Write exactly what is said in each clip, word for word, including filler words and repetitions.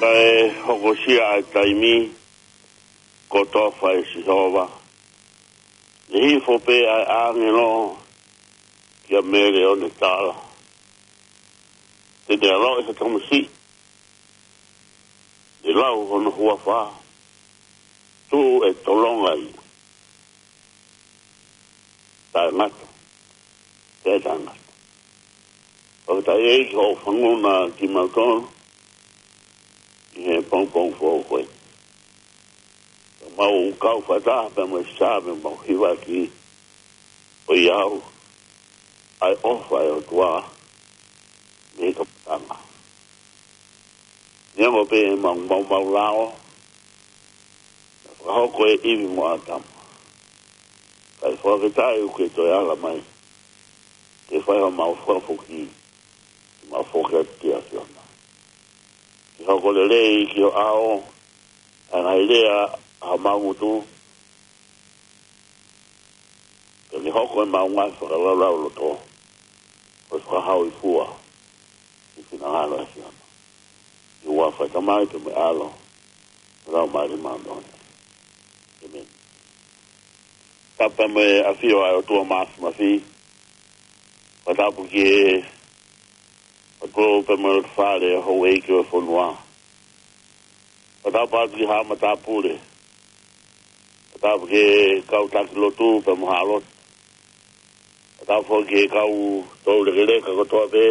Kae hokosia ʻa e taimi, ko e tofa ʻe Sihova. Ne hifo pē ʻa e ʻāngelo kia Mele ʻo ne tala: Te ne ʻaloʻi ha tamasiʻi, ne lau hono huafa, tuʻu ʻe tolonga ia. Taʻengata, taʻengata. Fakafetaʻi ʻEiki hoʻo fanongo kimautolu ʻi he pongipongi foʻou ko eni. Mau kau fakataha pea mo e sā pea mau hiva ki ʻo ʻiate au ʻa e ʻofa ʻa e ʻOtua mei he kamataʻanga. Neongo pē ʻemau maumau lao, naʻe fakahoko ʻe ʻIvi mo ʻĀtama. Kae fakafetaʻi ʻoku ke toe ala mai ke fai homau fakafoki, ke mau foki atu ki he ʻAfiona. Ke hoko lelei ki ho ʻao ʻa e ngaahi lea ʻa homau ngutu, pea ke hoko ʻemau ngaahi fakalaulauloto ko e fakahauifua ʻi he finangalo ʻo e ʻAfiona. ʻI he huafa ʻo e Tamai pea mo e ʻAlo, mo e Laumālie Māʻoniʻoni. ʻĒmeni. Tapu mo e ʻafio ʻa e ʻOtua Māfimafi, Fakatapu ki he ʻOtua pea mo e loto fale ʻo e houʻeiki ʻo e fonua. Fakatapu atu ki he haʻa matāpule. Fakatapu ki he kau taki lotu pea mo e haʻa lotu. Fakatapu foki ki he kau toulekeleka kotoa pē,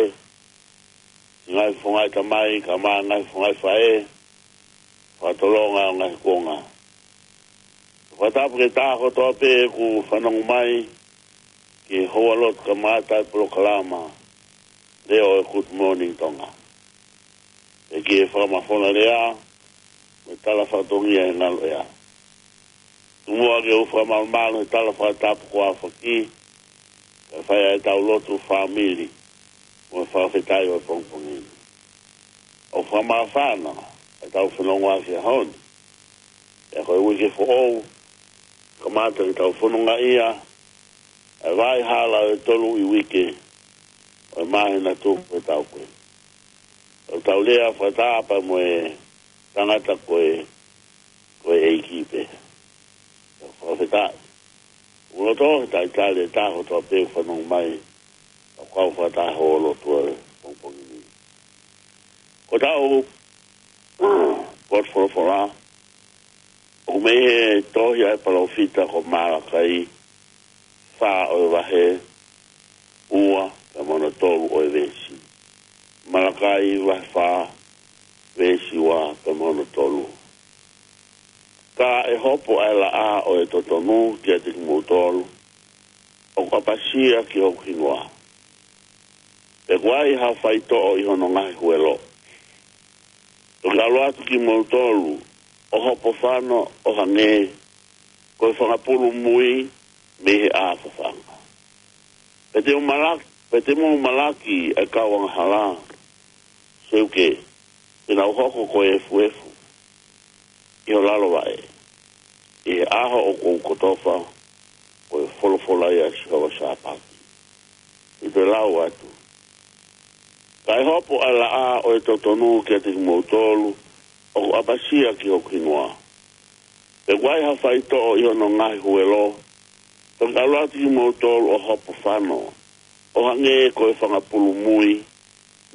ngaahi fofonga ʻo e tamai, kae ʻumaʻā e ngaahi fofonga ʻo e faʻē, fakatolonga ʻo e ngaahi kuonga. Fakatapu ki he taha kotoa pē kuo fanongo mai ki he houa lotu kamata e polokalama leo ʻo e Good Morning Tonga, pea ki he fakamafola lea mo e tala fatongia ʻi he ngalo ʻea. Tuku muʻa ke u fakamalumalu he tala fakatapu kuo aofaki, kae fai ai ʻetau lotu fāmili mo e fakafetaʻi ʻo e pongipongi ni. ʻOku fakamāfana ʻetau fononga he ʻaho ni, pea ko e uike foʻou, kamata ke tau fononga ia ʻa e vaʻa hala ʻo e tolu ʻi he uike ʻo e māhina tuku ʻe tau ko ē. ʻOku tau lea fakataha pea mo e tangata ko e, ko e ʻEiki pē. Fakafetaʻi. ʻOku loto ke talitali e taha kotoa pē ʻoku fanongo mai, ʻo kau fakataha he lotu ʻo e pongipongi ni. Ko ʻetau potu folofola, ʻoku mei he tohi ʻa e palōfita ko Malakai, fā ʻo e vahe ua pea mo hono tolu ʻo e veesi. Malakai vahe fā, veesi ua pea mo hono tolu. Ka ʻe hopo ʻa e laʻā ʻo e totonu kiate kimoutolu ʻoku ʻapasia ki hoku hingoa, pea ʻoku ʻi ai ha faitoʻo ʻi hono ngaahi huelo, toki ʻalu atu kimoutolu ʻo hopo fano ʻo hangē ko e fanga pulu mui mei he ʻā fafanga. Pea te mou malak-, pea te mou malaki ʻa e kau angahala, seuke, te nau hoko ko e efuefu ʻi ho lalo vaʻe ʻi he ʻaho ʻoku ou kotofa, ko e folofola ia ʻa Sihova Sāpaoti. ʻI he lau atu. Ka ʻe hopo ʻa e laʻā ʻo e totonu kiate kimoutolu ʻoku ʻapasia ki hoku hingoa, pea ʻoku ʻi ai ha faitoʻo ʻi hono ngaahi huelo, toki ʻalu atu kimoutolu ʻo hopo fano ʻo hangē ko e fanga pulu mui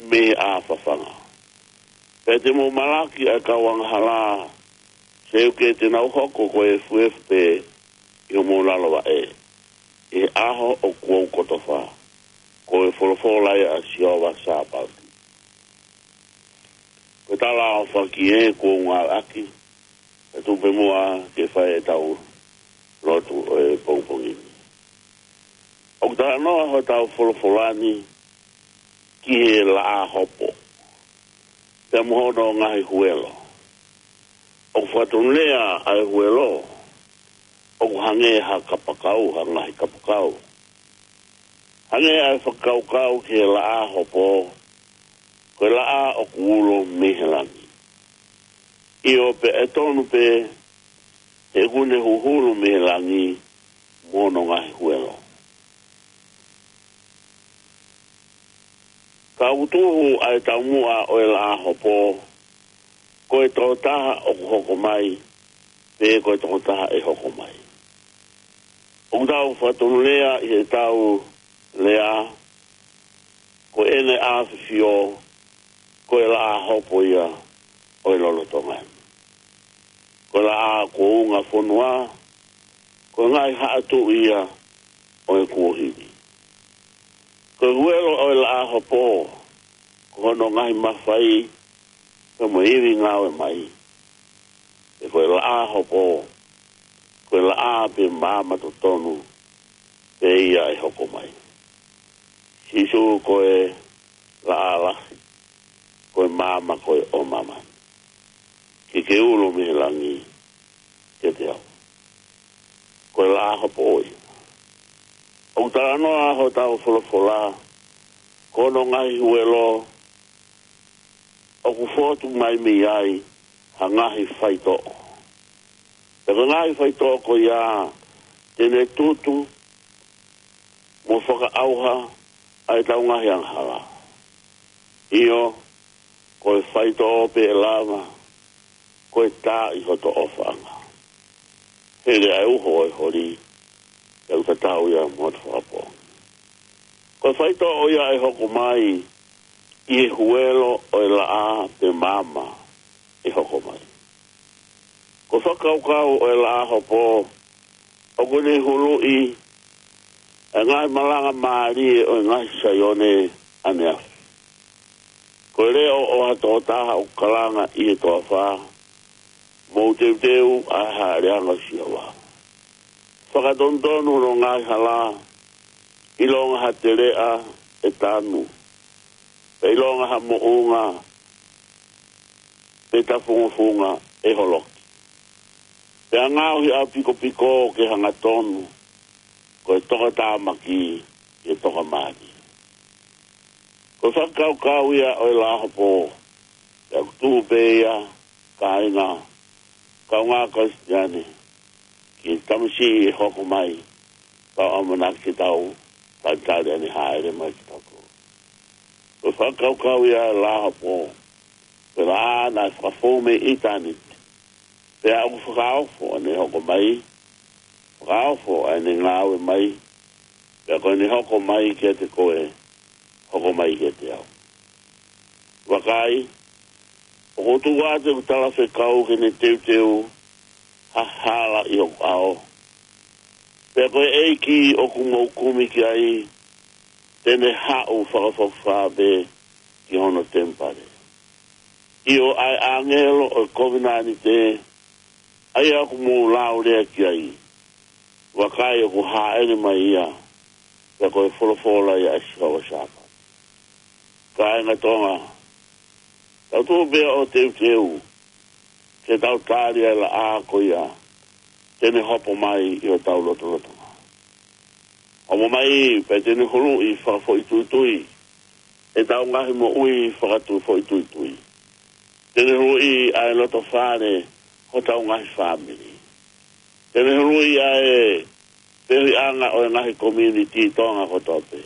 mei he ʻā fafanga. Pea te mou malaki ʻa e kau angahala, seuke, te nau hoko ko e efuefu pē ʻi homou lalo vaʻe ʻi he ʻaho ʻoku ou kotofa, ko e folofola ia ʻa Sihova Sāpaoti. Ko e tala ʻaofaki ē kuo u ngāueʻaki, pea tuku pē muʻa ke fai ʻetau lotu ʻo e pongipongi ni. ʻOku talanoa hotau folofola ni ki he laʻā hopo pea mo hono ngaahi huelo. ʻOku fakatonulea ʻa e huelo ʻoku hangē ha kapakau, ha ngaahi kapakau. Hangē ʻa e fakakaukau ki he laʻā hopo, ko e laʻā ʻoku ulo mei he langi. ʻIo, pea ʻe tonu pē, he ʻoku ne huhulu mei he langi mo hono ngaahi huelo. Ka ʻoku tuhu ʻa e taumuʻa ʻo e laʻā hopo, ko e tokotaha ʻoku hoko mai, pe ko e tokotaha ʻe hoko mai. ʻOku tau fakatonulea ʻi heʻetau lea, ko ʻene ʻafifio, ko e laʻā hopo ia ʻo e lolotonga ni. Ko e laʻā kuo unga fonua, ko e ngaahi haʻa tuʻi ia ʻo e kuohili. Ko e huelo ʻo e laʻā hopo, ko hono ngaahi mafai, pea mo e ivi ngāue mai. Pea ko e laʻā hopo, ko e laʻā pe maama totonu pē ia ʻe hoko mai. Sīsū ko e laʻā lahi, ko e maama ko ē ʻo māmani. Ke ke ulo mei he langi kiate au. Ko e laʻā hopo ʻoʻou. ʻOku talanoa hotau folofola, ko hono ngaahi huelo, ʻoku fotu mai mei ai ha ngaahi faitoʻo. Pea ko e ngaahi faitoʻo ko ia, te ne tutu mo fakaʻauha ʻa ʻetau ngaahi angahala. ʻIo, ko e faitoʻo pē ʻe lava, ko e tā ʻi hoto ʻofaʻanga. Hele ʻa e uho ʻo e holi, ʻe ʻutatau ia mo hoto fakapoongi. Ko e faitoʻo ia ʻe hoko mai ʻi he huelo ʻo e laʻā pe maama ʻe hoko mai. Ko e fakakaukau ʻo e laʻā hopo ʻoku ne huluʻi ʻa e ngaahi malanga mālie ʻo e ngaahi Saione ʻaneafi. Ko e leʻo ʻo ha tokotaha ʻoku kalanga ʻi he toafa, mou teuteu ʻa e haʻeleʻanga ʻo Sihova. Fakatonutonu hono ngaahi hala, ʻilonga ha teleʻa ʻe tanu, pea ʻilonga ha moʻunga pe tafungofunga ʻe holoki. Pea ngaohi ʻapikopiko ke hangatonu, ko e tokatāmaki ke tokamālie. Ko e fakakaukau ia ʻo e laʻā hopo, pea ʻoku tuʻu pē ia, kāinga, kaungā Kalisitiane, ki he tamasiʻi ʻe hoko mai, tau ʻamanaki ke tau talitali ʻene hāʻele mai kiate kitautolu. Ko e fakakaukau ia ʻo e laʻā hopo, ko e laʻā naʻe fakafou mei ʻitāniti, pea ʻoku fakaofo ʻene hoko mai, fakaofo ʻene ngāue mai, pea ko ʻene hoko mai kiate koe, hoko mai kiate au. Vakai, ʻoku ou tuku atu ʻeku talafekau ke ne teuteu ha hala ʻi hoku ʻao. Pea ko e ʻEiki ʻoku mou kumi ki ai, te ne haʻu fakafokifā pē ki hono temipale. ʻIo, ʻa e ʻāngelo ʻo e kovinānite, ʻa ia ʻoku mou laulea ki ai, vakai ʻoku hāʻele mai ia, pea ko e folofola ia ʻa Sihova Sāpaati. Kāinga Tonga, tau tuʻu pē ʻo teuteu, ke tau tali ʻa e laʻā ko ia, te ne hopo mai ʻi hotau lotolotonga. Hopo mai, pea te ne huluʻi fakafoʻituitui ʻetau ngaahi moʻui fakatuʻu foʻituitui. Te ne huluʻi ʻa e loto fale hotau ngaahi fāmili. Te ne huluʻi ʻa e feohiʻanga ʻo e ngaahi community Tonga kotoa pē.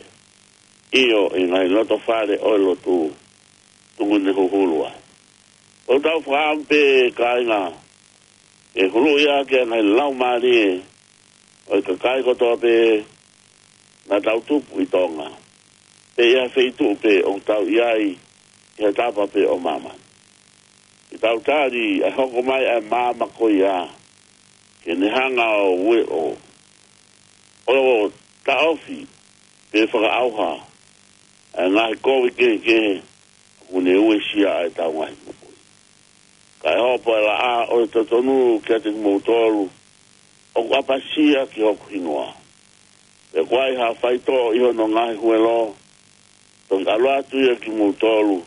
ʻIo, ʻi he ngaahi loto fale ʻo e lotu, tuku ne huhulu ai. ʻOku tau fakaʻamu pē, kāinga, ke huluʻi ʻaki ʻa e ngaahi laumālie ʻo e kakai kotoa pē naʻa tau tupu ʻi Tonga, pe ʻi ha feituʻu pē ʻoku tau ʻi ai ʻi ha tapa pē ʻo māmani. Ke tau tali ʻa e hoko mai ʻa e maama ko ia, ke ne hanga ʻo ue ʻo, ʻo taʻofi pe fakaʻauha ʻa e ngaahi kovi kehekehe ʻoku ne uesia ai ʻetau ngaahi moʻui. Kae hopo ʻa e laʻā ʻo e totonu kiate kimoutolu ʻoku ʻapasia ki hoku hingoa. Pea ʻoku ʻi ai ha faitoʻo ʻi hono ngaahi huelo, toki ʻalu atu ia kimoutolu,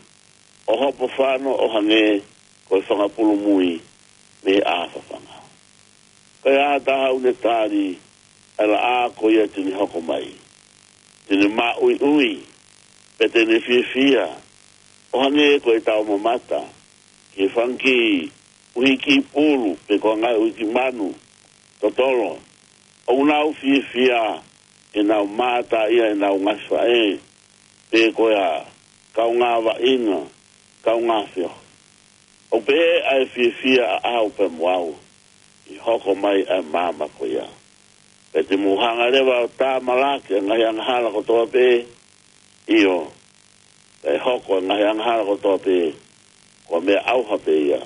ʻo hopo fano ʻo hangē ko e fanga pulu mui mei he ʻā fafanga. Ka ai ha taha ʻoku ne tali ʻa e laʻā ko ia te ne hoko mai, te ne māʻuiʻui, pea te ne fiefia, ʻo hangē ko ʻetau mamata ki he fanga kiʻi ʻuhiki pulu, pe ko e ngaahi ʻuhiki manu totolo, ʻoku nau fiefia, ʻenau mātā ia ʻenau ngaahi faʻē, pe ko e hā, kaungā vaʻinga, kaungā feohi. ʻOku pehē ʻa e fiefia ʻaʻau pea mo au ʻi he hoko mai ʻa e maama ko ia. Pea te mou hanga leva ʻo tāmalaki ʻa e ngaahi angahala kotoa pē, ʻio, pea ʻe hoko ʻa e ngaahi angahala kotoa pē ko e meʻa ʻauha pē ia,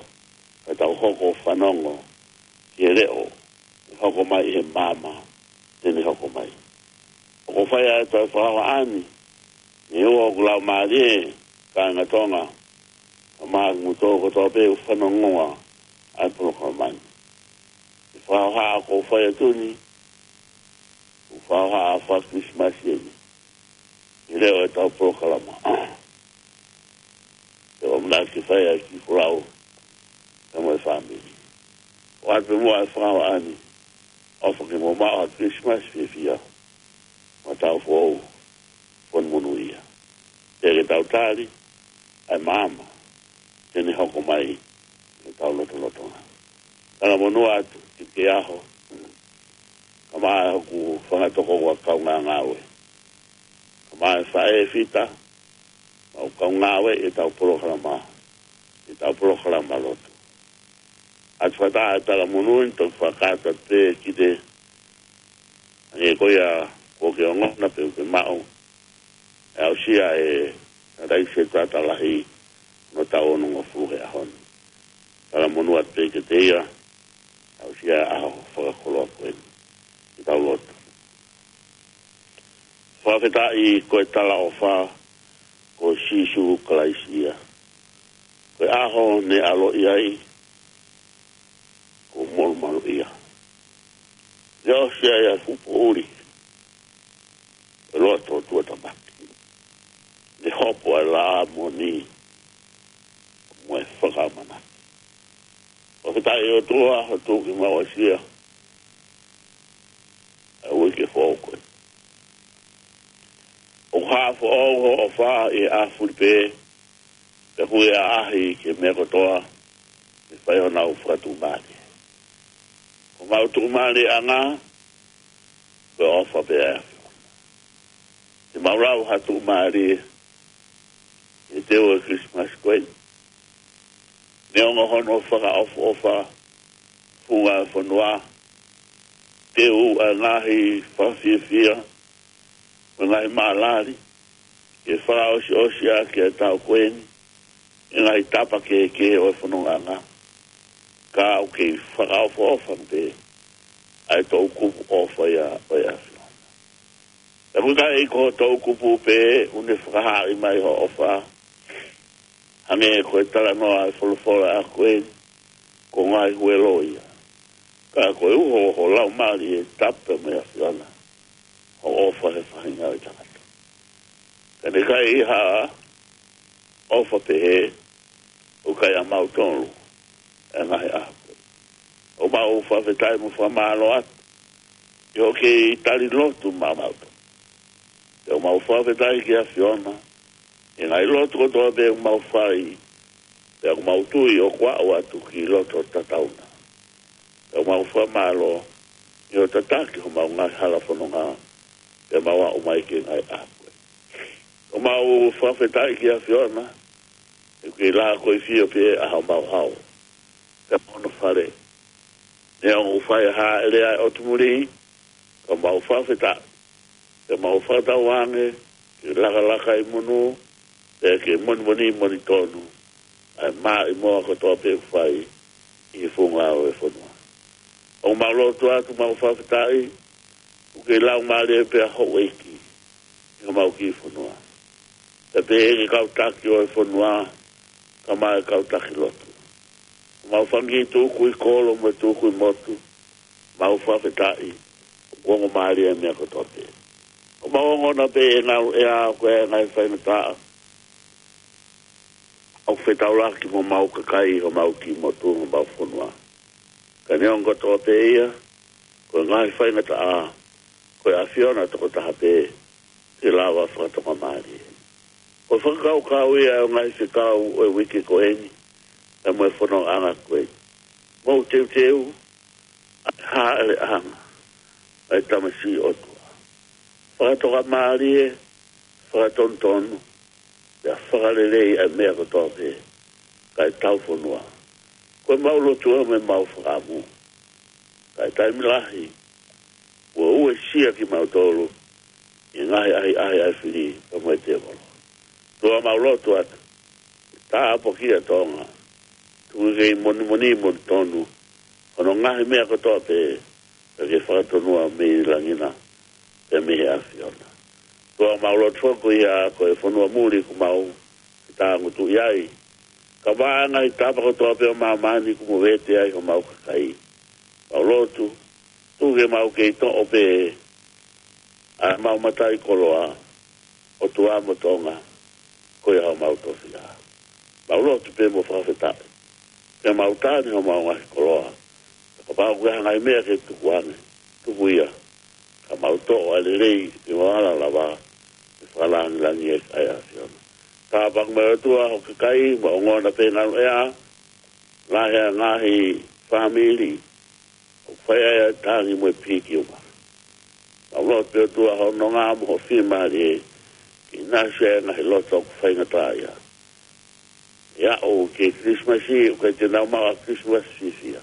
ka tau hoko ʻo fanongo ki he leʻo ʻe hoko mai ʻi he maama te ne hoko mai. ʻOku ou fai atu ʻa e fakahohaʻa ni, neongo ʻoku laumālie, kāinga Tonga, kae ʻumaʻā kimoutolu kotoa pē ʻoku fanongo ʻa e polokalama ni. ʻI he fakahohaʻa ʻoku ou fai atu ni, ʻoku ou fakahohaʻa ʻa e faka-Kilisimasi eni, ʻi he leʻo ʻetau polokalama. Te u ʻamanaki ke fai ʻa e kiʻi folau pea mo e fāmili. ʻOatu pē muʻa ʻa e fakahohaʻa ni, ʻofa ke mou maʻu ha Kilisimasi fiefia, mo ha taʻu foʻou fonu monūʻia. Pea ke tau tali ʻa e maama te ne hoko mai ʻi hotau lotolotonga. Talamonū atu ki he ʻaho, kae ʻumaʻā hoku fanga tokoua kaungāngāue, kae ʻumaʻā e faʻē Fita, mau kaungāue ʻi heʻetau polokalama, ʻi heʻetau polokalama lotu. ʻOatu fakataha ʻa e talamonū ni, toki fakakakato atu pē ki he, hangē ko ia kuo ke ongona pe ʻoku ke maʻu, ʻE aʻusia ʻe Tangataʻeiki Setuata Lahi hono taʻu onongofulu he ʻaho ni. Talamonū atu pē kiate ia, ʻe aʻusia e ʻaho fakakoloa ko eni. Ke tau lotu. Fakafetaʻi ko e talaʻofa ko Sīsū Kalaisi ia. Ko e ʻaho ne ʻaloʻi ai, kuo molumalu ia. Ne ʻosi ai ʻa e fuʻu poʻuli, ʻi loto ʻo tuʻatāmaki. Ne hopo ʻa e laʻā moʻoni mo e fakaʻamanaki. Fakafetaʻi ʻOtua, hoʻo tuku ke mau aʻusia ʻa e uike foʻou ko eni. ʻOku hā foʻou hoʻo ʻofa ʻi he ʻaho fulipē, pea ʻoku ʻaʻahi ki he meʻa kotoa, ke fai honau fakatuʻumālie. Ko homau tuʻumālieʻanga, ko e ʻofa pē ʻa e ʻAfiona. Te mau lau ha tuʻumālie, ʻi he teu ʻo e Kilisimasi ko eni. Neongo hono fakaʻofoʻofa, funga e fonua, teu ʻa e ngaahi fakafiefia, mo e ngaahi maʻalali, ke fakaʻosiʻosi ʻaki ʻa e taʻu ko eni, ʻi he ngaahi tapa kehekehe ʻo e fonongaʻanga. Ka ʻoku kei fakaʻofoʻofa pē ʻa e toʻukupu ʻofa ia ʻo e ʻAfiona. Pea ʻoku ʻikai ko e toʻukupu pē ʻoku ne fakahaaʻi mai hoʻo ʻofa, hangē ko e talanoa ʻa e folofola ʻaho ko eni, ko e ngaahi huelo ia. Ka ko e uho ho laumālie tapu mo e ʻAfiona, hoʻo ʻofa he faʻahinga ʻo e tangata. Ka ne ʻikai ha ʻofa pehē, ʻoku ʻikai ʻamautolu ʻa e ngaahi ʻaho ko ē. ʻOku mau fakafetaʻi mo fakamālō atu, ʻi hoʻo kei tali lotu maʻamautolu. Pea ʻoku mau fakafetaʻi ki he ʻAfiona, ʻi he ngaahi lotu kotoa pē ʻoku mau fai, pea ʻoku mau tui ʻoku aʻu atu ki he loto tatau na. Pea ʻoku mau fakamālō, ʻi hoʻo tataki homau ngaahi hala fononga, pea mau aʻu mai ki he ngaahi ʻaho ko ē. ʻOku mau fakafetaʻi ki he ʻAfiona, he ʻoku kei lākoifio pē ʻa homau hao, pea mo hono fale. Neongo ʻoku fai ha hāʻele ʻa e ʻotu muli, ka mau fakafetaʻi, pea mau fakatauange ke lakalaka ʻi he monū, pea ke monimoni monitonu ʻa e maʻimoa kotoa pē ʻoku fai ʻi he funga ʻo e fonua. ʻOku mau lotu atu, mau fakafetaʻi, ʻoku kei laumālie pē ʻa houʻeiki ʻi homau kiʻi fonua. Pea pehē ki he kau taki ʻo e fonua, kae ʻumaʻā e kau taki lotu. Mau fanga kiʻi tukui kolo mo e tukui motu, mau fakafetaʻi, ʻoku ongo mālie e meʻa kotoa pē. ʻOku mau ongona pē ʻi he ngaluʻea ʻoku ʻi ai e ngaahi faingataʻa ʻoku fetaulaki mo homau kakai, homau kiʻi motu, homau fonua. Ka neongo kotoa pē ia, ko e ngaahi faingataʻa, ko e ʻAfiona tokotaha pē te lava fakatokamālie. Ko e fakakaukau ia ʻo e ngaahi fekau ʻo e uike ko eni, pea mo e fonongaʻanga ko eni. Mou teuteu ʻa e hāʻeleʻanga ʻa e tamasiʻi ʻOtua. Fakatokamālie, fakatonutonu, pea fakalelei ʻa e meʻa kotoa pē, kae tau fonua. Ko ʻemau lotu mo ʻemau fakaʻamu, kae taimi lahi, kuo uesia kimautolu ʻi he ngaahi ʻahiʻahi ʻa e fili pea mo e tēvolo. ʻOtua, mau lotu atu, tāpuakiʻi ʻa Tonga, tuku ke monimoni monitonu hono ngaahi meʻa kotoa pē, pea ke fakatonua mei langi na, pea mei he ʻAfiona. ʻOtua, mau lotu foki ia ko e fonua muli ʻoku mau fetāngutuʻi ai, kae ʻumaʻā e ngaahi tapa kotoa pē ʻo māmani ʻoku movete ai homau kakai. Mau lotu, tuku ke mau kei toʻo pē ʻa ʻemau mataʻikoloa, ʻOtua mo Tonga, ko ia homau tofiʻa. Mau lotu pē mo fakafetaʻi, ke mau tali homau ngaahi koloa. Kapau ʻoku ʻi ai ha ngaahi meʻa ke tukuange, tuku ia, ka mau toʻo ʻa e lelei ʻi he vala lava, ʻi he fakalangilangi ʻa e ʻAfiona. Tāpuakiʻi mai ʻOtua ho kakai, mo e ongona pē ngaluʻea, lahi ʻa e ngaahi fāmili ʻoku fai ai ʻa e tangi mo e pikiuma. Mau lotu pē ʻOtua hoʻo nonga mo hoʻo fiemālie ke ʻinasi ʻa e ngaahi loto ʻoku faingataʻaʻia. ʻI he aʻu ki he Kilisimasi, ʻoku ʻikai te nau maʻu ʻa e Kilisimasi fiefia.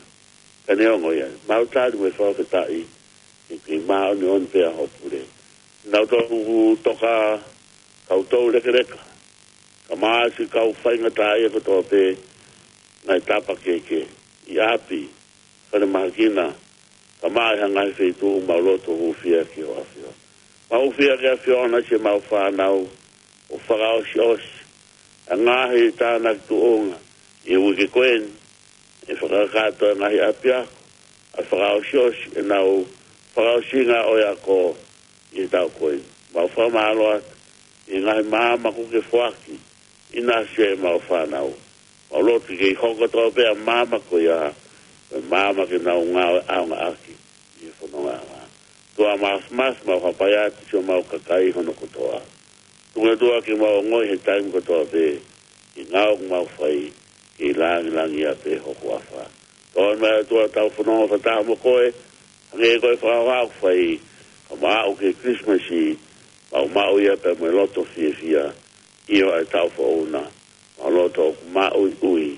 Ka neongo ia, mau tali mo e fakafetaʻi, he ʻoku kei māʻoniʻoni pē ʻa hoʻo pule. Nau tō ʻoku toka kau toulekeleka, kae ʻumaʻā siʻi kau faingataʻaʻia kotoa pē, ngaahi tapa kehekehe, ʻi ʻapi, falemahaki na, kae ʻumaʻā ʻi ha ngaahi feituʻu, mau lotu hūfia ki hoʻo ʻAfiona. Mau hūfia ki he ʻAfiona siʻemau fānau, ʻo fakaʻosiʻosi ʻa e ngaahi tānaki tuʻunga ʻi he uike ko eni, ʻe fakakakato e ngaahi ʻapiako, ʻa e fakaʻosiʻosi ʻenau fakaʻosinga ʻo e ako ʻi he taʻu ko eni. Mau fakamālō atu ʻi he ngaahi maama kuo ke foaki ʻi he ʻaʻahi ʻemau fānau. Mau lotu ke kei hoko kotoa pē ʻa e maama ko ia ko e maama ke nau ngāue ʻaonga ʻaki ʻi he fononga ʻa e ʻOtua. Māfimafi, mau hapai atu siʻemau kakai hono kotoa. Tuku ʻOtua ke mau ongoʻi he taimi kotoa pē, ʻi he ngāue ʻoku mau fai, ke langilangiʻia pē ho huafa. Tokoni mai ʻOtua ʻetau fononga fakataha mo koe, hangē ko e fakahoha ʻoku fai, kae ʻumaʻā ʻa e Kilisimasi, mau maʻu ia pea mo e loto fiefia, ʻi he taʻu foʻou na, mau loto ʻoku maʻuiʻui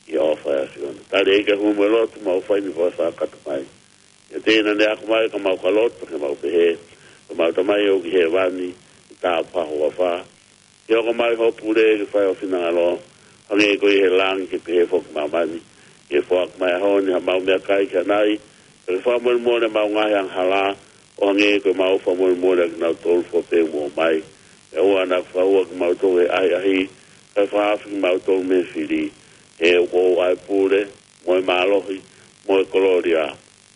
ʻi he ʻofa ʻa e ʻAfiona. Tali ʻEiki ʻa e hū mo e lotu mau fai ni, fai fakakātoa mai. ʻIate ia naʻe ako mai, ka mau ka lotu, ke mau pehē, ko ʻemau Tamai ʻoku ʻi hēvani, ke tāpuhā ho huafa. Ke hoko mai hoʻo pule, ke fai ho finangalo, hangē ko ia ʻi he langi, ke pehē foki ʻi māmani. Ke foaki mai he ʻaho ni haʻamau meʻakai ki ʻanai, ke fakamolemole ʻemau ngaahi angahala, ʻo hangē ko ʻemau fakamolemole ʻa kinautolu fua pē ʻoku mou ʻomai. ʻOua naʻa ke fakahua kimautolu he ʻahiʻahi, kae fakahaofi kimautolu mei he fili. He ʻoku ʻa koe ʻa e pule, mo e mālohi, mo e kolōlia,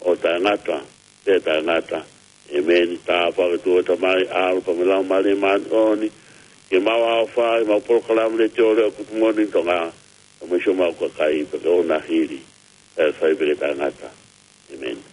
ʻo taʻengata pea taʻengata. ʻĒmeni. Tāpuaki ʻa e ʻOtua Tamai, ʻAlo pea mo e Laumālie Māʻoniʻoni, ke mau ʻofa ʻi heʻemau polokalama Letiō Leʻo ʻo e Kupuʻi Moʻoni ʻi Tonga, kae ʻumaʻā siʻomau kakai, pea ke ʻoua naʻa hili, kae fai pē ke taʻengata. ʻĒmeni.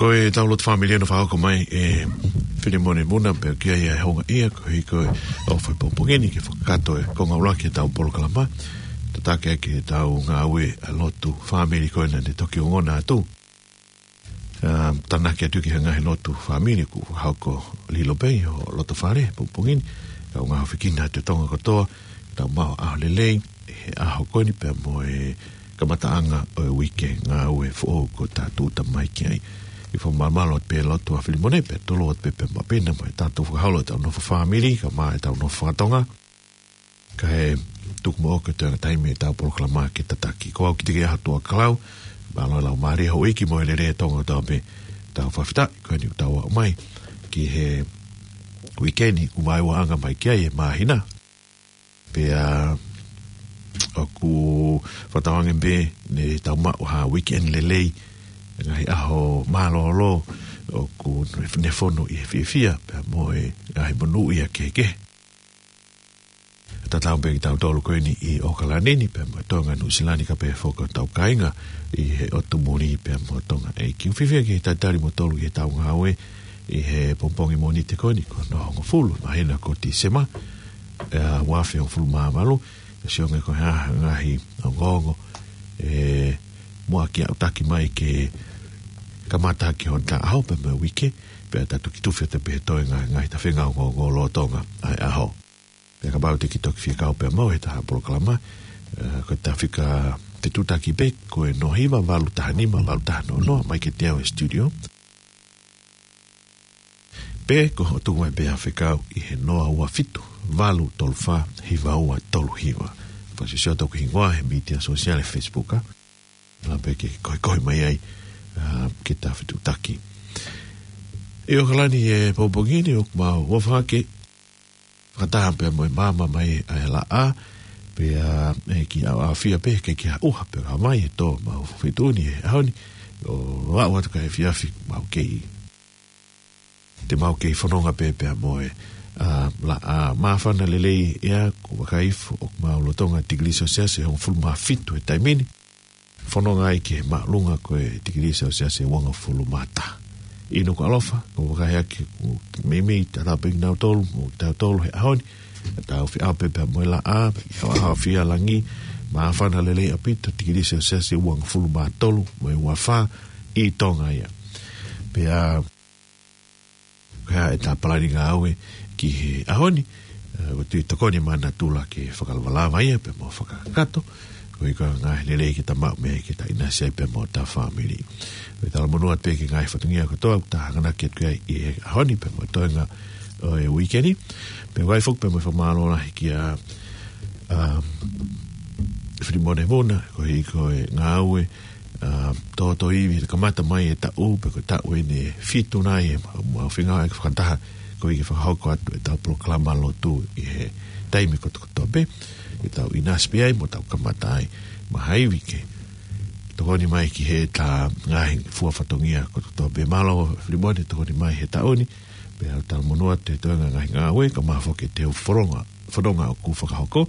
Ko ʻetau lotu fāmili ʻoku fakahoko mai ʻe Filimone Muna, pea ʻoku ʻi ai ʻa e houngaʻia koeʻuhi ko e ʻofa ʻi he pongipongi ni ke fakakakato e konga ʻuluaki ʻetau polokalama. Tataki ʻaki ʻetau ngāue ʻa e lotu fāmili ko ena naʻe toki ongona atu. ʻA, tānaki atu ki he ngaahi lotu fāmili kuo hoko lilo pē ʻi ho loto fale he pongipongi ni. Kau ngaahi ʻofa ki he ʻOtua ʻi Tonga kotoa, tau maʻu ha ʻaho lelei he ʻaho ko eni pea mo e kamataʻanga ʻo e uike ngāue foʻou kuo tau tūʻuta mai ki ai. ʻOku fakamālō atu pē lotu ʻa Filimone pea toloi atu pē pea mo Pena mo e tatou fakaholo ʻetau nofo fāmili, kae ʻumaʻā ʻetau nofo fakatonga. Kae tuku muʻa ke toe ʻi ai ha taimi ʻetau polokalama ke tataki. Ko au Kitike ʻa Tuʻakalau, mālō e laumālie houʻeiki mo e lelei ʻa Tonga kotoa pē, tau fakafetaʻi ko eni ʻoku tau aʻu mai ki he uike ni kuo vaeua ʻanga mai ki ai e māhina. Pea ʻoku fakatauange pē ne tau maʻu ha weekend lelei, ngaahi ʻaho mālōlō, ʻoku ne fonu ʻi he fiefia, pea mo e ngaahi monūʻia kehekehe. Tatau pē kitautolu ko eni ʻi ʻAokalani ni, pea mo Tonga, Nuʻusila ni, kae pehē foki hotau kāinga ʻi he ʻotu muli pea mo Tonga. ʻOku ou fiefia ke talitali kimoutolu ki heʻetau ngāue ʻi he pongipongi Mōnite ko eni, ko hono hongofulu māhina ko Tīsema, ʻa e ua afe hongofulu mā valu, ʻe sio ange ko e hā ha ngaahi ongoongo ʻe muʻaki aʻutaki mai ke kamata ki hono taʻu pea mo e uike, pea tau toki tufi atu pē he toe ngaahi, ngaahi tafenga ongoongo lolotonga ʻa e ʻaho. Pea kapau te ke toki fie kau pea mo au he taha polokalama, ʻa, ko e taha fika fetuʻutaki pē, ko e noa hiva valu taha nima valu taha noa noa, mai kiate au he studio. Pe ko hoʻo tuku mai pē ha fekau ʻi he noa ua fitu valu tolu fā hiva ua tolu hiva. Sio, sio toku hingoa he mītia sōsiale Facebook, ā. Lava pē ke koekoe mai ai, ā, ke ta fetuʻutaki. ʻI ʻAokalani he pongipongi ni ʻoku mau ʻofa ke fakataha pē mo e maama mai ʻa e laʻā, pea, ē, kiʻi ʻaoʻaofia pē ke kiʻi ʻuha pē ka mai e tō mau feituʻu ni he ʻaho ni, ʻo aʻu atu ki he efiafi mau kei te mau kei fononga pē pea mo e, ā, laʻā. Māfana lelei ʻa e ʻea, ʻoku vakai hifo ʻoku mau lolotonga tikilī selesiasi ʻe hongofulu mā fitu he taimi ni. Fononga ai ki he māʻolunga ko e tikilī selesiasi ʻe uangofulu mā taha. ʻI Nukuʻalofa, ʻoku vakai hake ʻoku meimei tatau pē kinautolu mo tautolu he ʻaho ni. Tau feʻao pē pea mo e laʻā, ʻaoʻaofia langi, māfana lelei ʻaupito, tikilī selesiasi ʻe uangofulu mā tolu mo e uafā ʻi Tonga ia. Pea ko e hā ʻeta palani ngāue ki he ʻaho ni, ē, ʻoku tui tokoni mai natula ke fakalavalava ia pea mo fakakakato, koeʻuhi ko e ngaahi lelei ke ta maʻu mei ai ke ta ʻinasi ai pea mo hota fāmili. Pea talamonū atu pē ki he ngaahi fatongia kotoa ʻoku ta hanganaki atu ki ai ʻi he ʻaho ni pea mo e toenga ʻo e uike ni. Pea ʻoku ʻi ai foki pea mo e fakamālō lahi kia, ā, Filimone Vuna, koeʻuhi ko e ngāue ā, tōtō ivi, kamata mai e taʻu, pe ko e taʻu eni ʻe fitu nai ʻe ma-, mau feinga ai ke fakataha, koeʻuhi ke fakahoko atu ʻetau polokalama lotu ʻi he taimi kotokotoa pē, ke tau ʻinasi pē ai mo tau kamata ai, maʻa ha ivi ke tokoni mai ki heʻeta ngaahi fua fatongia kotokotoa pē. Mālō Filimone tokoni mai he taʻu ni, pea talamonū atu he toenga ngaahi ngāue, kae ʻumaʻā foki ʻetau fononga, fononga ʻoku fakahoko,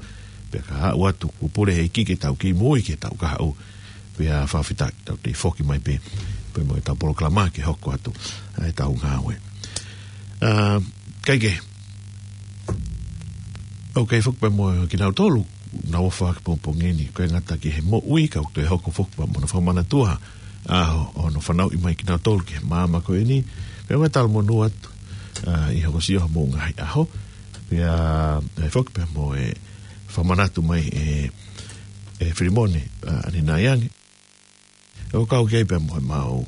pea ka aʻu atu kuo pule he ʻEiki ke tau kei moʻui ki he taʻu kahaʻu, pea fakafetaʻi tau toe foki mai pē, pea mo ʻetau polokalama ke hoko atu ʻa ʻetau ngāue. Ā, kae kehe, ʻoku ʻi ai foki pea mo kinautolu naʻa nau ʻofa he pongipongi ni, ʻikai ngata ki he moʻui, ka ʻoku toe hoko foki pea mo hono fakamanatua ʻa ho-, hono fanauʻi mai kinautolu ki he maama ko eni. Pea ʻoku talamonū atu, ā, ʻi he hokosia homou ngaahi ʻaho. Pea, ʻi ai foki pea mo e fakamanatu mai ʻe, ʻe Filimone, ā, ʻanenai ange. ʻOku kau ki ai pea mo ʻemau,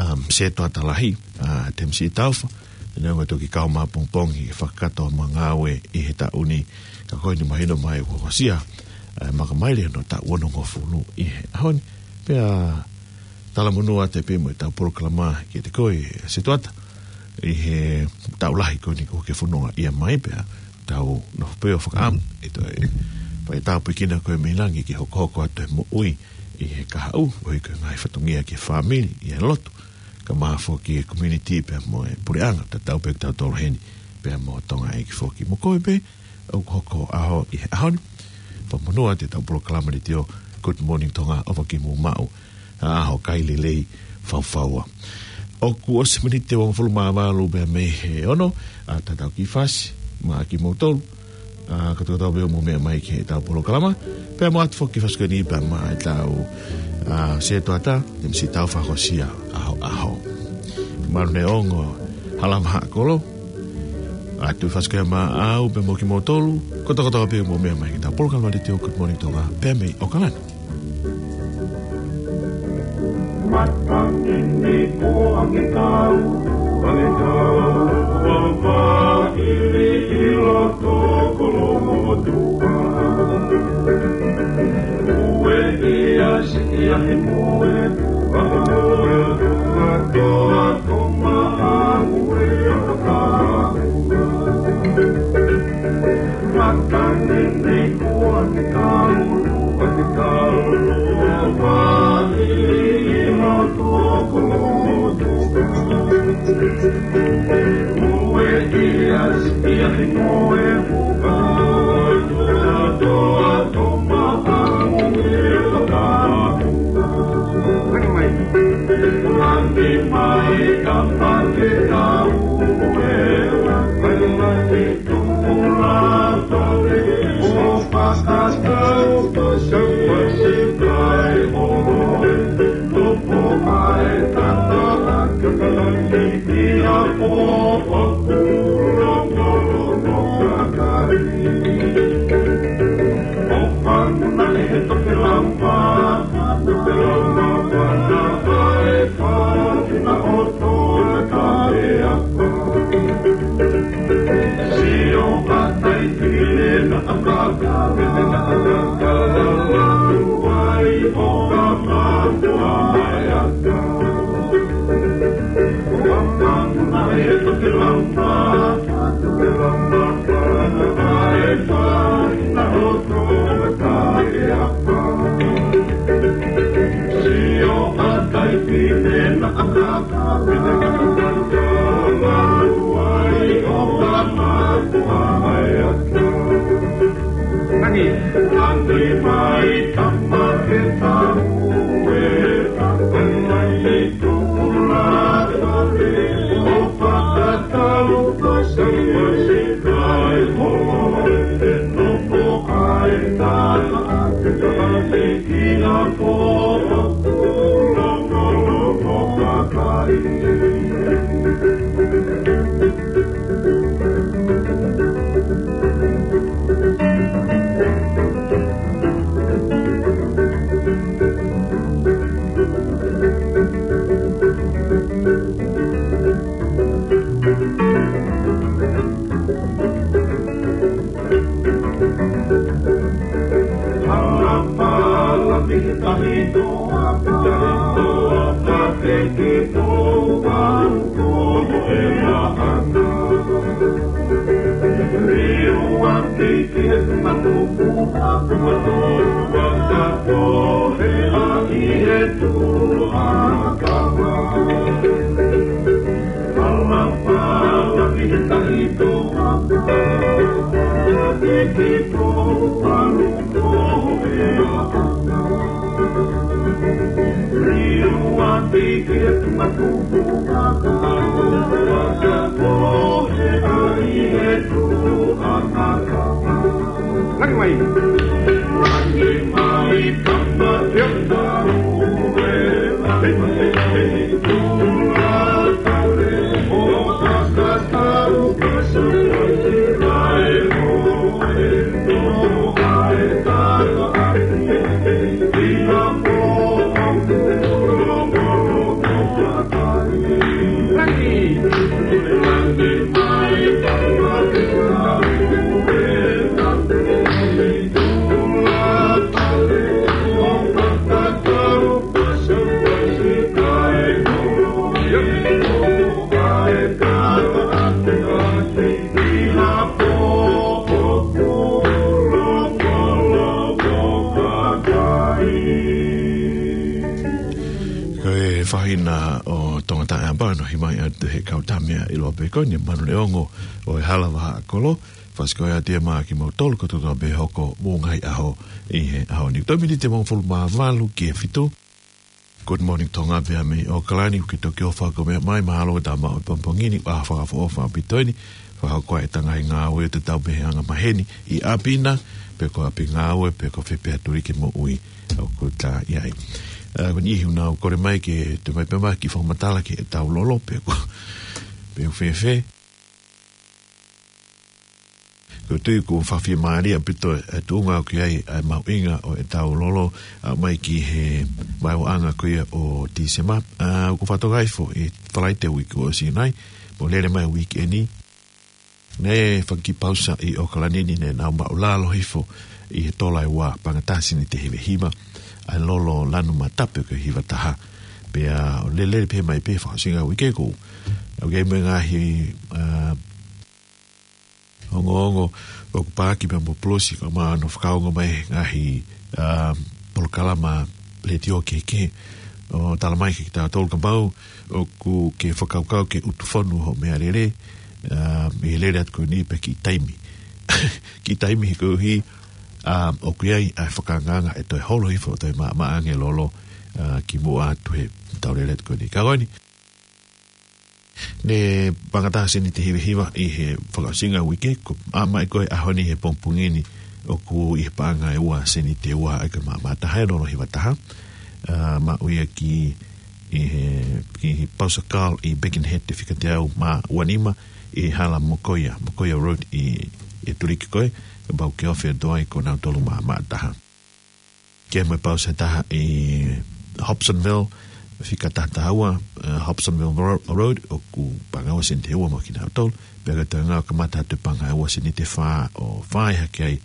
um, sētuata lahi, ā, Temisi Taufa, neongo ʻe toki kau mai he pongipongi ke fakakakato ʻemau ngāue ʻi he taʻu ni, ka ko eni mahino mai ʻoku hokosia, ā, makamaile hono taʻu onongofulu ʻi he ʻaho ni, pea talamonū atu pē mo ʻetau polokalama kiate koe, sētuata, ʻi he taʻu lahi ko eni kuo ke fononga ia mai pea, tau nofo pē ʻo fakaʻamu, ʻe toe fai ʻetau pīkina ko e mei langi ke hokohoko atu e moʻui ʻi he kahaʻu, ʻo ʻi he ngaahi fatongia ki he fāmili, ʻi he lotu, kae ʻumaʻā foki e community pea mo e puleʻanga, tatau pē kitautolu heni, pea mo Tonga ʻEiki foki mo koe pē, ʻoku hoko ʻaho ʻi he ʻaho ni. Fakamonū atu ʻetau polokalama letiō, Good Morning Tonga, ʻofa ke mou maʻu ha ʻaho kai lelei faufaua. ʻOku ʻosi miniti ʻe uangofulu mā valu pea mei he ono, ʻa tatau ki fasi, maʻa kimoutolu, ā, kotoa kotoa pē ʻoku mou meʻa mai ki heʻetau polokalama, pea mo ʻoatu foki fasi ko eni pea maʻa ʻetau, ā, sētuata, Temisi Taufa hokosia ʻaho, ʻaho. Malu Neongo, Halavahaʻakolo, ʻoatu fasi ko ia maʻau pea mo kimoutolu, kotoa kotoa pē ʻoku mou meʻa mai ki heʻetau polokalama letiō Good Morning Tonga, pea mei ʻAokalani. Matangi ni ko ange kau, ange kau, papa ili ilo toko lomotua. Ue ia si ia he moe, papa moe, katoa toma a ue a kau. Ko e faʻahinga ʻo Tonga Taʻeʻapaʻapa, ʻoku ʻomai atu he kau tama ʻi loto pē ko eni, Manuleongo ʻo e Hala Vahaʻakolo, fasi ko ia ʻa e tema kiate kimoutolu kotoa pē hoʻomou ngaahi ʻaho ʻi he ʻaho ni. Toe miniti ʻe hongofulu mā valu ki he fitu. Good morning, Tonga, pea mei ʻAokalani, ʻoku ke toki ʻofa ʻaupito mai, mahalo ʻoku tau maʻu e pongipongi ni, ʻa fakaʻofoʻofa ʻaupito eni, fakahoko ʻetau ngaahi ngāue ʻo tatau pē he anga maheni, ʻi ʻapi na, pe ko ʻapi ngāue, pe ko fē pē ha tuliki moʻui ʻoku tau ʻi ai. ʻA, ko e niʻihi ʻoku nau kole mai ke toe ʻomai pē mai ha kiʻi fakamatala ki heʻetau lolo, pe ko, pe ko fēfē. Ko e tui ʻoku fakafiemālie ʻaupito e tuʻunga ʻoku ʻi ai ʻa e mahuʻinga ʻo ʻetau lolo, ʻa, mai ki he vaeuaʻanga ko ia ʻo Tīsema. ʻA, ʻoku fakatokangaʻi foki ʻi he Falaite uike ʻosi nai, mo lele mai uike ni. Naʻe fai e kiʻi pausa ʻi ʻAokalani ni, naʻa nau maʻulalo hifo ʻi he tola ʻe ua, paʻanga taha sēniti ʻe hiva hiva, ʻa e lolo lanu matape ko e hiva taha. Pea ʻo lele pē mai pē fakaʻosinga uike ko ē. ʻOku ʻi ai mo e ngaahi, ʻa, ongoongo ʻoku paaki pea mo e polosi, kae ʻumaʻā hono fakaongo mai e ngaahi, ʻa, polokalama letiō kehekehe, ʻo tala mai kiate kitautolu kapau ʻoku ke fakakaukau ke ʻutu fonu hoʻo meʻalele, ʻa, ʻi he lele atu ko eni pe kiʻi taimi. Kiʻi taimi he koeʻuhi, ʻa, ʻoku ʻi ai ʻa e fakaangaanga ʻe toe holo hifo, toe maʻamaʻa ange e lolo, ʻa, kimuʻa atu heʻetau lele atu ko eni. Ka ko eni, naʻe paʻanga taha sēniti ʻe hiva hiva ʻi he fakaʻosinga uike, ko e ʻomai ko ē ʻaho ni he pongipongi ni, ʻoku ʻi he paʻanga ʻe ua sēniti ʻe ua, ʻa ia ko e maʻamaʻa taha e lolo hiva taha. ʻA, maʻu ia ki, ʻi he, ki he Pausa Car ʻi Birkenhead, ʻe fika teau mā ua nima, ʻi he hala Mokoia, Mokoia Road ʻi, ʻi Tuliki ko ē, kapau ʻoku ke ofi atu ai, ko nautolu maʻamaʻa taha. Ke mo e pausa ʻe taha ʻi Hobsonville, fika taha taha ua, ʻa, Hobsonville Ro-, Road, ʻoku paʻanga ua sēniti ʻe ua maʻa kinautolu, pea ko e toenga ʻoku kamata atu e paʻanga ʻe ua sēniti ʻe fā ʻo fai hake ai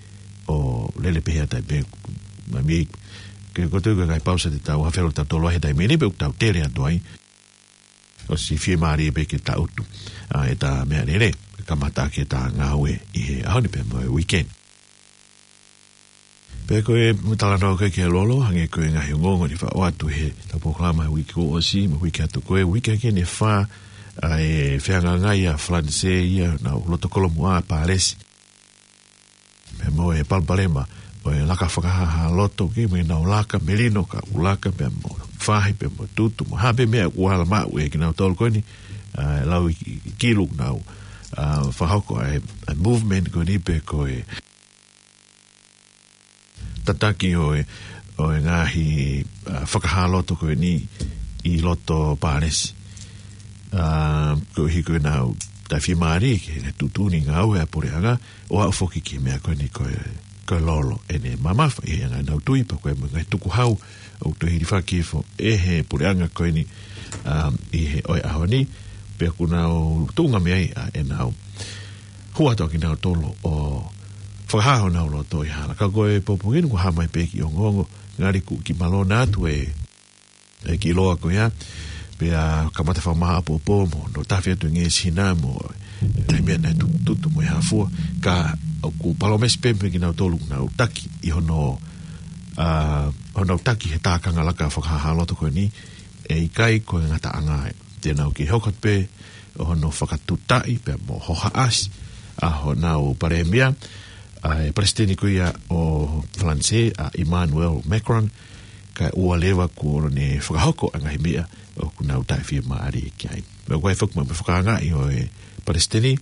ʻo lele pē he taimi pē, mai mei, ke ko e tui ko e ngaahi pausa te tau hafelo tautolu ai he taimi ni pe ʻoku tau tele atu ai. ʻOsi fiemālie pē ke tau ʻutu, ʻa, ʻetau meʻalele, kamata ʻaki ʻetau ngāue ʻi he ʻaho ni pea mo e uike ni. Pea ko e talanoa ko ē ki he lolo, hangē ko e ngaahi ongoongo naʻe fakaʻoatu heʻetau polokalama he uike kuo ʻosi, mo e uike atu ko ē, uike ko eni ʻe fā, ʻa e fehangahangai ʻa Falanisē ia, naʻa nau loto kolomuʻa ʻa Pālesi. Pea mo e palopalema ʻo e laka fakahāhā loto, ke mo ʻenau laka melino, ka ʻoku laka pē mo fahi pē mo tutu, mo ha pē meʻa ʻoku ala maʻu ʻe kinautolu ko eni, ʻa, lau i, i kilu nau, ʻa, fakahoko ʻa e, ʻa e movement ko eni pe ko e tataki ʻo e, ʻo e ngaahi, ʻa, fakahā loto ko eni ʻi loto Pālesi. ʻA, koeʻuhi ko ʻenau taʻefiemālie ki he tuʻutuʻuni ngāue ʻa e puleʻanga, ʻo aʻu foki ki he meʻa ko eni ko e, ko e lolo ʻene mamafa ʻi he anga ʻenau tui, pea ko e mo e ngaahi tukuhau ʻoku toe hilifaki hifo ʻe he puleʻanga ko eni, ʻa, ʻi he ʻo e ʻaho ni, pea ʻoku nau tuʻunga mei ai ʻa ʻenau hū atu ʻa kinautolu ʻo fakahā honau loto ʻi he hala. Ka ko e pōpoaki ni kuo hā mai pē ki ongoongo, ngali kuo kiʻi malona atu e, e kiʻi loa ko ia, pea kamata fakamāʻopoʻopo mo, nau tafe atu e ngeʻesi hina mo, e ngaahi meʻa naʻe tu-, tutu mo e hā fua, ka ʻoku palōmesi pē mei kinautolu ʻoku nau taki ʻi hono, ʻa, hono taki he tākanga laka fakahā loto ko eni, ʻe ʻikai ko e ngataʻanga ē. Te nau kiʻi hoko atu pē ʻo hono fakatutaʻi pea mo hohaʻasi ʻa honau palēmia, ʻa e palesiteni ko ia ʻo Falanisē, ʻa Emmanuel Macron, kae ʻoua leva kuo ne fakahoko ʻa e ngaahi meʻa ʻoku nau taʻefiemālie ki ai. Pea ʻoku ʻi ai foki mo e fakaangaʻi ʻo e palesiteni,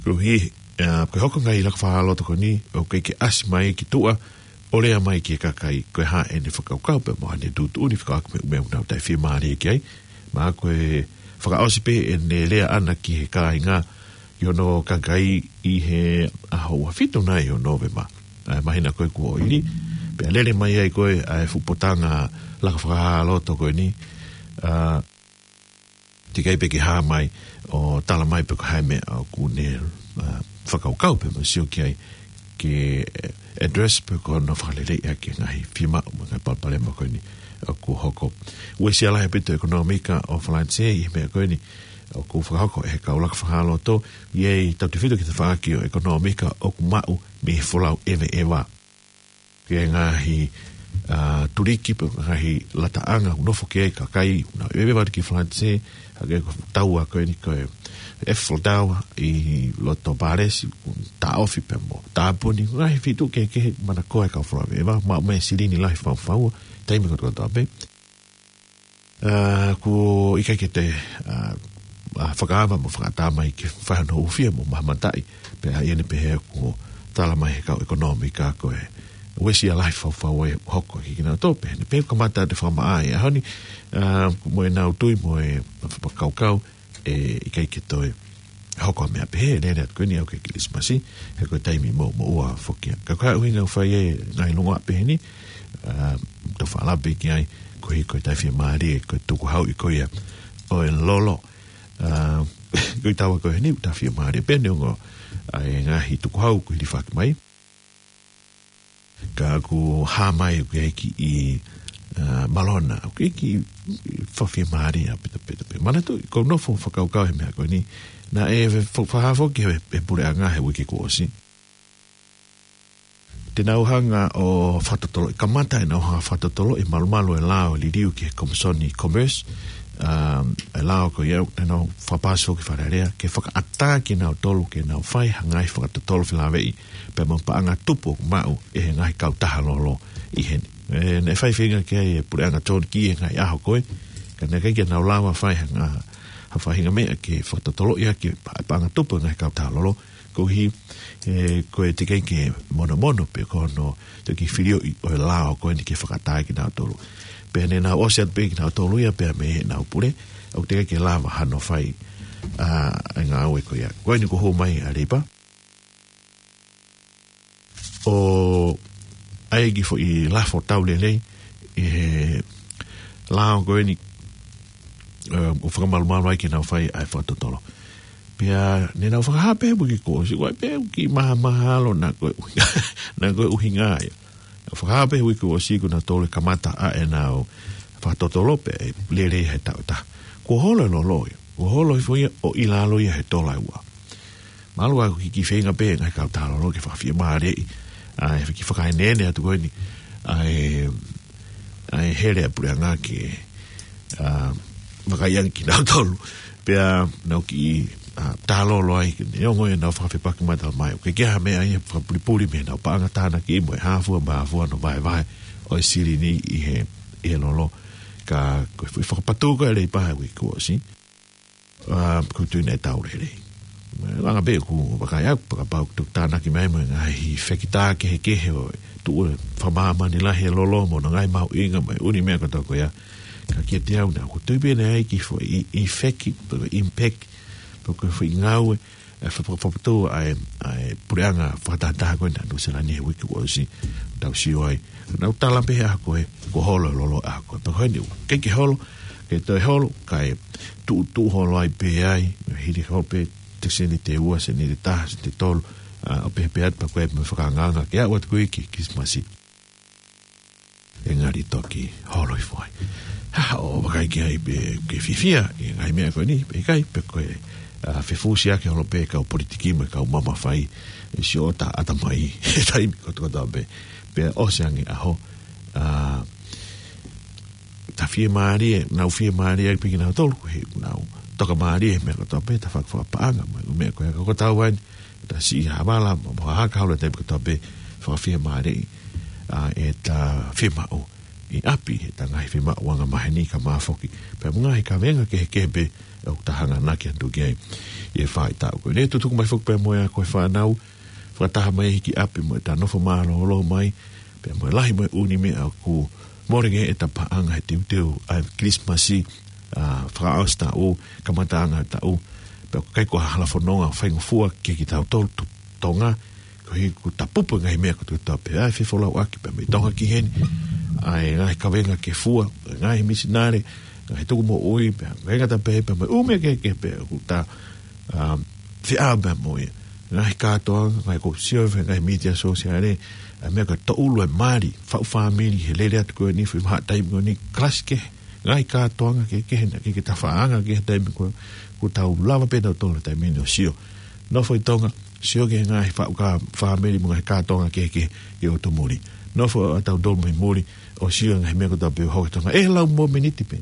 koeʻuhi, ʻa, ko e hoko e ngaahi laka fakahā loto ko eni, ʻoku ʻikai ke ʻasi mai ki tuʻa ʻo lea mai ki he kakai ko e hā ʻene fakakaukau pea mo ʻene tuʻutuʻuni fekauʻaki mo e meʻa ʻoku nau taʻefiemālie ki ai. Mahalo ko e fakaʻosi pē ʻene lea ʻana ki he kāinga ʻi hono kakai ʻi he ʻaho ua fitu nai ʻo Nōvema, ʻa e māhina ko ē kuo ʻosi. Pea lele mai ai ko ē ʻa e fuʻu potanga laka fakahā loto ko eni, ʻa, teʻeki ai pē ke hā mai ʻo tala mai pe ko e hā e meʻa ʻoku ne, ʻa, fakakaukau pea mo sio ki ai ke address pe ko hono fakaleleiʻi ʻaki e ngaahi fiemaʻu mo e ngaahi palopalema ko eni ʻoku hoko. Uesia lahi ʻaupito e ʻekonōmika ʻo Falanisē ʻi he meʻa ko eni ʻoku fakahoko ʻe he kau laka fakahā loto, ʻi he tautefito ki he tafaʻaki ʻo e ʻekonōmika ʻoku maʻu mei he folau ʻeveʻeva. Ki he ngaahi, ʻa, tuliki pe ngaahi lataʻanga ʻoku nofo ki ai e kakai ʻoku nau ʻeveʻeva ki Falanisē, hangē ko e taua ko eni ko e Eiffel Tower ʻi loto Pālesi, ʻoku taʻofi pea mo tāpuni, ngaahi feituʻu kehekehe manakoa e kau folau ʻeveʻeva, maʻu mei ai e silini lahi faufaua, taimi kotokotoa pē. ʻA, ʻoku ʻikai ke te, ʻa, ʻa, fakaava mo fakaʻatā mai ke fai hono hūfia mo mahamataʻi, pea ʻi heʻene pehē ʻoku tala mai he kau ʻekonōmika ko e uesia lahi faufaua ʻe hoko ʻe kinautolu, pea ʻi heʻene pehē kamata ʻete fakamaʻa ʻi he ʻaho ni, ʻa, mo ʻenau tui mo e fakakaukau, ʻe ʻikai ke toe hoko ha meʻa pehē, lele atu ko eni ʻo aʻu ki he Kilisimasi, he ko e taimi moʻumoʻua foki ia. Ka ko e hā e ʻuhinga ʻoku fai ai e ngaahi longoaʻa pehē ni, ʻa, tau fakalave ki ai, koeʻuhi ko e taʻefiemālie, ko e tukuhauʻi ko ia ʻo e lolo. ʻA, ko e taua ko eni ʻoku taʻefiemālie pē neongo ʻa e ngaahi tukuhau kuo hilifaki mai. Ka ʻoku hā mai ʻoku ʻi ai e kiʻi, ʻa, malona, ʻoku ʻi ai e kiʻi fakafiemālie ʻaupito pē. Manatuʻi, ʻoku ou nofo ʻo fakakaukau he meʻa ko eni, naʻe fa-, fakahā foki ʻe he, he puleʻanga he uike kuo ʻosi. Te nau hanga ʻo fakatotoloʻi, kamata ʻenau hanga ʻo fakatotoloʻi e malumalu e lao liliu ki he Komisoni Commerce, ʻa, e lao ko ia, te nau fakapāsi foki ki Fale Alea, ke fakaʻatā kinautolu ke nau fai ha ngaahi fakatotolo felāveʻi pea mo e paʻanga tupu ʻoku maʻu ʻe he ngaahi kautaha lolo ʻi heni. ʻE, naʻe fai feinga ki ai e puleʻanga John Key he ngaahi ʻaho ko ē, ka naʻe ʻikai ke nau lava fai ha nga-, ha faʻahinga meʻa ke fakatotoloʻi ʻaki e pa-, paʻanga tupu e ngaahi kautaha lolo, koeʻuhi, ʻe, ko e teʻeki ke monomono pe ko hono teʻeki filioʻi ʻo e lao ko eni ke fakaʻatā kinautolu. Pea ne nau ʻosi atu pē kinautolu ia pea mei heʻenau pule, ʻoku teʻeki ke lava hano fai, ʻa, e ngāue ko ia. Ko eni kuo hū mai ʻa Leipa ʻo ʻai e kiʻi foʻi lafo tau lelei ʻi he lao ko eni, ʻe, ʻo fakamalumalu ai ke nau fai ʻa e fakatotolo. Pea ne nau fakahā pē he uike kuo ʻosi, ʻoku ʻi ai pē ʻeku kiʻi mahamahalo naʻa ko e ʻuhinga, naʻa ko e ʻuhinga ia. Fakahā pē he uike kuo ʻosi kuo nau toe kamata ʻa ʻenau fakatotolo pea ʻe lele he taʻu ʻe taha. Kuo holo e lolo ia, kuo holo hifo ia ʻo ʻi lalo ia he tola ʻe ua. Mahalo ʻoku kiʻi feinga pē e ngaahi kautaha lolo ke fakafiemālieʻi, ʻa e kiʻi fakaeneene atu ko eni, ʻa e, ʻa e hele ʻa e puleʻanga ke, ʻa, vakaiʻanga kinautolu. Pea nau kiʻi ʻa, tālolo ai, ke ne ongo ʻenau fakafepaki matala mai. ʻOku ʻikai ke ʻi ai ha meʻa ia fakapulipuli mei heʻenau paʻanga tānaki mo e hā fua mā fua hono vaevae ʻo e silini ʻi he, ʻi he lolo. Ka ko e foʻi fakapatū ko ē ʻa e Leipa he uike kuo ʻosi, ʻa, ʻoku ou tui naʻe tau lelei. Langa pē ʻeku vakai ʻaku, kapau ʻoku tānaki mai mo e ngaahi fekitā kehekehe ʻo e tuʻu ʻa e fakamāmani lahi ʻa e lolo mo hono ngaahi mahuʻinga mo e ʻū meʻa kotoa ko ia. Ka kiate au naʻá ku tui pē naʻe ʻi ai e kiʻi foʻi ʻi, ʻi feki, pe ko e impact, pe ko e foʻi ngāue, ʻa e fa-, fa-, fakapatū ʻa e, ʻa e puleʻanga fakatahataha ko ena ʻa Nuʻu Sila ni he uike kuo ʻosi, tau sio ai. Naʻá ku tala pē he ʻaho ko ē, kuo holo e lolo he ʻaho ko ē. Pea ko eni, ʻikai ke holo, ke toe holo, kae tuʻu, tuʻu holo ai pē ai, hili holo pē, te seniti ʻe ua, seniti ʻe taha, seniti ʻe tolu, ʻa, ʻo pehē pē atu pea ko e meʻa fakaangaanga ke aʻu atu ko ē ki he Kilisimasi. ʻE ngali toki holo hifo ai. Ha, ʻo vakai ki ai pe ke fiefia ʻi he ngaahi meʻa ko eni, pe ʻikai, pe ko e, ʻa, fefusiaki holo pē kau politiki mo e kau mamafa ʻi he siʻotau ʻatamai he taimi kotokotoa pē. Pea ʻosi ange ʻaho, ʻa, ta fiemālie, nau fiemālie ai pē kinautolu, he nau tokamālie he meʻa kotoa pē, ta faka-, fakapaʻanga, mo e meʻa ko ē ka ko tau ai, ta siʻi havala, mo, mo haka holo he taimi kotoa pē, fakafiemālie, ʻa, ʻeta fiemaʻu ʻi ʻapi, ʻeta ngaahi fiemaʻu angamaheni ka mafoki. Pea mo e ngaahi kavenga kehekehe pē, ʻoku ta hanganaki atu ki ai, ʻi he faʻahitaʻu ko eni. Tutuku mai foki pea mo e ako ʻa e fānau, fakataha mai ki ʻapi mo ʻeta nofo mālōlō mai, pea mo e lahi mo e ʻū meʻa ʻoku mole ange ʻeta paʻanga he teuteu ʻa e Kilisimasi, ʻa, fakaʻosi taʻu, kamataʻanga taʻu, pea ʻoku ʻikai ko ha hala fononga faingofua kiate kitautolu tu-, Tonga, koeʻuhi kuo ta pupu e ngaahi meʻa kotoa pē, ʻa e fefolauʻaki pē mei Tonga ki heni, ʻa e ngaahi kavenga ke fua, ngaahi misinale, ngaahi tuku moʻui, pea ngaahi ngata pē, pea mo e ʻū meʻa kehekehe pē, ʻoku ta, ʻa, feʻao pē mo ia. Ngaahi kātoanga, ngaahi ko sio he ngaahi mītia sōsiale, ʻa e meʻa ko e tōʻulu e mali, faʻu fāmili, he lele atu ko eni, foʻi vahaʻa taimi ko eni, kalasi kehe, ngaahi kātoanga kehekehe naʻe ʻikai ke ta fakaanga ki ai he taimi ko ē, kuo tau lava pē tautolu he taimi ni ʻo sio. Nofo ʻi Tonga, sio ki he ngaahi faʻu ka fāmili mo e ngaahi kātoanga kehekehe ʻi ʻotu muli. Nofo ʻa tautolu mei muli, ʻo sio ngaahi meʻa kotoa pē ʻoku hoko ʻi Tonga. ʻE lau mo e miniti pē.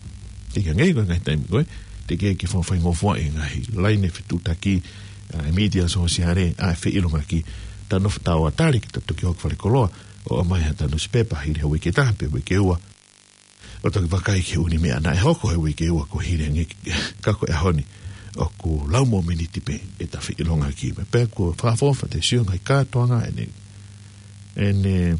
Teʻeki ke ngaahi ko e ngaahi taimi ko ē, teʻeki ke fakafaingofua e ngaahi laine fetuʻutaki, ʻa e mītia sōsiale, ʻa e feʻilongaki. Ta nofo tau atali ke ta toki hoko falekoloa, ʻo ʻomai haʻata nusipepa, hili ha uike ʻe taha pe uike ʻe ua. ʻO toki vakai ki he ʻū meʻa naʻe hoko he uike ʻe ua kuo hili ange, ka ko e ʻaho ni, ʻoku lau mo e miniti pē ʻeta feʻilongaki. Pea kuo fakaʻofoʻofa te sio ngaahi kātoanga ʻene, ʻene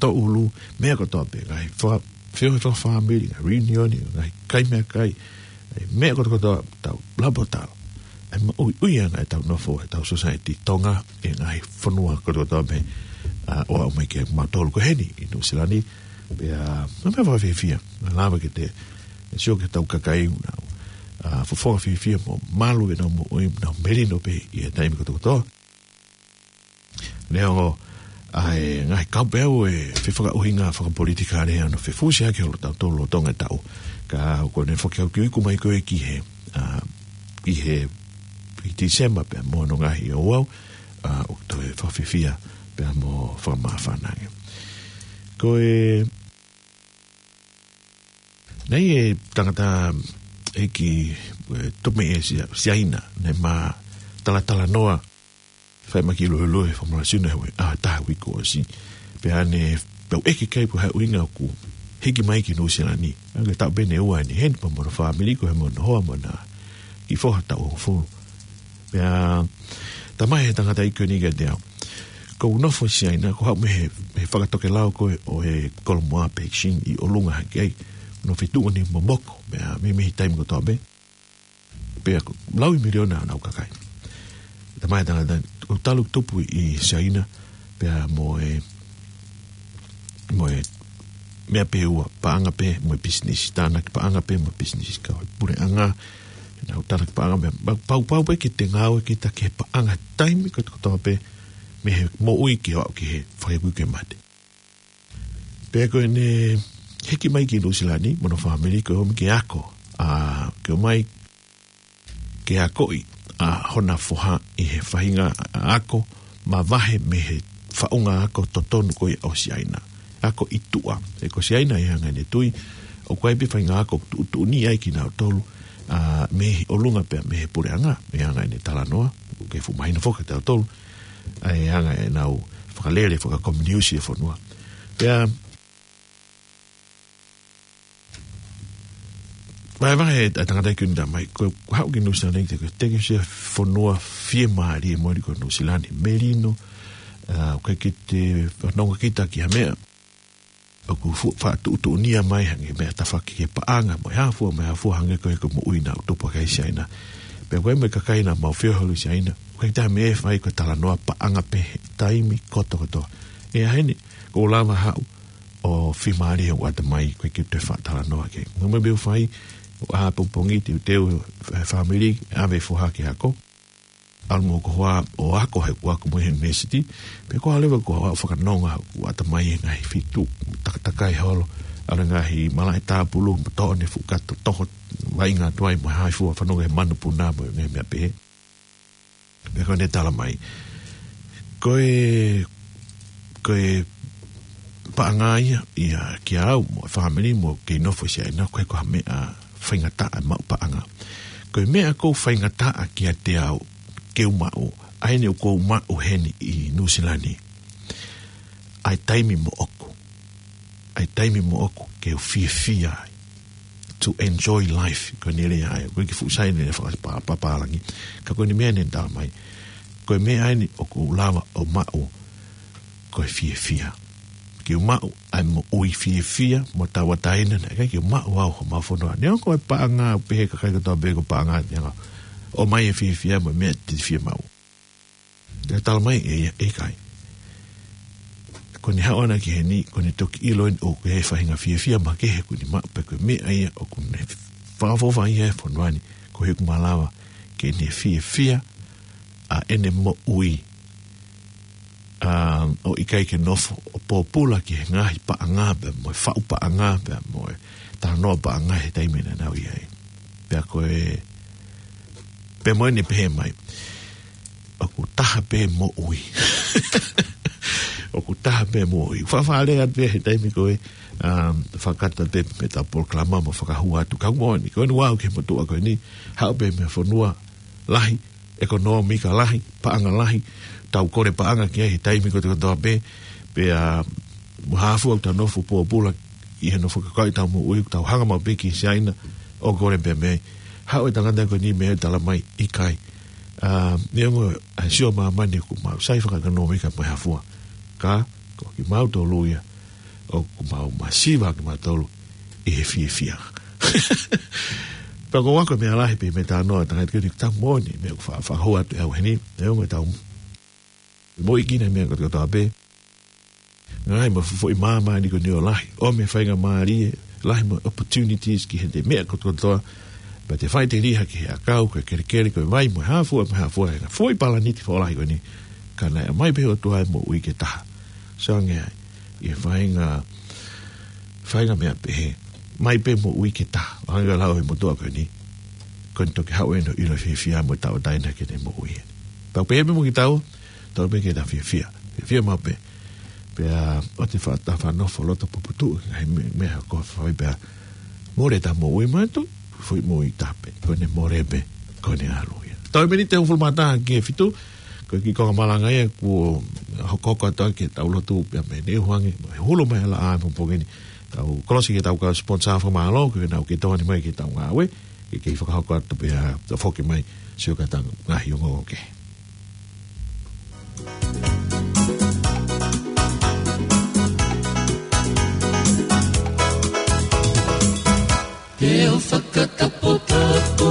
tōʻulu, meʻa kotoa pē, ngaahi fa-, feohi fakafāmili, ngaahi reunion, ngaahi kai meʻakai, ʻa e meʻa kotokotoa tau lava ʻo tala. ʻA e maʻuiʻuiʻanga ʻetau nofo, ʻetau society Tonga, ʻi he ngaahi fonua kotokotoa pē, ʻa, ʻo aʻu mai kiate kimautolu ko heni ʻi Nuʻu Sila ni, pea, ʻa, meʻa fakafiefia, naʻa lava ke te, ʻe sio ki heʻetau kakai ʻoku nau, ʻa, fofonga fiefia mo malu ʻenau moʻui, nau melino pē ʻi he taimi kotokotoa. Neongo, ʻa e ngaahi kaupau ʻe fefakaʻuhinga fakapolitikale ʻa hono fefusiaki holo tautolu ʻo Tonga ʻe taʻu. Ka ʻoku ne foki au ki uiku mai ko ē ki he, ʻa, ki he, ki Tīsema pea mo hono ngaahi ouau, ʻa, ʻoku toe fakafiefia pea mo fakamāfana ange. Ko e, naʻe ʻi ai e tangata ʻeiki, ʻe, tupu mei ʻĒsia, Siaina, naʻe ma talatalanoa, fai mai ki Luelue, Fakamolemole Sino, he ʻaho ʻe taha uike kuo ʻosi. Pea ne, pea u ʻeke ki ai pe ko e hā e ʻuhinga ʻoku hiki mai ki Nuʻu Sila ni. ʻA ia ko e taʻu pē ʻe ua ʻeni heni pea mo hono fāmili ko ē mo hono hoa mo ʻena kiʻi foha taʻu hongofulu. Pea, talamai ʻe he tangata ʻeiki ko eni kiate au. Ko ʻeku nofo ʻi Siaina, ko e haʻu mei he, he fakatokelau ko ē ʻo e Kolomuʻa Peking ʻi ʻolunga hake ai. Nofo ʻi tuʻa ni momoko, pea meimei he taimi kotoa pē. Pea ko e laui miliona ʻenau kakai. Talamai ʻe he tangata, ʻoku talu e tupu ʻi Siaina, pea mo e, mo e meʻa pē ʻe ua, paʻanga pē mo e pisinisi, tānaki paʻanga pē mo e pisinisi, kau puleʻanga, ʻenau tānaki paʻanga pē, pau, pau, pau pē ke te ngāue kita ki he paʻanga taimi kotokotoa pē, mei he moʻui ke aʻu ki he fakaikuiku ki he mate. Pea ko ʻene hiki mai ki Nuʻu Sila ni, mo hono fāmili ko e ō mai ke ako, ʻa, ke ō mai ke akoʻi, ʻa, hona foha ʻi he faʻahinga ako mavahe mei he faʻunga ako totonu ko ia ʻo Siaina. Ako ʻi tuʻa, he ko Siaina ʻi he anga ʻene tui, ʻoku ʻi ai pē faʻahinga ako tuʻutuʻuni ai kinautolu, ʻa, mei he ʻolunga pea mei he puleʻanga, mei he anga ʻene talanoa, ʻoku kei fuʻu mahino foki kiate kitautolu ʻa e anga ʻenau fakalele fakakominiusi e fonua. Pea vahevahe ʻa e tangataʻeiki ʻo ne talamai, ko e haʻu ki Nuʻusila ni, te ke teke se fonua fiemālie moʻoni ko Nuʻusila ni, melino, ʻa, ʻoku ʻikai ke te fanongo kita ki ha meʻa ʻoku fu-, faʻa tuʻutuʻunia mai hangē meʻa tafoki ki he paʻanga, mo e hā fua, mo e hā fua, hangē ko e, ko e moʻui naʻa tupu ʻaki ʻe Siaina. Pea ko e mo e kakai naʻa mau feohi holo ʻi Siaina, ʻoku ʻikai ke ʻi ai ha meʻa ʻe fai, ko e talanoa paʻanga pē he taimi kotokotoa. ʻE ʻi heni, ʻoku ou lava haʻu ʻo fiemālie hoku ʻatamai, ʻoku ʻikai ke u toe faʻa talanoa ki ai. Mo e meʻa pē ʻoku fai, ʻoku ʻā pongipongi, teuteu e fāmili, ʻave e foha ki he ako. ʻAlu mo hoku hoa ʻo ako he ʻoku ako mo e ʻunivēsiti, pea ko e ʻalu leva ʻo fakanonga hoku ʻatamai he ngaahi feituʻu takatakai holo, ʻalu e ngaahi malaʻe tāpulu, mo toʻo ʻene fuʻu kato toho vaʻinga atu ai mo e hā fua, fanongo he manupuna mo e ngaahi meʻa pehē. Pea ko ʻene talamai, ko e, ko e paʻanga ia, ia kia au, mo e fāmili, mo kei nofo ʻi Siaina, ʻoku ʻikai ko ha meʻa faingataʻa e maʻu paʻanga. Ko e meʻa ʻoku faingataʻa kiate au ke u maʻu, ʻa eni ʻoku ou maʻu heni ʻi Nuʻusila ni, ʻa e taimi moʻoku. ʻA e taimi moʻoku ke u fiefia ai. To enjoy life, ko ʻene lea ia, ʻoku ʻikai ke fuʻu sai ʻene lea faka-, pa-, papālangi. Ka ko ʻene meʻa ʻene talamai, ko e meʻa eni ʻoku ou lava ʻo maʻu, ko e fiefia. Ke u maʻu ʻa e moʻui fiefia mo tauʻatāina, naʻe ʻikai ke u maʻu au ʻi homau fonua. Neongo ko e paʻanga, pehē ʻe he kakai kotoa pē ko e paʻanga, neongo. ʻOmai e fiefia mo e meʻa te te fie maʻu. Pea talamai ʻe ia, ʻikai. Ko ʻene haʻu ʻana ki heni, ko ʻene toki ʻilo eni ʻoku ʻi ai e faʻahinga fiefia makehe ʻoku ne maʻu, pea ko e meʻa ia ʻoku ne fakaʻofoʻofa ai e fonua ni, ko e ʻoku malava ke ne fiefia ʻa ʻene moʻui, ʻa, ʻo ʻikai ke nofo ʻo pōpula ki he ngaahi paʻanga pea mo e faʻu paʻanga pea mo e talanoa paʻanga he taimi naʻa nau ʻi ai. Pea ko e, pea mo ʻene pehē mai, ʻoku taha pē moʻui. ʻOku taha pē moʻui. Faʻa faʻa lea atu pē he taimi ko ē, um, fakakata pē mei heʻetau polokalama mo fakahua atu. Ka moʻoni, ko ʻene ʻoatu ki he motuʻa ko eni, haʻu pē mei he fonua lahi, ʻekonōmika lahi, paʻanga lahi, tau kole paʻanga ki ai he taimi kotokotoa pē, pea mo e hā fua ʻoku tau nofo pōpula ʻi he nofo kakai ʻetau moʻui, ʻoku tau hanga maʻu pē ki Siaina ʻo kole pē mei ai. Haʻu e tangata ko eni mo ʻene talamai ʻikai. ʻA, neongo ʻa e sio māmani ʻoku mau sai fakaʻekonōmika mo e hā fua. Ka, ko kimautolu ia, ʻoku mau masiva kimautolu ʻi he fiefia. Pea ko e ako meʻa lahi pē mei he talanoa ʻa e tangata ko eni, ka moʻoni, meʻa ʻoku fa-, fakahua atu ʻe au heni, neongo ʻetau moʻui ki he ngaahi meʻa kotokotoa pē. Ngaahi mo e foʻi māmani ko eni ʻoku lahi, ʻomi e faingamālie, lahi mo e opportunities ki he meʻa kotokotoa. Pea te faʻiteliha ki he ʻakau, ko e kelekele, ko e vai, mo e hā fua, mo e hā fua, he ngaahi foʻi palaniti foʻou lahi ko eni. Ka naʻe ʻomai pē ʻe he ʻOtua e moʻui ke taha. Sio ange ai, ʻi he faʻahinga, faʻahinga meʻa pehē. ʻOmai pē moʻui ke taha. ʻO hangē ko e lau ʻa e motuʻa ko eni. Ko ʻene toki haʻu ʻo ʻilo e fiefia mo tauʻatāina ki heʻene moʻui. Tau pehē pē mo kitaua, tau pehē ke tau fiefia. Fiefia maʻu pē. Pea ʻoua te tau faʻa nofo loto puputuʻu ki he ngaahi meʻa, meʻa ko ē ʻoku fai pea mole ʻetau moʻui, mahalo ko e foʻi moʻui taha pē. Ko ʻene mole pē, ko ʻene ʻalu ia. Tau miniti ʻe hongofulu mā taha ki he fitu, ko e kiʻi konga malanga ia kuo hokohoko atu ai ke tau lotu pea mei he ʻuhinga, mo e hulu mai ʻa e laʻā ʻapongipongi ni. Tau kolosi ke tau kau sponsor fakamālō, ke nau kei tokoni mai ki heʻetau ngāue, ke kei fakahoko atu pea tau foki mai, sio ki heʻetau ngaahi ongoongo kehe. Te u fakataputapu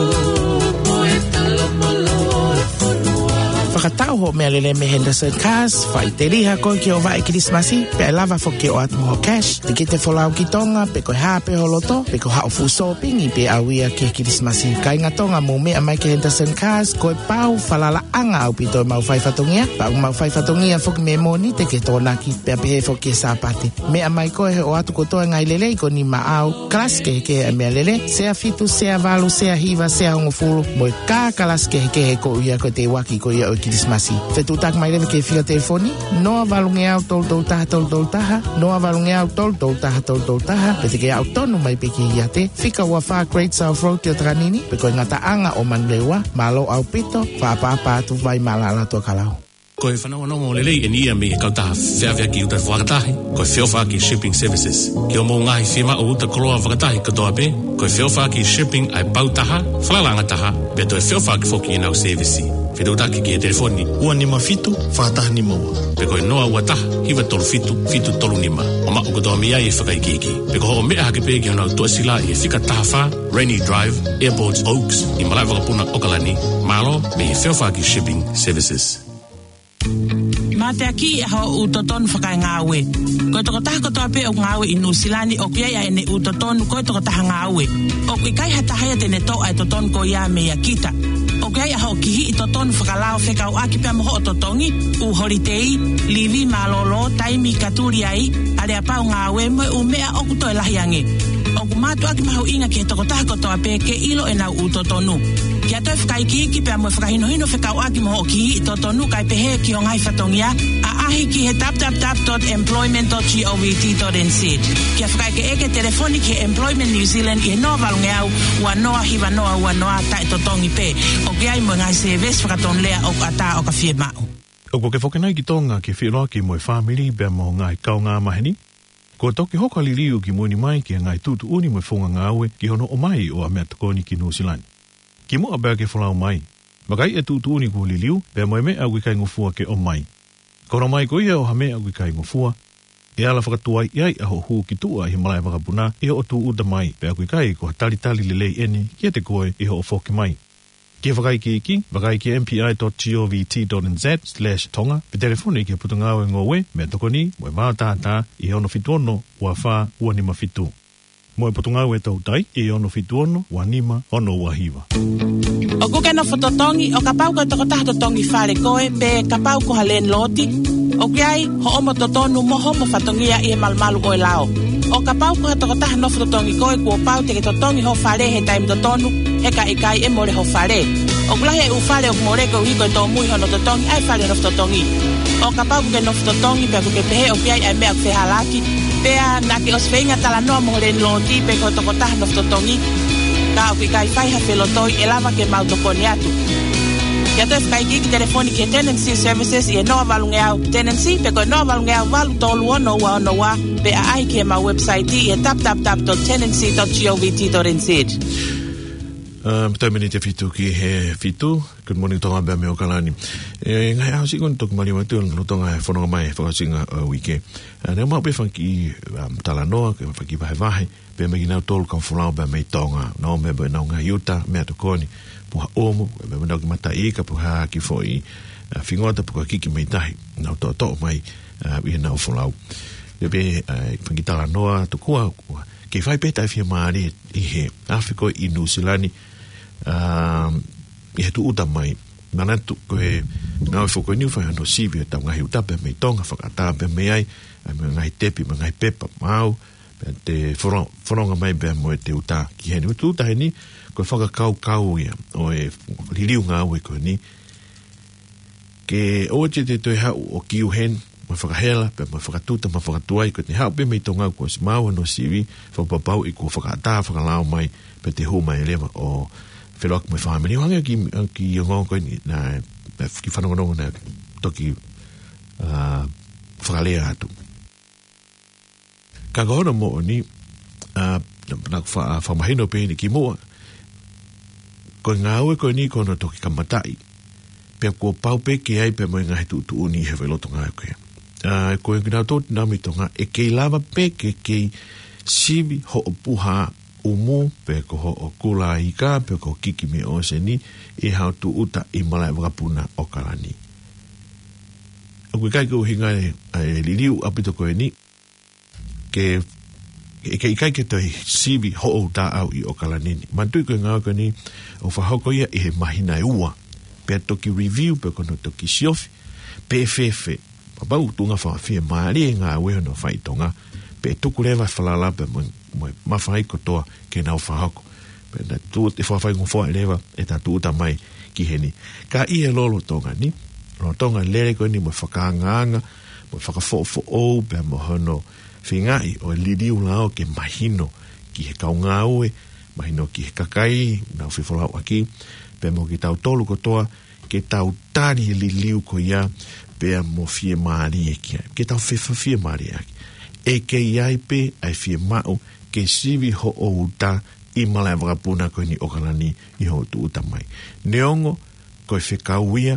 mo e talamonū e fonua. Fakatau hoʻo meʻalele mei Henderson Cars, faʻiteliha koe ke ʻoatu e Kilisimasi, pea ʻe lava foki ke ʻoatu mo hoʻo cash, te ke te folau ki Tonga, pe ko e hā pē ho loto, pe ko haʻo fuʻu sōpingi pē ʻaʻau ia ki he Kilisimasi. Kāinga Tonga, mou meʻa mai ki Henderson Cars, ko e pau falalaʻanga ʻaupito ʻemau fai fatongia, pea ʻoku mau fai fatongia foki mei Mōnite ki he Tokonaki, pea pehē foki ki he Sāpate. Meʻa mai koe he ʻoatu kotoa e ngaahi lelei ko eni maʻau, kalasi kehekehe ʻa e meʻalele, sea fitu, sea valu, sea hiva, sea hongofulu, mo e kā kalasi kehekehe ko ia ko e teuaki ko ia ʻo e Kilisimasi. Fetuʻutaki mai leva ki he fika telefoni, noa valungeau tolu tolu taha tolu tolu taha, noa valungeau tolu tolu taha tolu tolu taha, pe te ke aʻu tonu mai pē ki he iate, fika ua fā Great South Road ʻi ʻOtakanini, pe ko e ngataʻanga ʻo Manurewa, mālō ʻaupito, fakaʻapaʻapa atu Vaimaʻalaʻala Tokelau. Ko e fanongonongo lelei eni ia mei he kautaha feʻaveʻaki uta fakatahi, ko e Feʻofaʻaki Shipping Services. Ki hoʻomou ngaahi fiemaʻu uta koloa fakatahi kotoa pē, ko e Feʻofaʻaki Shipping ʻa e pau taha, falalaʻanga taha, pea toe feʻofaʻaki foki ʻenau sēvisi. Fetuʻutaki ki he telefoni ua nima fitu, fā taha nima ua. Pe ko e noa ua taha, hiva tolu fitu, fitu tolu nima. ʻO maʻu kotoa mei ai e fakaikiiki. Pe ko hoʻo meʻa hake pē ki honau tuʻasila ʻi he fika taha fā, Rainy Drive, Airport Oaks, ʻi Malaʻevakapuna ʻOkalani, mālō mei he Feʻofaʻaki Shipping Services. Mateaki ʻa hoʻo ʻū totonu fakaengāue. Ko e tokotaha kotoa pē ʻoku ngāue ʻi Nuʻusila ni ʻoku ʻi ai ʻa ʻene ʻū totonu ko e tokotaha ngāue. ʻOku ʻikai ha taha ia te ne toʻo ʻa e totonu ko ia meia kita. ʻOku ʻi ai ʻa hoʻo kihiʻi totonu fakalao fekauʻaki pea mo hoʻo totongi, ʻū holitei, livi mālōlō, taimi ka tuli ai, aleapau ngāue mo e ʻū meʻa ʻoku toe lahi ange. ʻOku mātuʻaki mahuʻinga ki he tokotaha kotoa pē ke ʻilo ʻenau ʻū totonu. Ke ʻoatu e fakaikiiki pea mo e fakahinohino fekauʻaki mo hoʻo kihiʻi totonu kae pehē ki ho ngaahi fatongia, ʻaʻahi ki he www.employment.gov.nz. Ke fakaʻekeʻeke telefoni ki he Employment New Zealand ʻi he noa valungeau ua noa hiva noa ua noa taʻetotongi pē. ʻOku ʻi ai mo e ngaahi sēvesi fakatonulea ʻoku ʻatā ʻo ka fiemaʻu. ʻOku ke foki nai ki Tonga ke feʻiloaki mo e fāmili pea mo ho ngaahi kaungāmaheni? Kuo toki hoko ʻa e liliu ki mui ni mai ki he ngaahi tuʻutuʻuni mo e founga ngāue ki hono ʻomai ʻo ʻAmeatokoni ki Nuʻusila ni. Kimuʻa pea ke folau mai, vakai e tuʻutuʻuni kuo liliu pea mo e meʻa ʻoku ʻikai ngofua ke ʻomai. Ko hono ʻomai ko ia ʻo ha meʻa ʻoku ʻikai ngofua, ʻe ala fakatuai ai ʻa hoʻo hū ki tuʻa ʻi he malaʻevakapuna ʻi hoʻo tūʻuta mai, pea ʻoku ʻikai ko ha talitali lelei eni kiate koe ʻi hoʻo foki mai. Ke fakaikiiki, vakai ki mpi.gov.nz/tonga, pe telefoni ki he Potungāue Ngoue mo e Tokoni mo e Vātātā ʻi he ono fitu ono ua fā ua nima fitu. Mo e Potungāue Toutai ʻi he ono fitu ono ua nima ono ua hiva. ʻOku ke nofo totongi, ʻo kapau ko e tokotaha totongi fale koe, pe kapau ko ha landlord, ʻoku ʻi ai hoʻomo totonu mo homo fatongia ʻi he malumalu ʻo e lao. ʻO kapau ko ha tokotaha nofo totongi koe, kuo pau te ke totongi ho fale he taimi totonu, he ka ʻikai ʻe mole ho fale. ʻOku lahi e ʻū fale ʻoku mole koeʻuhi ko e tōmui hono totongi ʻa e fale nofo totongi. ʻO kapau ʻoku ke nofo totongi pea ʻoku ke pehē ʻoku ʻi ai ʻa e meʻa ʻoku fehālaaki, pea naʻa ke ʻosi feinga talanoa mo ho landlord pe ko e tokotaha nofo totongi, ka ʻoku ʻikai fai ha felotoi, ʻe lava ke mau tokoni atu. Ke ʻoatu e fakaikiiki, telefoni ki he Tenancy Services ʻi he noa valungeau tenancy, pe ko e noa valungeau valu tolu ono ua ono ua, pe ʻaʻahi ki heʻemau website ʻi he www.tenancy.gov.nz. ʻA, pea toe miniti ʻe fitu ki he fitu. Good morning, Tonga, pea mei ʻOkalani. ʻE, ngaahi ʻaho siʻi kuo toki maliu atu, lolotonga e fononga mai e fakaʻosinga ʻo e uike. ʻA, naʻe maʻu pē fanga kiʻi, um, talanoa, ke fanga kiʻi vahevahe pea mei kinautolu kau folau pea mei Tonga. Nau ō mai pea mo ʻenau ngaahi uta, ʻAmeatokoni, Puha ʻUmu, pea mo ʻenau kiʻi mataʻi ika, pe ko ha kiʻi foʻi, ʻa, fingota, pe ko ha kiʻi kiʻi meʻi tahi naʻa nau toʻotoʻo mai, ʻa, ʻi heʻenau folau. Pea pē, ʻa, fanga kiʻi talanoa tokua, kei fai pē taʻefiemālie ʻi he afi ko ē ʻi Nuʻusila ni, um, ʻi he tūʻuta mai. Manatu ko e ngāue foki ko eni ʻoku fai hono sivi ʻetau ngaahi uta pea mei Tonga, fakaʻatā pea mei ai, ʻa, mo e ngaahi tepi, mo e ngaahi pepa maau, pea te fono-, fononga mai pea mo ʻete uta ki heni. Ko e tūʻuta heni, ko e fakakaukau ia ʻo e liliu ngāue ko eni. Ke ʻoua te te toe haʻu ʻo kiu heni, mo fakahela, pea mo fakatuta, mo fakatuai, ko ʻete haʻu pē mei Tonga kuo ʻosi maau hono sivi, fakapapauʻi kuo fakaʻatā fakalao mai, pea te hū mai leva ʻo feʻiloaki mo e fāmili. Hangē ki, ki he ongoongo ko eni, naʻe, naʻe kiʻi fanongonongo naʻe toki, ʻa, fakalea atu. Ka ko hono moʻoni, ʻa, naʻa ku fa-, fakamahino pē eni kimuʻa, ko e ngāue ko eni ko hono toki kamataʻi, pea kuo pau pē ke ʻi ai pē mo e ngaahi tuʻutuʻuni ʻi he faʻahinga lotolotonga ko ē. ʻA, ko e kinautolu naʻa mei Tonga, ʻe kei lava pē ke kei sivi hoʻo puha ʻumu, pe ko hoʻo kula ika, pe ko e kiʻi meʻa ʻo e ʻōseni, ʻi haʻo tūʻuta ʻi malaʻevakapuna ʻOkalani. ʻOku ʻikai ko e ʻuhinga e, e liliu ʻaupito ko eni, ke, ke, ke ʻikai ke toe sivi hoʻo uta ʻi ʻOkalani ni. Manatuʻi ko e ngāue ko eni, ʻoku fakahoko ia ʻi he māhina ʻe ua. Pea toki review, pea ko hono toki siofi, pe fēfē. Kapau ʻoku tuʻunga fakafiemālie e ngāue hono fai ʻi Tonga, pea tuku leva e falala pea mo, mo e mafai kotoa ke nau fakahoko. Pea naʻa tuʻu ʻe fakafaingofuaʻi leva ʻeta tūʻuta mai ki heni. Ka ʻi he lolotonga ni, lolotonga e lele ko eni mo e fakaangaanga, mo e fakafoʻofoʻou, pea mo hono feingaʻi ʻo e liliu lao ke mahino ki he kau ngāue, mahino ki he kakai, nau fefolauʻaki, pea mo kitautolu kotoa, ke tau tali e liliu ko ia, pea mo fiemālie ki ai. Ke tau fefa fiemālie ʻaki. ʻE kei ʻi ai pē ʻa e fiemaʻu ke sivi hoʻo uta ʻi malaʻe vakapuna ko eni ʻOkalani ʻi hoʻo tūʻuta mai. Neongo, ko e fekau ia,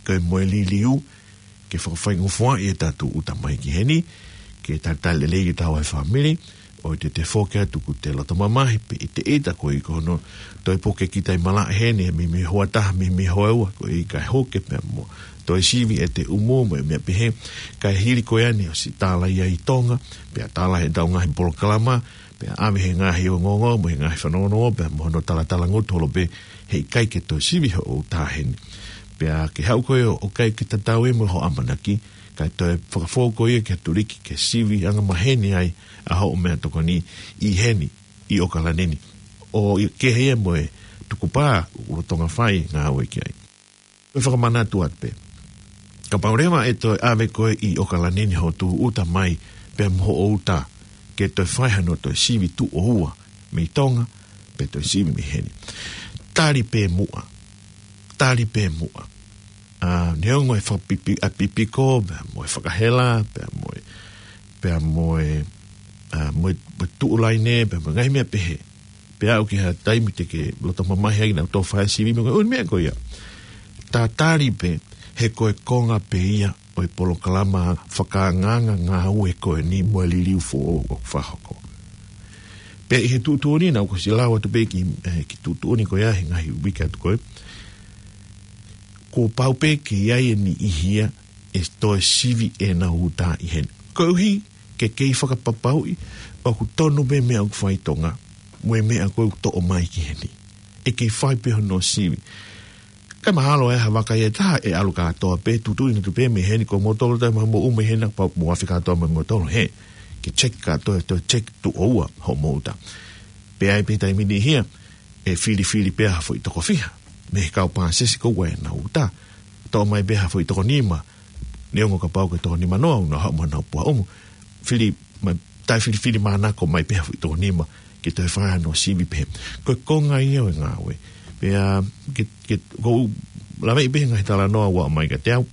ko e moʻui liliu, ke fakafaingofuaʻi ʻetau tūʻuta mai ki heni, ke talitali lelei kitaua e fāmili, ʻoua te te foki atu kuo te loto mamahi, pe ʻiteʻita koe ʻi hono toe puke kita ʻi malaʻe heni, ʻe mei mei hoʻatā, mei mei hoʻaua, ko e ʻikai hoke pea mo toe sivi ʻete ʻumu, mo e meʻa pehē, kae hili ko eni ʻosi tālaʻi ʻi Tonga, pea tālaʻi ʻetau ngaahi polokalama, pea ʻave he ngaahi ongoongo, mo e ngaahi fanongonongo, pea mo hono talatala ngutu holo pē, heʻikai ke toe sivi hoʻo uta heni. Pea ke haʻu koe ʻo, ʻo ʻikai ke tatau ia mo hoʻo ʻamanaki, kae toe fakafou koe ia ki he tuliki ke sivi angamaheni ai ʻa hoʻo meʻatokoni ʻi heni, ʻi ʻOkalani ni. ʻO ʻi kehe ia mo e tukupā, ʻoku lolotonga fai ngāue ki ai. Ko e fakamanatu atu pē. Kapau leva ʻe toe ʻave koe ʻi ʻOkalani ni hoʻo tūʻuta mai pea mo hoʻo uta ke toe fai hano toe sivi tuʻo ua mei Tonga, pe toe sivi mei heni. Tali pē muʻa. Tali pē muʻa. ʻA, neongo e fakapipi-, ʻa pipiko, pea mo e fakahela, pea mo e, pea mo e, ʻa, mo e, mo e tuʻu laine, pea mo e ngaahi meʻa pehē. Pea aʻu ki ha taimi te ke loto mamahi ai naʻa tau fai sivi mo e ʻū meʻa ko ia. Tatali pē, he ko e konga pē ia ʻo e polokalama fakaangaanga ngāue ko eni mo e liliu foʻou ʻoku fakahoko. Pea ʻi he tuʻutuʻuni naʻa ku ʻosi lau atu pē ki, eh, ki tuʻutuʻuni ko ia he ngaahi uike atu ko ē. Kuo pau pē ke ʻi ai e niʻihi ia ʻe toe sivi ʻenau uta ʻi heni. Koeʻuhi ke kei fakapapauʻi ʻoku tonu pē meʻa ʻoku fai ʻi Tonga, mo e meʻa ko ē ʻoku toʻo mai ki heni. ʻE kei fai pē hono sivi. Kae mahalo e ha vaka ia ʻe taha ʻe ʻalu kātoa pē, tuʻutuʻuni atu pē mei heni, ko moutolu ʻoku mou ʻumu ʻi heni, pau mou afe kātoa mei moutolu hē. Ke check kātoa, toe check tuʻo ua hoʻomou uta. Pea ʻi ai pē taimi niʻihi ia, ʻe filifili pē ha foʻi toko fiha mei he kau pāsese ko ē ʻenau uta. Toʻo mai pē ha foʻi toko nima, neongo kapau ko e toko nima noa, ʻoku nau haʻu mo ʻenau puha ʻumu. Fili mai, taʻefilifili mānako mai pē ha foʻi toko nima, ke toe fai hano sivi pē. Ko e konga ia ʻo e ngāue. Pea, ke, ke, ʻoku ou laveʻi pē he ngaahi talanoa ʻoku ʻomai kiate au.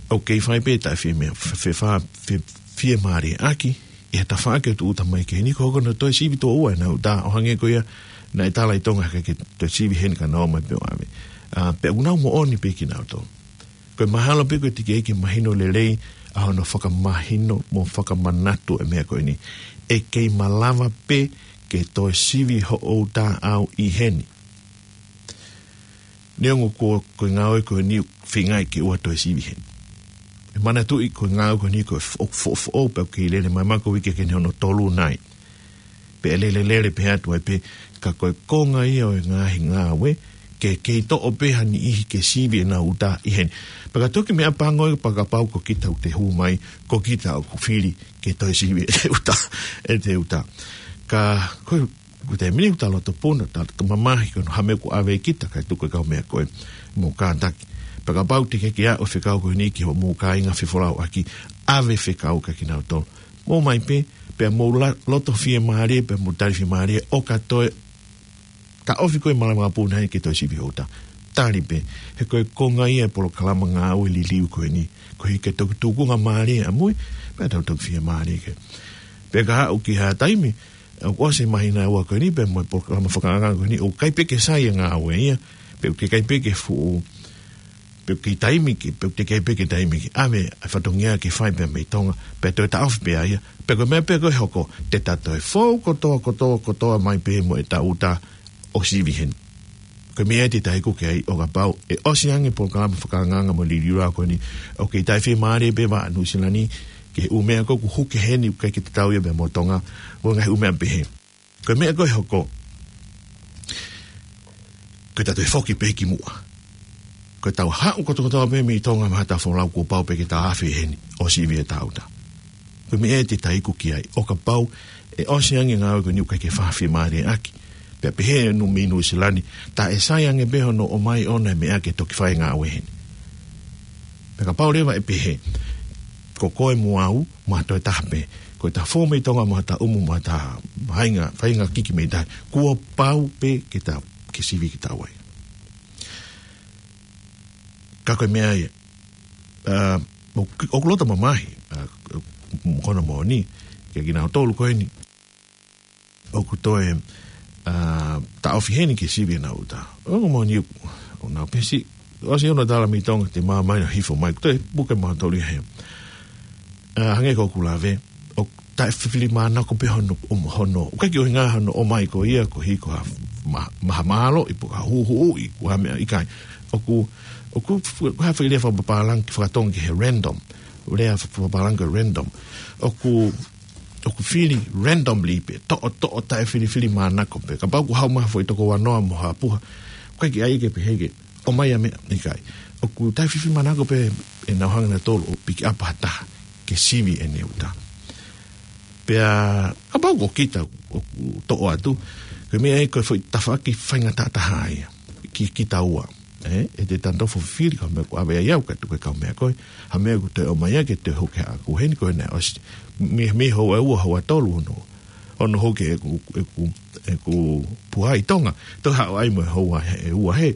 ʻOku kei fai pē taʻefie meʻa, fe-, fe-, fa-, fe-, fiemālie ʻaki, ʻi he tafaʻaki ʻo e tūʻuta mai ki heni, ko hono toe sivi tuʻo ua ʻenau uta, ʻo hangē ko ia naʻe tala ʻi Tonga ke, ke toe sivi heni ka nau ō mai pē ʻo ʻave. ʻA, pea ʻoku nau moʻoni pē kinautolu. Ko e mahalo pē ko e teʻeki ai ke mahino lelei ʻa hono fakamahino mo fakamanatu e meʻa ko eni. ʻE kei malava pē ke toe sivi hoʻo uta ʻi heni. Neongo ko, ko e ngāue ko eni ʻoku feingaʻi ke ʻoua toe sivi heni. ʻE manatuʻi ko e ngāue ko eni ko e fo-, fo-, foʻou pē ʻoku kei lele mai, mahalo ko e uike ke ne hono tolu nai. Pea lele lele pē atu ai pē, ka ko e konga ia ʻo e ngaahi ngāue, ke kei toʻo pē ha niʻihi ke sivi ʻenau uta ʻi heni. Pea ka toki meʻapango ia pea kapau ko kita ʻoku te hū mai, ko kita ʻoku fili ke toe sivi ʻete uta, ʻete uta. Ka ko e, ko e taimi ni ʻoku ta loto puna, ta loto mamahi ko hono hā e meʻa ʻoku ʻave ʻe kita kae tuku e kau meʻa ko ē mo kātaki. Pea kapau te ke kei ʻave e fekau ko eni ki hoʻomou kāinga fefolauʻaki, ʻave e fekau kia kinautolu. Mou ō mai pē, pea mou la-, loto fiemālie, pea mou tali fiemālie, ʻo ka toe taʻofi koe ʻi malaʻe vakapuna heni ke toe sivi hoʻo uta. Tali pē, he ko e konga ia e polokalama ngāue liliu ko eni. Koeʻuhi ke toki tukunga mālie ʻamui, pea tau toki fiemālie ki ai. Pea ka haʻu ki ha taimi, ʻoku ʻosi e māhina ʻe ua ko eni, pea mo e polokalama fakaangaanga ko eni, ʻoku ʻikai pē ke sai e ngāue ia, pea ʻoku ʻikai pē ke fuʻu, pea ʻoku kei taimi ke, pea ʻoku teʻeki ai pē ke taimi ke ʻave ʻa e fatongia ke fai pē mei Tonga, pea toe taʻofi pē ia, pea ko e meʻa pē ko ē ʻe hoko, te ta toe fou kotoa, kotoa, kotoa mai pē mo ʻetau uta ʻo sivi heni. Ko e meʻa ia te ta iku ki ai, ʻo kapau ʻe ʻosi ange e polokalama fakaangaanga mo e liliu lao ko eni, ʻoku kei taʻefiemālie pē ʻa Nuʻusila ni ki he ʻū meʻa ko ē ʻoku hū ki heni ʻoku ʻikai ke tatau ia pea mo Tonga, mo e ngaahi ʻū meʻa pehē. Ko e meʻa ko ē ʻe hoko, ko ʻeta toe foki pē ki muʻa. Ko ʻetau haʻu kotokotoa pē mei Tonga mo haʻatau folau, kuo pau pē ke ta afe heni ʻo sivi ʻetau uta. Ko e meʻa ia te ta iku ki ai, ʻo kapau ʻe ʻosi ange e ngāue ko eni ʻoku ʻikai ke fakafiemālieʻaki, Pea pehē ʻe Nuʻu, mei Nuʻu Sila ni, tā ʻe sai ange pē hono ʻomai ʻona e meʻa ke toki fai e ngāue heni. Pea kapau leva ʻe pehē, ko koe mo au, mo ha toe taha pē, ko ʻeta fou mei Tonga mo ʻeta ʻumu mo ʻeta faʻahinga, faʻahinga kiki mei tahi, kuo pau pē ke ta, ke sivi kitaua. Ka ko e meʻa ia, ʻa, ʻoku, ʻoku loto mamahi, ʻa, mo kona moʻoni, ke kinautolu ko eni ʻoku toe, ʻa, taʻofi heni ke sivi ʻenau ʻuta. ʻOku moʻoni ʻoku, ʻoku nau pehē siʻi, ʻosi hono tala mei Tonga te māmani ʻo hifo mai, ko e toe puke mautolu ia he. ʻA, hangē ko ʻeku lave, ʻoku taʻefilimānako pē hono, ʻom-, hono, ʻoku ʻikai ke ʻuhinga hono ʻomai ko ia, ko hiko ha ma-, mahamahalo, ʻi pe ko ha huhuʻi, ko ha meʻa ʻikai. ʻOku, ʻoku f-, ha foʻi lea fakapapālangi fakatonga ki he random. Lea fa-, fakapapālangi ko e random. ʻOku, ʻoku fili randomly pē, toʻo, toʻo taʻefilifilimānako pē. Kapau ʻoku haʻu mai ha foʻi tokouanoa mo ha puha, ʻoku ʻikai ke ʻai ke pehē ke ʻomai ʻa e meʻa, ʻikai. ʻOku taʻefilifilimānako pē ʻenau hanga nautolu ʻo pick up ha taha ke sivi ʻene ʻuta. Pea, kapau ko kita ʻoku toʻo atu, ko e meʻa ia ko e foʻi tafaʻaki faingataʻa taha ia, ki, kitaua. ʻE, ʻe te tanto fofili ka meʻa ko ʻave ai au ka tuku e kau meʻa ko ē, ha meʻa ʻoku toe ʻomai ia ke toe hoko ki haʻaku heni ko ē naʻe ʻosi. Mei, mei houa ʻe ua, houa ʻe tolu hono, hono hoko ʻeku, ʻeku, ʻeku puha ʻi Tonga, toe haʻu ai mo e houa ʻe ua he.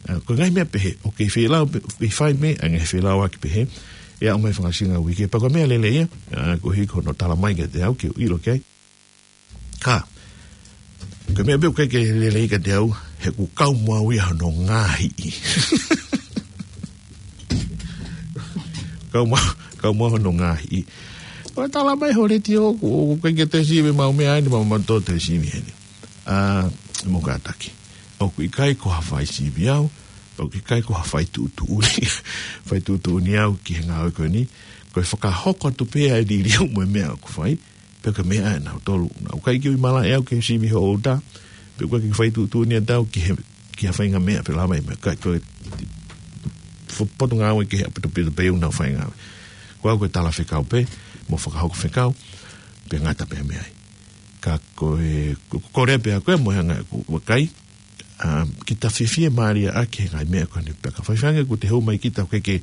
ʻA, ko e ngaahi meʻa pehē, ʻoku kei feilau pē, kei fai pē, ʻa e ngaahi feilauaki pehē, ʻe aʻu mai fakaʻosinga uike, pea ko e meʻa lelei ia, ʻa, ko hiko hono tala mai kiate au, ke u ʻilo ki ai. Ka, ko e meʻa pē ʻoku ʻikai ke lelei kiate au, he ʻoku kau mo au ia hono ngaahi. Kau mo, kau mo au hono ngaahi. ʻO tala mai ho letiō, ʻoku, ʻoku ʻikai ke te sivi mau meʻa ni, mau, mau tō te sivi heni. ʻA, mo kātaki. ʻOku ʻikai ko ha fai sivi au, ʻoku ʻikai ko ha fai tuʻutuʻuni. Fai tuʻutuʻuni au ki he ngāue ko eni. Ko e fakahoko atu pē ʻa e liliu mo e meʻa ʻoku fai. Pea ko e meʻa ʻa nautolu. Naʻa ku ʻikai ke ui malaʻe au ke sivi hoʻo ʻuta. Pea ʻoku ʻikai ke fai tuʻutuʻuni atu au ki he, ki ha faʻahinga meʻa pe lava e meʻa. Ka ko e fo-, potungāue ke he ʻapi topito pē ʻoku nau fai ngāue. Ko au ko e tala fekau pē, mo fakahoko fekau, pea ngata pē meʻa ai. Ka ko e, ko, ko e lea pē ʻa koe mo e anga ʻeku vakai, ʻa, kita fiefia mālie ʻaki he ngaahi meʻa ko eni pea ka faifai ange ʻoku te hū mai kita ke, ke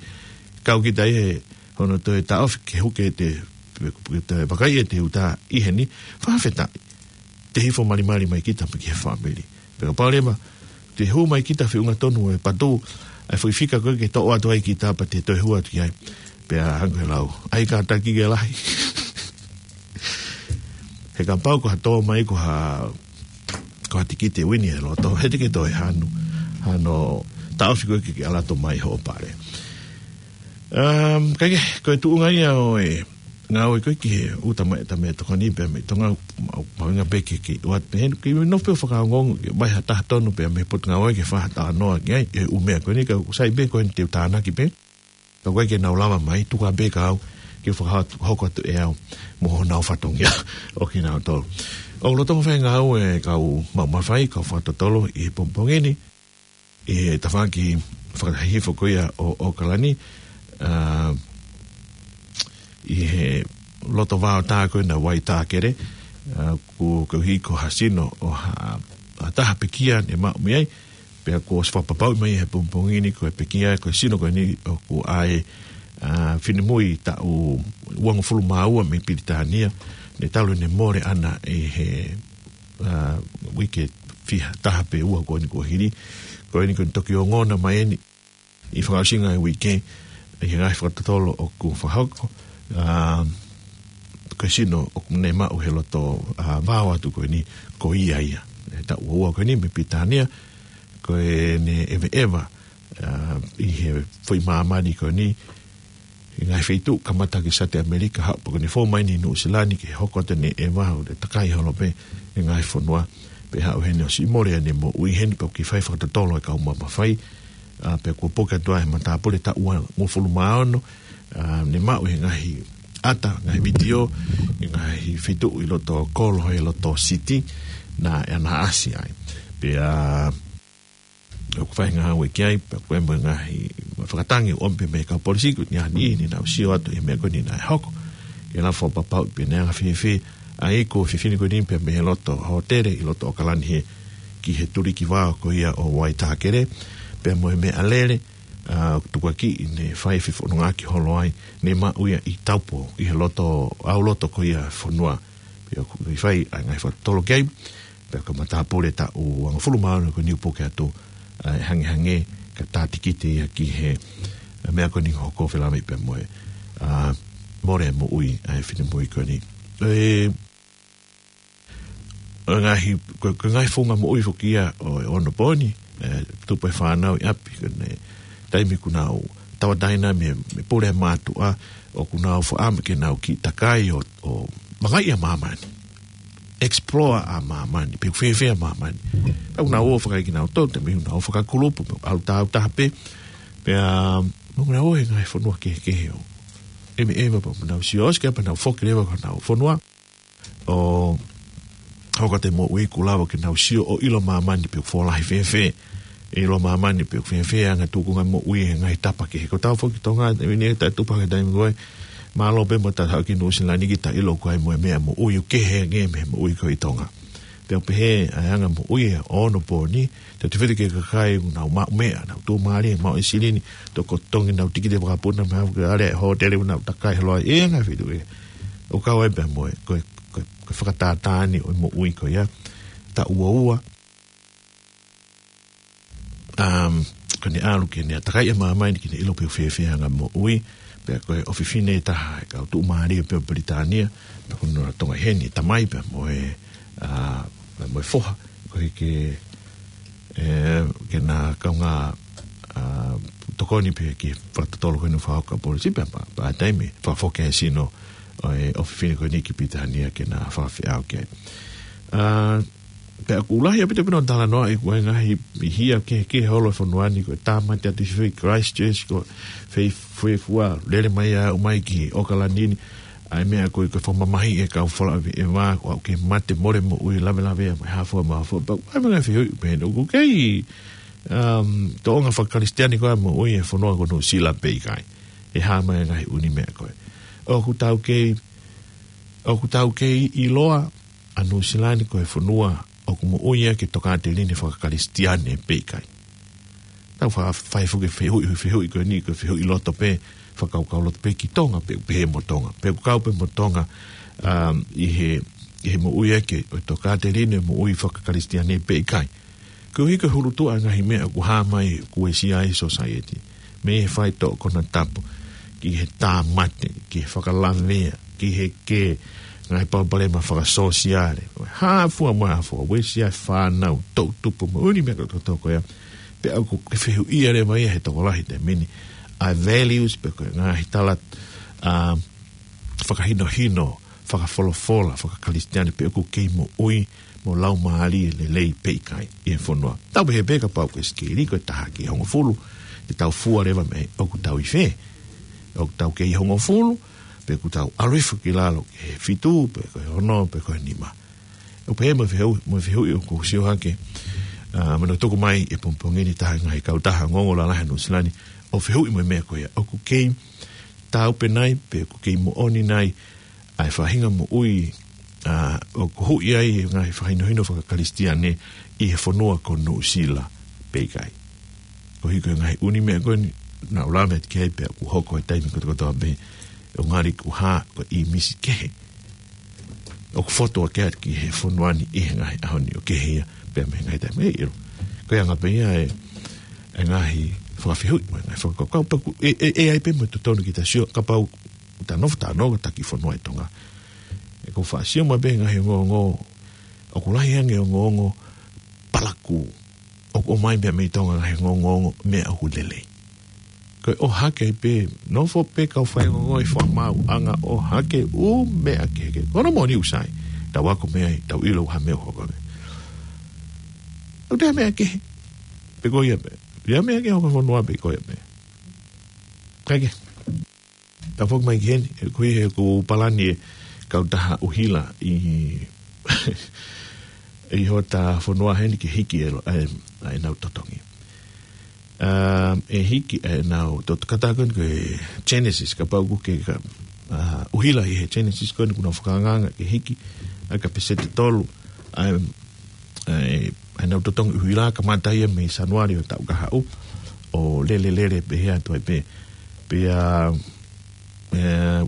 kau kita ʻi he hono toe taʻofi ke huke te, ke te vakai ʻe te ʻuta ʻi heni, fakafetaʻi. Te hifo malimali mai kita pē ki he fāmili. Pea kapau leva, te hū mai kita feʻunga tonu e patu, ʻa e foʻi fika ko ē ke toʻo atu ai kita pea te toe hū atu ki ai. Pea hangē ko e lau, ʻai kātaki ke lahi. He kapau ko ha tō mai ko ha, ko ha tikite uini he loto, he te ke toe hanu, hano taʻofi ko ē ke, ke ʻalu atu mai hoʻo pale. Um, ka ke, ko e tuʻunga ia ʻo e ngāue ko ē ki he ʻuta mai ʻeta meʻatokoni pea mei Tonga, ma-, mahuʻinga pē ke, ke ʻoatu pē heni, ke nofo pē ʻo fakaongoongo, ke ʻomai ha taha tonu pea mei he potungāue ke fai ha talanoa ki ai, ʻi he ʻū meʻa ko eni ka ʻoku sai pē ko eni te u tānaki pē. Ka ʻoku ʻikai ke nau lava mai, tuku pē kia au, ke fakahoko atu ʻe au, mo honau fatongia ʻo kinautolu. ʻOku lolotonga fai e ngāue ʻa e kau maʻu mafai, kau fakatotolo ʻi he pongipongi ni, ʻi he tafaʻaki fakahihifo ko ia ʻo, ʻo ʻAokalani, ʻa, ʻi he loto vao tā ko ē naʻe ʻi ai e tākele, ʻa, ko, koeʻuhi ko ha sino ʻo ha, ha taha pekia naʻe maʻu mei ai, pea kuo ʻosi fakapapauʻi mai he pongipongi ni ko e pekia, ko e sino ko eni ʻoku ʻa e, ʻa, finemui taʻu uangofulu mā ua mei Pilitānia, naʻe talu ʻene mole ʻana ʻi he, ʻa, uike fiha taha pe ua ko eni kuo hili, ko eni ko eni toki ongona mai eni, ʻi he fakaʻosinga e uike, ʻi he ngaahi fakatotolo ʻoku fakahoko, ʻa, ko e sino ʻoku ne maʻu he loto, ʻa, vao atu ko eni, ko ia ia. ʻE taʻu ua ua ko eni mei Pilitānia, ko ʻene ʻeveʻeva, ʻa, ʻi he foʻi māmani ko eni, ʻi he ngaahi feituʻu kamata ki Sāute ʻAmelika, haʻu pē ko eni fou mai eni Nuʻusila ni ke hoko atu ʻene ʻeva ʻo ne takai holo pē ʻi he ngaahi fonua, pea haʻu heni ʻo siʻi mole ʻene moʻui heni pea ʻoku kei fai fakatotolo e kau maʻu mafai, ʻa, pea kuo puke atu ʻa e matāpule taʻu uangofulu mā ono, ʻa, ne maʻu he ngaahi ʻata, ngaahi vitiō, he ngaahi feituʻu ʻi loto kolo, ʻi loto siti, naʻe ʻanaʻasi ai. Pea ʻoku fai e ngāue ki ai, pea ko e mo e ngaahi fakatangi ʻoku ʻomi pē mei he kau polisi, ko eni ʻa e niʻihi ni naʻa nau sio atu he meʻa ko eni naʻe hoko. Ke lava fakapapauʻi pe naʻe anga fēfē ʻa e iku ʻo e fefine ko eni pea mei he loto hōtele ʻi loto ʻAokalani hē. ki he tuliki vao ko ia ʻo Waitākere, pea mo e meʻalele, ʻa, tukuakiʻi ne fai fefonongaʻaki holo ai, ne maʻu ia ʻi Taupo, ʻi he loto, ʻauloto ko ia fonua. Pea ʻoku fai ʻa e ngaahi fakatotolo ki ai, pea ko e matāpule taʻu uangofulu mā ono ko eni ʻoku puke atu, ʻa, ʻe hangehangē ka tā tikite ia ki he, ʻa, meʻa ko eni hoko felāveʻi pea mo e, ʻa, mole moʻui ʻa e finemui ko eni. ʻE, ʻa e ngaahi, ko, ko e ngaahi founga moʻui foki ia ʻo e onopōni, ʻe, tupu e fānau ʻi ʻapi, ko eni, taimi ʻoku nau tauʻatāina mei, mei pule mātuʻa, ʻoku nau faʻa ʻamu ke nau kiʻi takai ʻo, ʻo mangaʻi ʻa māmani. Explore ʻa māmani, pe ʻoku fēfē ʻa māmani. Pea ʻoku nau ō fakaekinautolu, taimi ʻoku nau ō fakakulupu, pe ʻalu tāutaha pē, pea, mo nau ō he ngaahi fonua kehekehe ʻo ʻemeʻema pea mo nau sio ʻosi ke pea nau foki leva ki honau fonua. ʻO hoko atu e moʻui ʻoku lava ke nau sio ʻo ʻilo māmani pe ʻoku fōlahi fēfē. ʻIlo māmani pe ʻoku fēfē ʻa e anga tūkunga moʻui he ngaahi tapa kehe. Ko tau foki Tonga, ʻe vini e taʻetupa he taimi ko ē. Mālō pē mo tau haʻu ki Nuʻusila ni ke ta ʻilo ko e hā e meʻa moʻui ʻoku kehe ange mei he moʻui ko ē ʻi Tonga. Pea ʻoku pehē ʻa e anga moʻui ʻa e onopōni, te te fili ke kakai ʻoku nau maʻu meʻa, nau tuʻumālie, maʻu e silini, tokotongi nau tikite vakapuna, mei he ʻave ki he hōtele ʻo nau takai holo ai, ʻe anga fili ē. ʻO kau ai pea mo e, ko e, ko e, ko e fakatātā eni ʻo e moʻui ko ia, taʻu ua ua. Um, ko ʻene ʻalu ke ne ʻātakai ʻa māmani ke ne ʻilo pe ʻoku fēfē ʻa e anga moʻui, pea ko e ʻofefine ʻe taha ʻa e kau tuʻumālie pē ʻo Pilitānia, pea ko hono tonga ʻi heni, tamai pea mo e, ʻa, pea mo e foha, ko e ke, ʻe, ke na kaungā, ʻa, tokoni pē ki he fakatotolo ko eni ʻoku fakahoko ʻa e polisi, pea pea, pea taimi, fakafoki ʻa e sino ʻo e ʻofefine ko eni ki Pilitānia ke na fakafeʻao ki ai. ʻA, pea ʻoku lahi ʻaupito pē ʻenau talanoaʻi ko e ngaahi hia kehekehe holo ʻo e fonua ni, ko e tāmate atu ʻi fē Christchurch, ko fē, fē fua, lele mai ʻo aʻu mai ki ʻAokalani ni, ʻa e meʻa ko ē ko e fakamamahiʻi ʻe he kau falaveʻeva, ʻoku aʻu ke mate mole moʻui lavelavea, mo e hā fua mo e hā fua, pea ʻoku ʻi ai e ngaahi fehuʻi pehē ni, ʻoku kei, um, tōʻonga fakakalisitiane koā moʻui ʻa e fonua ko Nuʻusila pe ʻikai. ʻE hā mai e ngaahi ʻū meʻa ko ē. ʻOku tau kei, ʻoku tau kei ʻiloa ʻa Nuʻusila ni ko e fonua ʻoku moʻui ʻaki e tokāteline fakakalisitiane pe ʻikai. Tau fa-, fai foki e fehuʻi, fehuʻi ko eni, ko e fehuʻi loto pē, fakakaukau loto pē ki Tonga, pe ʻoku pehē mo Tonga. Pe ʻoku kau pē mo Tonga, um, ʻi he, ʻi he moʻui ʻaki ʻo e tokāteline moʻui fakakalisitiane pe ʻikai. Koeʻuhi ko e hulutuʻa e ngaahi meʻa ʻoku hā mai ʻoku uesia ai e society. Mei he fai toʻo konatapu, ki he tāmate, ki he fakalavea, ki he kē, ngaahi palopalema fakasōsiale. Hā fua mo e hā fua, uesia e fānau, toʻutupu mo e ʻū meʻa kotoa ko ia. Pea ʻoku ke fehuʻia leva ia he tokolahi he taimi ni ʻa e values pe ko e ngaahi tala, ʻa, fakahinohino, fakafolofola, fakakalisitiane pe ʻoku kei moʻui mo laumālie lelei pe ʻikai ʻi he fonua. Tau pehē pē kapau ko e sikeli ko e taha ki he hongofulu, te tau fua leva mei ai ʻoku tau ʻi fē. ʻOku tau kei hongofulu, pe ʻoku tau ʻalu hifo ki lalo ki he fitu, pe ko e ono, pe ko e nima. ʻOku pehē mo e fehuʻi, mo e fehuʻi ʻoku sio hake, ʻa, mo hono tuku mai he pongipongi ni ʻe taha e ngaahi kautaha ongoongo lalahi ʻa Nuʻusila ni, ʻo fehuʻi mo e meʻa ko ia. ʻOku kei taau pē nai, pe ʻoku kei moʻoni nai, ʻa e faʻahinga moʻui, ʻa, ʻoku huʻi ai e ngaahi fakahinohino fakakalisitiane ʻi he fonua ko Nuʻusila pe ʻikai. Koeʻuhi ko e ngaahi ʻū meʻa ko eni, naʻa ku lave atu ki ai pea ʻoku hoko he taimi kotokotoa pē, ʻo ngali ʻoku hā ko e ʻīmisi kehe ʻoku fotu ʻaki atu ki he fonua ni ʻi he ngaahi ʻaho ni ʻo kehe ia pea mei he ngaahi taimi ʻe ʻilo. Ko e anga pē ia e, e ngaahi fakafehuʻi mo e ngaahi fakakaukau, pea ʻoku, ʻe, ʻe, ʻe ʻi ai pē mo e totonu ke ta sio, kapau ta nofo, ta nofo, ta ki fonua ʻi Tonga. ʻE ko e faʻa sio mai pē ngaahi ongoongo, ʻoku lahi ange ongoongo palakū. ʻOku ʻomai pē mei Tonga ngaahi ongoongo meʻa ʻoku lelei. Ko e ʻohake ai pē, nofo pē kau faiongoongo ʻi fakamaauʻanga ʻohake ʻū meʻa kehekehe. Ko hono moʻoni ʻoku sai, tau ako mei ai, tau ʻilo ha meʻa ʻoku hoko ai. ʻOku ʻi ai e meʻa kehe, pe ko ia pē. ʻI ai e meʻa kehe ʻoku fonua pe ko ia pē. Kae kehe. Tau foki mai ki heni, ʻoku ʻi he ʻoku palani e kautaha ʻuhila ʻi, ʻi hota fonua heni ke hiki e lo-, ʻa e, ʻa ʻenau totongi. ʻA, ʻe hiki ʻenau totongi, kātaki ko e Genesis, kapau ʻoku ke ka, ʻa, ʻuhila ʻi he Genesis ko eni ʻoku nau fakaangaanga ke hiki, ʻa e ka peseti tolu, ʻa e, ʻa e, ʻa ʻenau totongi ʻuhila, kamata ia mei Sānuali ʻo e taʻu kahaʻu, ʻo lele lele pehē atu ai pē. Pea, ē,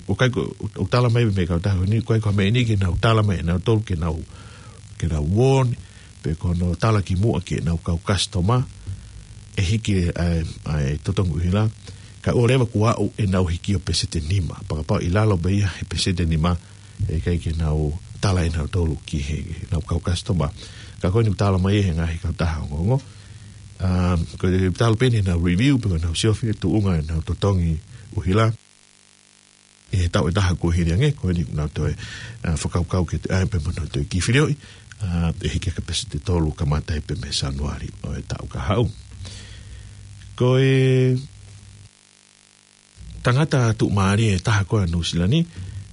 ʻoku ʻikai ko, ʻoku tala mai mei he kautaha ni, ʻoku ʻikai ko ha meʻa eni ke nau tala mai ʻe nautolu ke nau, ke nau warn, pe ko hono tala ki muʻa ki heʻenau kau customer, ʻe hiki ʻa e, ʻa e totongi ʻuhila, kae ʻoua leva kuo aʻu ʻenau hiki ʻo peseti ʻe nima, fakapapau ʻi lalo pē ia he peseti ʻe nima, ʻe ʻikai ke nau tala ʻe nautolu ki heʻenau kau customer. Ka ko eni ʻoku tala mai ʻe he ngaahi kautaha ongoongo. Um, ko e talu pē eni ʻenau review, pe ko ʻenau siofi e tuʻunga ʻenau totongi ʻuhila ʻi he taʻu ʻe taha kuo hili ange, ko eni ʻoku nau toe, uh, fakakaukau ke toe ʻai pē mo nau toe kiʻi filioʻi, uh, ʻe hiki ki he peseti ʻe tolu kamata ai pē mei Sānuali ʻo e taʻu kahaʻu. Ko e tangata tuʻumālie ʻe taha ko ē ʻa Nuʻu Sila ni,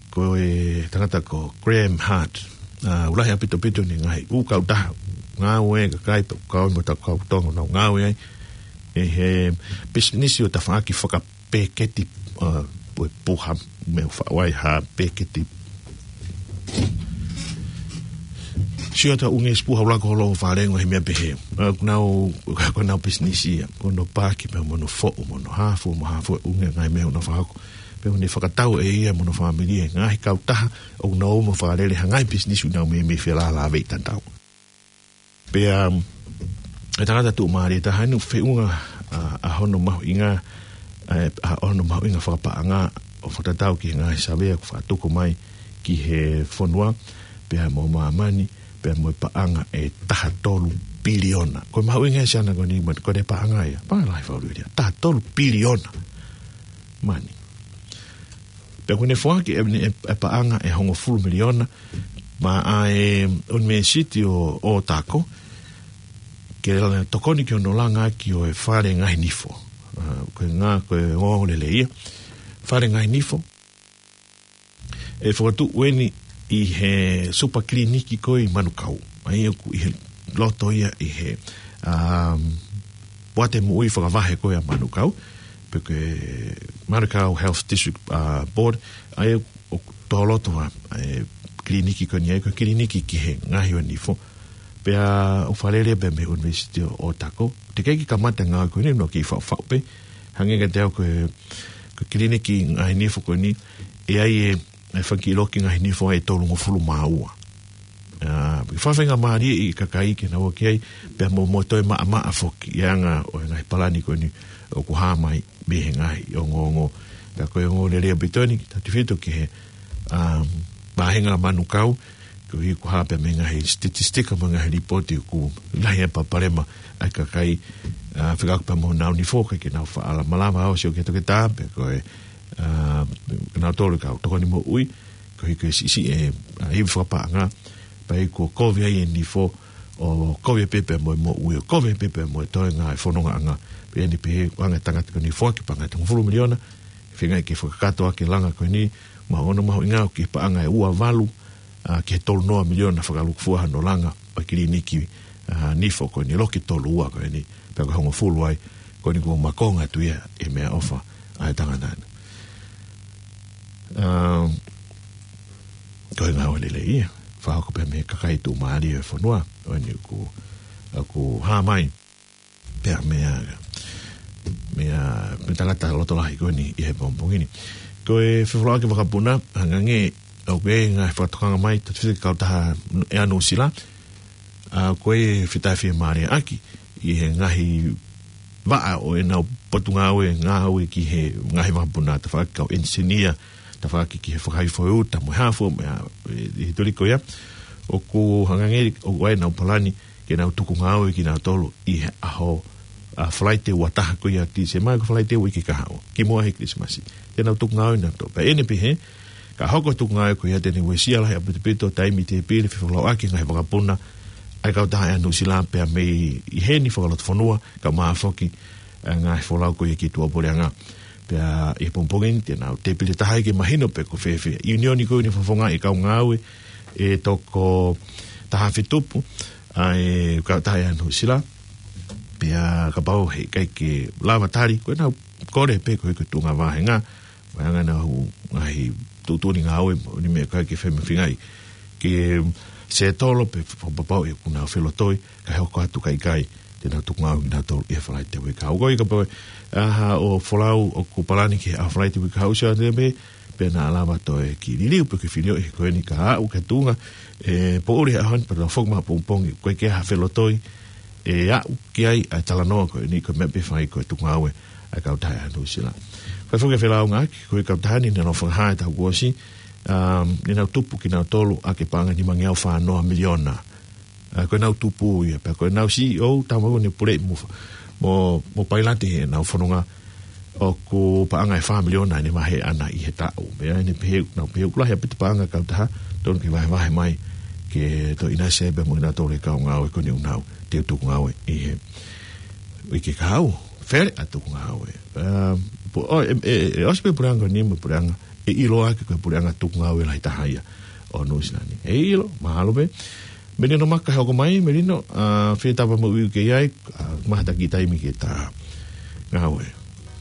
ko e tangata ko Graham Hart. ʻA, ʻoku lahi ʻaupito ʻene ngaahi ʻū kautaha ngāue, kakai pē ʻoku kau mo e kau Tonga ʻoku nau ngāue ai ʻi he pisinisi ʻo e tafaʻaki fakapēketi, ʻa, ʻo e puha, meʻa ʻoku faʻu ai ha pēketi. Sio atu ʻa ʻUnga Sipuha ʻUlako Holo ʻo Falengo he meʻa pehē. ʻA, ʻoku nau, ko ʻenau pisinisi ia, ko hono paaki pē mo hono foʻu, mo hono hā fua, mo hā fua ʻa ʻUnga ngaahi meʻa ʻoku nau fakahoko. Pea ʻoku ne fakatau ʻe ia mo hono fāmili e ngaahi kautaha ʻoku nau ō mo fakalele ha ngaahi pisinisi ʻoku nau meimei felālāveʻi tatau. Pea, um, e tangata tuʻumālie ʻe taha ni ʻoku feʻunga, ʻa, ʻa hono mahuʻinga, ʻa, ʻa hono mahuʻinga fakapaʻanga ʻo fakatatau ki he ngaahi savea ʻoku faʻa tuku mai ki he fonua, pea mo māmani, pea mo e paʻanga ʻe taha tolu piliona. Ko e mahuʻinga ʻa e siana ko eni, ko e paʻanga ia, paʻanga lahi fakaʻuliʻulia, taha tolu piliona mani. Pea ʻoku ne foaki ʻe, ʻe, ʻe paʻanga ʻe hongofulu miliona maʻa e ʻUnivēsiti ʻo, ʻo Otago, ke langa tokoni ki hono langa ʻaki ʻo e fale ngaahi nifo. ʻA, ko e ngā, ko e ongoongo lelei ia. Fale ngaahi nifo. ʻE fokotuʻu eni ʻi he supa kiliniki ko ē ʻi Manukau. ʻA ia ʻoku ʻi he loto ia ʻi he, um, poate moʻui fakavahe ko ē ʻa Manukau, pe ko e Manukau Health District, uh, Board, ʻa ia ʻoku tō loto ʻa e kiliniki ko eni, ʻa ia ko e kiliniki ki he ngaohi ʻo e nifo. Pea ʻoku fakalele pē mei he ʻUnivēsiti ʻo Otago. Teʻeki ke kamata ngāue ko eni, ʻoku nau kiʻi faʻufaʻu pē. Hangē kiate au ko e, ko e kiliniki ngaahi nifo ko eni, ʻe ʻi ai e, e fanga kiʻi loki ngaahi nifo ʻe tolungofulu mā ua. ʻA, ke fakafaingamālieʻi e kakai ke nau ō ki ai, pea mo, mo toe maʻamaʻa foki ʻi he anga ʻo e ngaahi palani ko eni ʻoku hā mai mei he ngaahi ongoongo. Pea ko e ongoongo lelei ʻaupito eni, tautefito ki he, um, vāhenga Manukau, koeʻuhi ko e hā pē mei he ngaahi statistika mo e ngaahi lipooti ʻoku lahi e palopalema ʻa e kakai, ʻa, fekauʻaki pea mo honau nifo, ʻikai ke nau faʻa malava ʻo sio ki he toketā, pe ko e, ʻa, nautolu e kau tokoni moʻui, koeʻuhi ko e siʻisiʻi e, ʻa, ivi fakapaʻanga, pea ʻi ai kuo kovi ai e nifo, ʻo kovi pē pea mo e moʻui, ʻo kovi pē pea mo e toenga e fonongaʻanga. Pea ʻi ai pē ʻa e ngaahi tangata ko eni foaki paʻanga ʻe hongofulu miliona, feinga ke fakakakato ʻaki e langa ko eni, mo hono mahuʻinga ʻoku ʻi he paʻanga ʻe ua valu, ʻa, ki he tolu noa miliona fakalūkufua hono langa ʻo e kiliniki, ʻa, nifo ko eni, loki tolu ua ko eni, pea ko e hongofulu ai, ko eni kuo makonga atu ia ʻe he meʻaʻofa ʻa e tangata na. Um, ko e ngāue lelei ia, fakahoko pē mei he kakai tuʻumālie ʻo e fonua, ʻo eni ʻoku, ʻoku hā mai, pea mei he, mei he, mei he tangata loto lahi ko eni ʻi he pongipongi ni. Ko e fefolauʻaki vakapuna, hangē ʻoku ʻi ai e ngaahi fakatokanga mai, tautefito ki he kautaha ʻa Nuʻu Sila, ʻa, ko e fetafiemālie ʻaki ʻi he ngaahi vaʻa ʻo ʻenau potungāue, ngāue ki he ngaahi vakapuna, tafaʻaki kau ʻenisinia, tafaʻaki ki he fakahifo e uta mo e hā fua, mo e, ʻi he tuli ko ia, ʻoku hangē ʻoku ʻi ai ʻenau palani ke nau tuku ngāue kinautolu ʻi he ʻaho, ʻa, Falaite ua taha ko ia Tīsema, ko Falaite uike kahaʻu, kimuʻa he Kilisimasi. Te nau tuku ngāue nautolu. Pea ʻi heʻene pehē, ka hoko e tuku ngāue ko ia te ne uesia lahi ʻaupito taimi, tēpile, fefolauʻaki e ngaahi vakapuna ʻa e kautaha ʻa Nuʻu Sila pea mei heni fakalotofonua, kae ʻumaʻā foki e ngaahi folau ko ia ki tuʻapuleʻanga. Pea ʻi he pongipongi ni te nau tēpile taha ai ke mahino pe ko e fēfē. ʻIunioni ko eni ʻoku fofongaʻi e kau ngāue ʻe toko taha afe tupu ʻa e kautaha ʻa Nuʻu Sila. Pea kapau heʻikai ke lava tali, ko ʻenau kole pē ko e tuʻunga vāhenga, vāhenga ʻenau ngaahi tuʻutuʻuni ngāue, ʻo ne meʻa ko ē ke fai mo e feingaʻi ʻe, settle pe fakapapauʻi ʻoku nau felotoi, kae hoko atu kae ʻikai te nau tuku ngāue kinautolu ʻi he Falaite uike kahaʻu. Ko ia kapau ʻe ʻi ai haʻo folau ʻoku palani ki he ʻaho Falaite uike kahaʻu, sio atu pē, pea naʻa lava toe kiʻi liliu pe ke filioʻi he ko eni ka aʻu ki he tuʻunga ʻe poʻuli he ʻaho ni pea tau foki mai pongipongi, ʻoku ʻikai ke ʻi ai ha felotoi ʻe aʻu ki ai ʻa e talanoa ko eni, ko e meʻa pē ʻe fai ko e tuku ngāue ʻa e kautaha ʻa Nuʻu Sila. Fai foki e felāungaaki, ko e kautaha ni naʻe nau fakahā he taʻu kuo ʻosi, um, naʻa nau tupu kinautolu ʻaki e paʻanga ʻe nimangeau fā noa miliona. ʻA, ko ʻenau tupu ia, pea ko ʻenau C E O, tama ko eni ʻoku puleʻi mo, mo, mo pailate ʻenau fononga, ʻoku paʻanga ʻe fā miliona ʻene vahe ʻaʻana ʻi he taʻu. Meʻa ʻene pehē, nau pehē ʻoku lahi ʻaupito paʻanga kautaha, tonu ke vahevahe mai, ke toe ʻinasi pē mo kinautolu e kau ngāue ko eni ʻoku nau toe tuku ngāue ʻi he uike kahaʻu, fele ʻa e tuku ngāue. Um, po, ʻo, ʻe, ʻe, ʻe ʻosi pē puleʻanga ko eni mo e puleʻanga, ʻe ʻiloa ko e puleʻanga tuku ngāue lahi taha ia ʻo Nuʻu Sila ni. ʻE ʻilo, mahalo pē. Melino Maka, hoko mai, Melino, ʻa, fie tapa mo uiu ke ʻi ai, ʻa, mahalo taki taimi ke ta ngāue.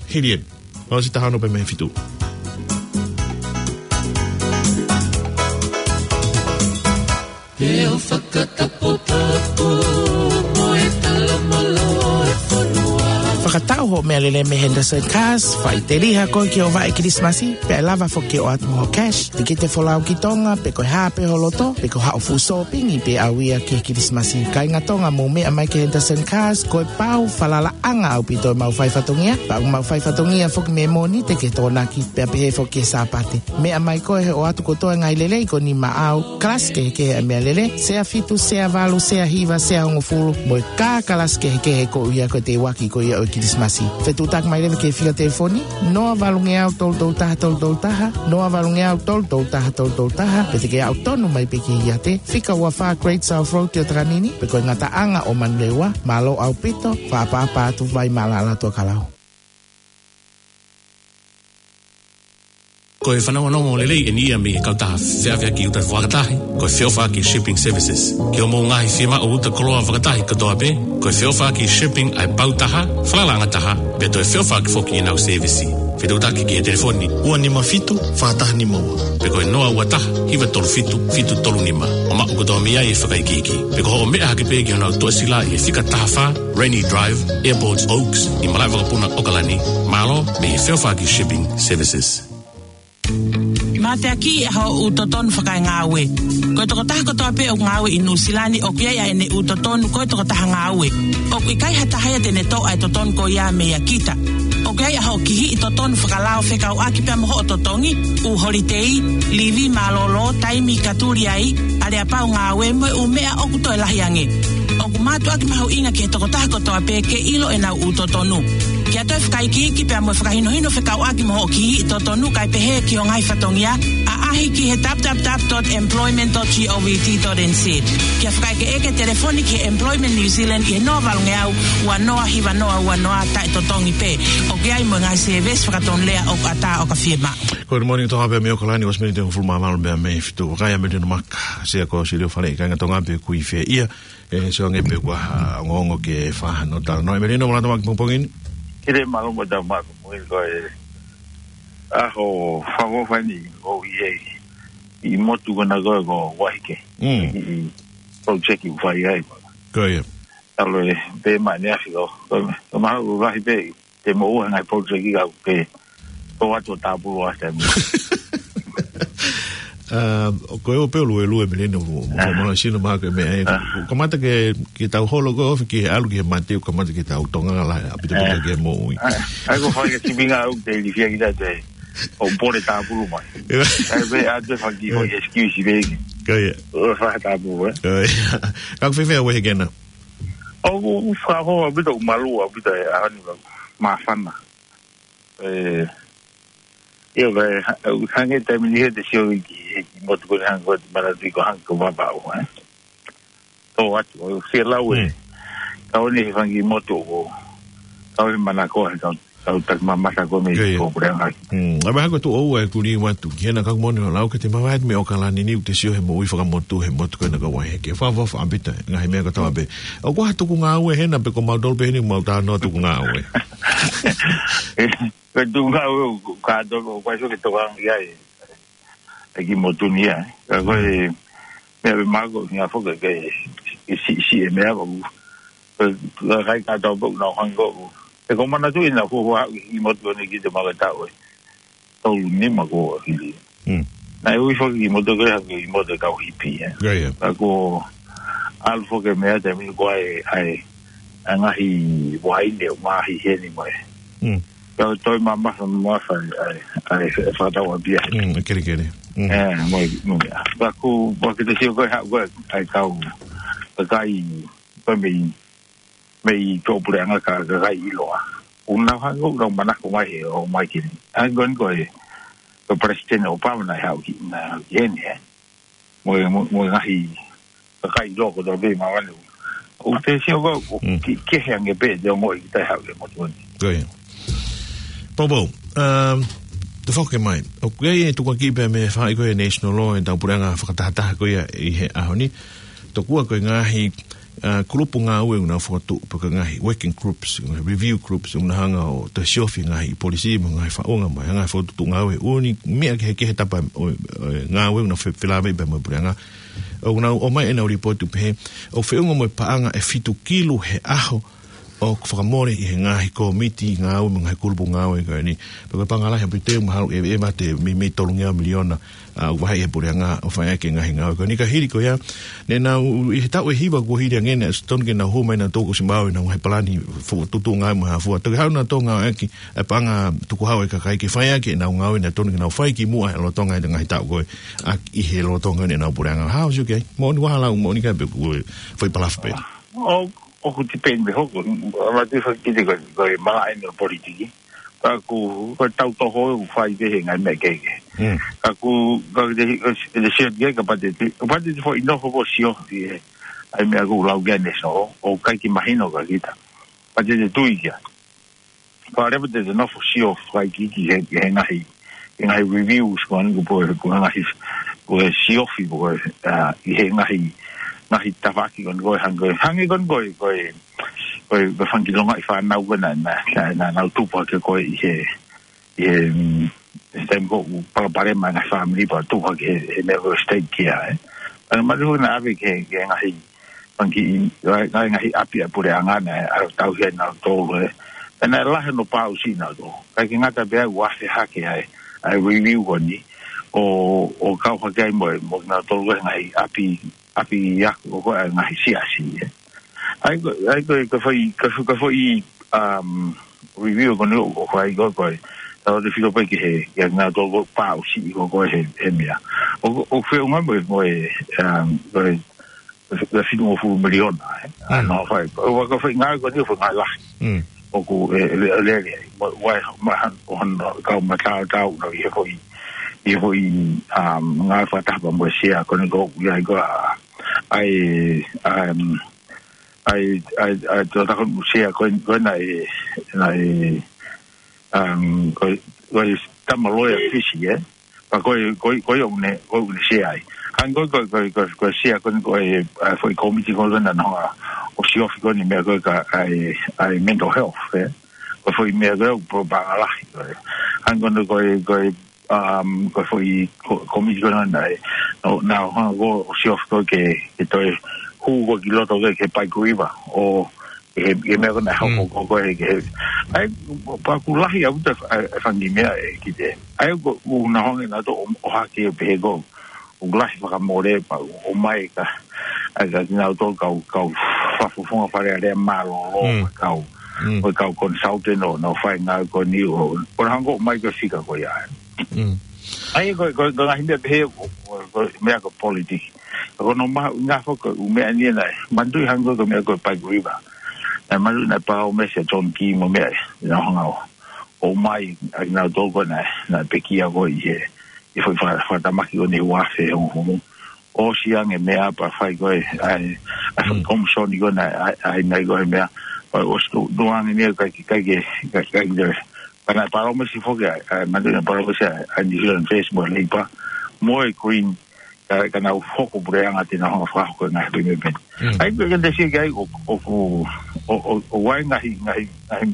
Hili eni, ʻosi taha ono pē mei he fitu. He ʻo fakataputapu mo e talamalo e fonua. Fakatau hoʻo meʻalele mei Henderson Cars, faʻiteliha koe ki hoʻo vaʻe Kilisimasi, pea ʻe lava foki ke ʻoatu mo hoʻo cash, tikite folau ki Tonga, pe ko e hā pē ho loto, pe ko haʻo fuʻu sōpingi pē ʻaʻau ia ki he Kilisimasi. Kāinga Tonga, mou meʻa mai ki Henderson Cars, ko e pau falalaʻanga ʻaupito ʻemau fai fatongia, pea ʻoku mau fai fatongia foki mei Mōnite ki he Tokonaki, pea pehē foki ki he Sāpate. Meʻa mai koe he ʻoatu kotoa e ngaahi lelei ko eni maʻau, kalasi kehekehe ʻa e meʻalele, sea fitu, sea valu, sea hiva, sea hongofulu, mo e kā kalasi kehekehe ko ia ko e teuaki ko ia ʻo e Kilisimasi. Fetuʻutaki mai leva ki he fika telefoni, noa valungeau tolu tolu taha tolu tolu taha, noa valungeau tolu tolu taha tolu tolu taha, pe te ke aʻu tonu mai pē ki he iate, fika ua fā Great South Road ʻi ʻOtakanini, pe ko e ngataʻanga ʻo Manurewa, mālō ʻaupito, fakaʻapaʻapa atu, vai mālala atu ʻa Kalau. Ko e fanongonongo lelei eni ia mei he kautaha feʻaveʻaki uta fakatahi, ko e feʻofaʻaki Shipping Services. Ki hoʻomou ngaahi fiemaʻu uta koloa fakatahi kotoa pē, ko e feʻofaʻaki shipping ʻa e pau taha, falalaʻanga taha, pea toe feʻofaʻaki foki ʻenau sēvisi. Fetuʻutaki ki he telefoni ua nima fitu, fā taha nima ua, pe ko e noa ua taha, hiva tolu fitu, fitu tolu nima. ʻO maʻu kotoa mei ai e fakaikiiki. Pe ko hoʻo meʻa hake pē ki honau toʻesila ʻi he fika taha fā, Rainy Drive, Airport Oaks, ʻi Malaʻevakapuna, ʻOkalani. Mālō mei he feʻofaʻaki Shipping Services. Mateaki ʻa hoʻo ʻū totonu fakaengāue. Ko e tokotaha kotoa pē ʻoku ngāue ʻi Nuʻu Sila ni ʻoku ʻi ai ʻa ʻene ʻū totonu ko e tokotaha ngāue. ʻOku ʻikai ha taha ia te ne toʻo ʻa e totonu ko ia meia kita. ʻOku ʻi ai ʻa hoʻo kihiʻi totonu fakalao fekauʻaki pea mo hoʻo totongi, ʻū holitei, livi mālōlō, taimi ka tuli ai, aleapau ngāue mo e ʻū meʻa ʻoku toe lahi ange. ʻOku mātuʻaki mahuʻinga ki he tokotaha kotoa pē ke ʻilo ʻenau ʻū totonu. Ke ʻoatu e fakaikiiki pea mo e fakahinohino fekauʻaki mo hoʻo kihiʻi totonu kae pehē ki ho ngaahi fatongia, ʻaʻahi ki he www dot employment dot govt dot nz. Ke fakaʻekeʻeke, telefoni ki he Employment New Zealand ʻi he noa valungeau ua noa hiva noa ua noa, taʻetotongi pē. ʻOku ʻi ai mo e ngaahi sēvesi fakatonulea ʻoku ʻatā ʻo ka fiemaʻu. Good morning, Tonga pea mei ʻOkalani, ʻosi miniti hongofulu mā valu mei he fitu. Vakai ʻa Melino Maka, Sea Kosilio Fale, kāinga Tonga pē ʻoku ʻi fē ia, ʻe sio ange pe ʻoku ʻi ai ha ongoongo ke fakahā ʻo talanoa. Melino, mālō e tau maʻu ki he pongipongi ni. Kile mālō mo e tau maʻu ki he pongipongi ni, ko e ʻaho fakaʻofoʻofa eni ʻoku ʻi ai ʻi motu ko ena ko e ko Waiheke. Mm. ʻI, ʻi project ʻoku fai ai. Ko ia. Talo e pē mai ʻaneafi ko, ko, ko mahalo ʻoku lahi pē te mo ua ngaahi project ka ke tō atu ʻo tāpulu ʻa e taimi. Um, ʻoku ou pehē ʻoku lue Melino mo, mo, mo sino mā ko e meʻa ē. Ah. Kamata ke, ke tau holo ko e ofi ke ʻalu ki he mate, kamata ke tau tonga la, ʻaupito pito ki he moʻui. Ah, ʻai ko e fai ke timinga au te ilifia ki tate. ʻO pole tāpulu mai. ʻAi pē ʻa e faki ho excuse pē ki. Ko ia. ʻO fai tāpulu, ē? Ko ia. Ka ʻoku fēfē ʻa Waiheke na? ʻOku fakaʻofoʻofa ʻaupito, ʻoku malū ʻaupito e ʻaho ni, māfana. ʻE, ʻio, ʻoku hangē taimi ni he te sio ki, ki motu ko eni hangē ko e te manatu ko hangē ko Vavaʻu, ē. Tō atu, ʻo fie lau ē. Mm. Kau ni he fanga kiʻi motu ʻoku, kau he manako he kau, kau taki mamata ko mei ko puleʻanga. Mm. ʻAi mahalo ko e tuʻu ʻoku ou kuli atu ki hena ka ʻoku moʻoni hoʻo lau ke te mavahe mei ʻOkalani ni ʻo te sio he moʻui fakamotu he motu ko ena ko Waiheke. Fakaʻofoʻofa ʻaupito e ngaahi meʻa kotoa pē. ʻOku ʻi ai ha tuku ngāue hena pe ko mautolu pē heni ʻoku mau talanoa tuku ngāue. Ko e tuku ngāue ʻoku kātoa, ʻoku ʻikai ke tokanga ki ai e kiʻi motu ni ia, ē. Ka ko e, Meʻa pē māku, ʻuhinga foki ke, ke si, si e meʻa ʻoku, ke, ke kai ka tau pau na hang ko. He ko e manatu ʻi he fuofua haʻu ki motu ni ki te maka tau e. Tolu nima ko hili. Mm. Naʻe ui foki ki motu ke hake ki motu kau hipi, eh. Ka ko ʻalu foki e meʻa te mini ko ai, ai, a ngahi wai ne, ngahi heni mai. Mm. Ka toe mamafa, mamafa, ai, ai, ai, fakatau a pia. Mm, e kelekele. Mm. Eh, mo, mo, ka ko, wa ki te sio ko e haʻu ko e, ai kau, ka kai, ko e mei, mei tō puleʻanga ka, ka kai ʻiloa. ʻUna hanga ʻo manako mai he, ʻo mai kini. Ai ko e, ko e, ko President Obama naʻe haʻu ki, na, ki heni, eh. Mo, mo, mo ngahi, ka kai ʻiloa ko tō pē ma wanu. ʻO te sio ko, ʻo Mm. ki, ke he ange pē, te ongo i te haʻu ke motu ni. Ko ia. Popo, um, te foke mai. ʻOku ʻi ai e tukuakiʻi pē mei he faʻahi ko e national law, e tau puleʻanga fakatahataha ko ia ʻi he ʻaho ni. Tokua ko e ngaahi, uh, kulupu ngāue ʻoku nau fokotuʻu, pe ko e ngaahi working groups, ngaahi review groups, ʻoku na hanga ʻo toe siofi ngaahi polisi, mo e ngaahi faʻunga, mo e ngaahi fokotuʻu ngāue, ʻū meʻa kehekehe tapa ʻo, ʻo e ngāue ʻoku nau fe-, felāveʻi pē mo e puleʻanga. ʻOku nau ʻomai ʻenau lipooti pehē, ʻoku feʻunga mo e paʻanga ʻe fitu kilu he ʻaho, ʻoku fakamole ʻi he ngaahi kōmiti ngāue mo e ngaahi kulupu ngāue ko eni. Pea ko e paʻanga lahi ʻaupito ʻoku mahalo ʻe, ʻe mate mei, mei tolungeau miliona, a, ʻoku vaheʻi ʻe he puleʻanga ʻo fai ʻaki e ngaahi ngāue ko eni. Ka hili ko ia, naʻa nau ʻi he taʻu ʻe hiva kuo hili ange naʻe totonu ke nau hū mai nautolu kuo ʻosi maʻu ʻenau ngaahi palani fokotuʻutuʻu ngāue mo e hā fua. Toki haʻu nautolu ngāueʻaki e paʻanga tukuhau e kakai ke fai ʻaki ʻenau ngāue naʻe totonu ke nau fai kimuʻa he lolotonga e ngaahi taʻu ko ē, a, ʻi he lolotonga ʻenau puleʻanga. Hao siu kei, moʻoni waha lau, moʻoni ka pe kuo foʻi palafo pē. ʻO, ʻoku tipeni pē hoko, a matu fakite ko, ko e malaʻe ʻo e politiki. Ka ko, ko e tau toho ʻoku fai pē he ngaahi meʻa kehekehe. Mm. Ka ko, ka te, te, te sio ki ai ka patete, ka patete foʻi nofo foʻi sio, ʻi he, ai meʻa ko lau kia neso, ʻoku ʻikai ke mahino kia kita. Patete tui kia. Ka lepa te te nofo sio fai ki, ki he, he ngaahi, he ngaahi reviews ko eni ko po, ko e ngaahi, ko e siofi ko e, a, ʻi he ngaahi, ngaahi tafaʻaki ko eni ko e hangē, hangē ko eni ko e, ko e, ko e, ko e fanga kiʻi longaʻi fānau ko ē naʻa, naʻa, naʻa, naʻa nau tupu hake ko ē ʻi he, ʻi he, mm, he taimi ko ē ʻoku palopalema ngaahi fāmili pea tupu hake he, he meʻa ko e state kia, eh. Ana mali hoi naʻa ʻave ke, ke ngaahi, fanga kiʻi, ngaahi, ngaahi ʻapi ʻa e puleʻanga naʻe, a, tauhi ai nautolu, eh. Pea naʻe lahi hono pāʻusiʻi nautolu. ʻIkai ke ngata pē ai ʻoku ʻasi hake ai, ʻa e review ko eni, ʻo, ʻo kau hake ai mo, mo nautolu he ngaahi ʻapi, ʻapi ako ko ē ʻa e ngaahi siasi, eh. ʻA ia ko, ʻa ia ko, ko e foʻi, ko e foʻi, ko e foʻi, um, review ko eni ʻoku fai ko ē, ko e, tau te filo pē ki he, ki he nautolu ko e pāʻusiʻi ko ē he, he meʻa. ʻO, ʻo feʻunga mo e, mo e, um, ko e, ko e fitungofulu miliona, eh. Mm. Ana fai, ʻo, ʻo, ko e foʻi ngāue ko eni, foʻi ngāue lahi. Mm. ʻOku, e, le, le, le, mo, ʻoku ʻi ai, ma, han, ʻo han, kau mataotao, no, ʻi he foʻi, ʻi he foʻi, um, ngāue fakataha pea mo e sea, ko eni ko, ʻi ai ko, a, ʻa e, um, ʻa e, ʻa e, ʻa e, tō tako sea, ko eni, ko ena e, na e, um, ko, ko e tama loea Fisi, eh? Pea ko e, ko e, ko e ʻoku ne, ko e ʻoku ne sea ai. Hangē ko e, ko e, ko e, ko e, ko e sea ko eni ko e, ʻa e foʻi kōmiti ko ena naʻa nau hanga ʻo siofi ko eni meʻa ko ē ka ʻa e, ʻa e mental health, eh? Ko e foʻi meʻa ko ē ʻoku pō paʻanga lahi ko ē. Hangē ko eni ko e, ko e, um, ko e foʻi ko, kōmiti ko ena naʻe, naʻa nau hanga ʻo siofi ko ē ke, ke toe hū ko ē ki loto ko ē ki he Pike River. ʻO, he, he meʻa ko ena hoko Mm. ko, ko e, he, ʻa ia, pea ʻoku lahi ʻaupito e, e fanga kiʻi meʻa ʻe kite. ʻA ia ko, ʻoku nau hanga nautolu ʻo, ʻo hake pehē ko, ʻoku lahi fakamole pea ʻomai ka, ʻa ia ka kinautolu kau, kau fakafofonga Fale Alea mālōlō, Mm. kau, Mm. ko e kau consultant ʻo nau fai ngāue ko eni ʻo, ʻo nau hanga ʻo ʻomai ko e fika ko ia. Mm. ʻA ia ko, ko, ko e ngaahi meʻa pehē ko, ko, ko e meʻa ko e politiki. Ko hono mahuʻinga foki ʻo e meʻa ni naʻe, manatuʻi hangē ko e meʻa ko e Pike River. Naʻe manatuʻi naʻe palōmesi ʻa John Key mo e meʻa, naʻa nau hanga ʻo, ʻomai, ʻa kinautolu ko ē naʻe, naʻe pekia ko ē ʻi he, ʻi he foʻi fa-, fakatamaki ko eni ʻi he ua afe hongofulu. ʻOsi ange meʻa pea fai ko ē, ʻa e, ʻa e Mm. komisoni ko ē naʻe, ʻa e, ʻa e, naʻe ko e meʻa, pea ʻosi tuʻu, tuʻu ange ni ʻikai ke, ʻikai ke, ʻikai, ʻikai ke, pea naʻe palōmesi foki ʻa e, ʻa e, manatuʻi naʻe palōmesi ʻa e, ʻa e New Zealand First mo e Labour, mo e Green, ka, ka nau hoko puleʻanga te nau hanga fakahoko e ngaahi meʻa pehē ni. Mm. ʻA ia, ko e kiʻi te sio ki ai ʻo, ʻo, ʻo, ʻo, ʻo ʻi ai ngaahi, ngaahi, ngaahi,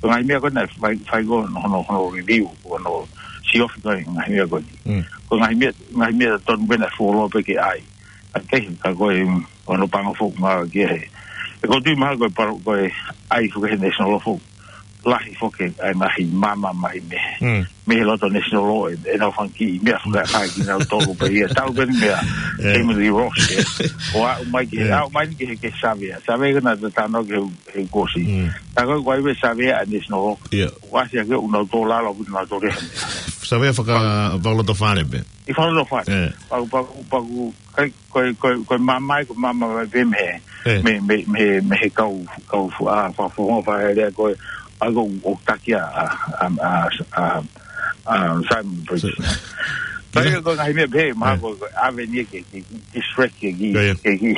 ngaahi meʻa ko ē naʻe fai, fai ko ē hono, hono, hono review, hono siofi ko ē ngaahi meʻa ko ē. Mm. Ko e ngaahi meʻa, ngaahi meʻa tonu pē naʻe fuoloa pē ke ʻai. ʻA kehe, ka ko e, ʻoku ou panga foki ngā ki he. ʻOku ou tui mahalo ko e paro, ko e ʻai foki he national law foki. Lahi foki ʻa e ngaahi maama mai mei he. Mm. Mei he loto national law, ʻe, ʻenau fanga kiʻi meʻa foki ʻa kinautolu pē ia. Tau pē meʻa, Eh. Emily Ross, ē. ʻO aʻu mai ki he, Eh. aʻu mai ki he, ki he savea. Savea ko ena te tano ki he, he kuo ʻosi. Mm. Tā ko e ko e savea ʻa e national law. Yeah. ʻOku ʻasi ʻaki ʻenau tō lalo, ʻenau tō reha. Savea faka-, fakalotofale pē. ʻI fakalotofale. Eh. Paku, paku, paku, kai, ko e, ko e, ko e maama ia, ko e maama mai pē mei he, Eh. mei, mei, mei, mei he kau, kau fu-, ʻa, fa-, fu-, fa-, lea ko e, ʻa ko ʻo taki ʻa, ʻa, ʻa, ʻa, ʻa, ʻa, Simon Briggs. So, Kai kila- ko e ngaahi meʻa pehē, mahalo Yeah. ko e ʻave ni ke, ke, ke distract ke, ke, Yeah, yeah. ke, ke,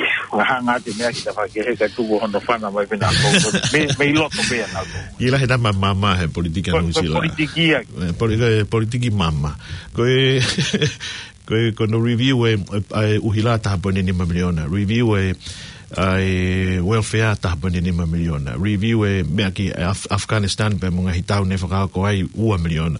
hanga atu meʻa ki tafaʻaki he ka tuku hono fana mai pē na ko, ko, mei, mei loto pē ʻana ko. Kila he tama maama he politiki ʻa Ko, ko Nuʻusila. politiki ia. Eh, poli-, ko e politiki maama. Ko e, ko e, ko hono review e, e, e ʻuhila taha poini nima miliona. Review e, ʻa e welfare taha poini nima miliona. Review e meʻa ki Af-, Afghanistan pea mo e ngaahi tau ne fakaako ai ua miliona.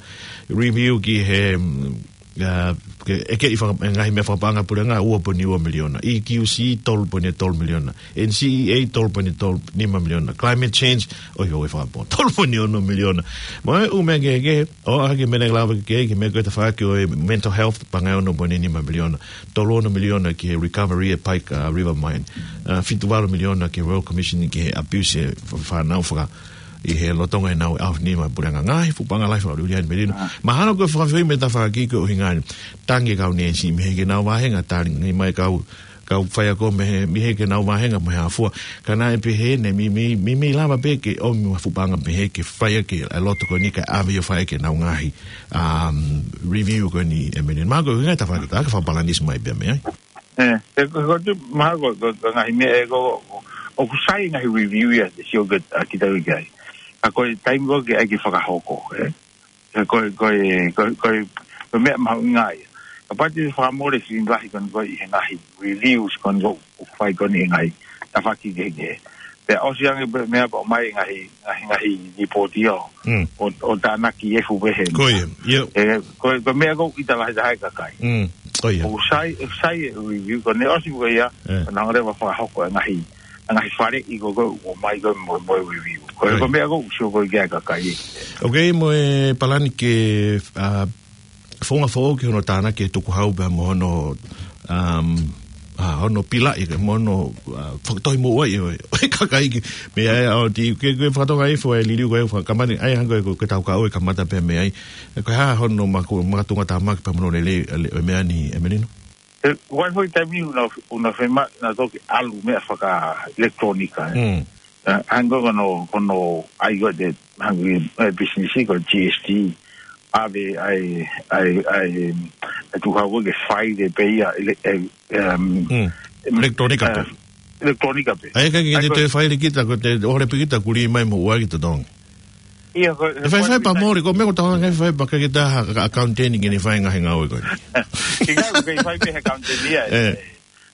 Review ki he, mm, ʻa, ke, ʻeke ʻi faka-, e ngaahi meʻa fakapaʻanga puleʻanga ua poini ua miliona. E Q C tolu poini tolu miliona. N C E A tolu poini tolu nima miliona. Climate change, ʻoiauē fakapō, tolu poini ono miliona. Mo e ʻū meʻa kehekehe, ʻo ʻai ke mene lava ke, ke meʻa ko e tafaʻaki ʻo e mental health, paʻanga ʻe ono poini nima miliona. Tolu ono miliona ki he recovery e Pike, uh, River Mine. Uh, fitu valu miliona ki he Royal Commission ki he abuse e fa-, fānau faka-, ʻi he lolotonga ʻenau ʻaho ni mo e puleʻanga. Ngaahi fuʻu paʻanga lahi fakaʻuliʻuli ʻa e melino. Ah. Mahalo ko e fakafeʻao mei he tafaʻaki ko e ʻuhinga ni. Tangi kau ni ʻe si mei he ke nau vahenga, tangi mai kau kau faiako mei he, mei he ke nau vahenga mo e hā fua. Ka naʻe pehē ni, mei, mei, mei, mei lava pē ke ʻomi ha fuʻu paʻanga pehē ke fai ʻaki e loto ko eni kae ʻave ʻo fai ʻaki ʻenau ngaahi, um, review ko eni ʻe melino. Mahalo ko e ʻuhinga e tafaʻaki, ka fakapalanisi mai pē mei ai. Eh, e, ko, ko, tu, mahalo ko, ko, ko e ngaahi meʻa ē ko, ko, ʻoku sai ngaahi review ia, te sio ke, ʻa kita ki ai. Ka ko e taimi ko ē ke ʻai ke fakahoko, eh. Ko e, ko e, ko e, ko e, ko e meʻa mahuʻinga ia. Kapau te fakamole sini lahi ko eni ko e ʻi he ngaahi reviews ko eni ko ē ʻoku fai ko eni he ngaahi tafaʻaki kehekehe. Pea ʻosi ange pē meʻa pea ʻomai ngaahi, ngaahi, ngaahi ripoti ʻo, Mm. ʻo, ʻo tānaki e fuʻu pehē. Ko ia, ia. E, ko e, ko e meʻa ko ē ʻita lahi taha e kakai. Mm, ko ia. ʻOku sai, ʻoku sai e review ko eni ʻosi ko ia, Eh. ʻo nau leva fakahoko e ngaahi ʻa e ngaahi faleʻi ko ē ʻoku ʻomai ko ē mo, mo e review. Ko e, Right. ko e meʻa ko ē ʻoku sio ko ē ki ai e kakai. Ok, mo e palani ke, uh, founga foʻou ki hono tānaki e tukuhau pea mo hono, um, uh, hono pilaʻi ke mo hono, uh, fakatohi mo ʻai ʻo e, ʻo e kakai ki, mei ai ʻo ti, ke, ke fakatonga e foʻi liliu ko ē, fakamani, ʻai hangē ko e, ko e tau kau e kamata pē mei ai. Ko e hā hono maku, makatunga tāmaki pea mo hono lelei, le, ʻo e meʻa ni, ʻe melino? E, ʻoku ʻi ai foʻi taimi ni ʻoku nau, ʻoku nau fiemaʻu nautolu ke ʻalu meʻa faka-electronic, eh. Mm. Eh, hangē ko hono, ko hono ʻai ko ē te, hangē, eh, business ko e G S T, ʻave ai, ai, ai, e tukuhau ko ē ke file pē ia, ele-, eh, em, Mm. Electronic eh, pē. Electronic pē. ʻAi, ka ke ʻAi, te ko toe file kita, ko te ʻohovale pē kita kuli mai mo ʻuaki totongi. Ia, ko, ʻE fai, ko fai e pea mole, ko e meʻa ko e tau ngai fai pea ka ke taha ka accountant ke ne fai ngaahi ngāue ko eni. Ke ngāue ke fai pē he accountant ia, Eh.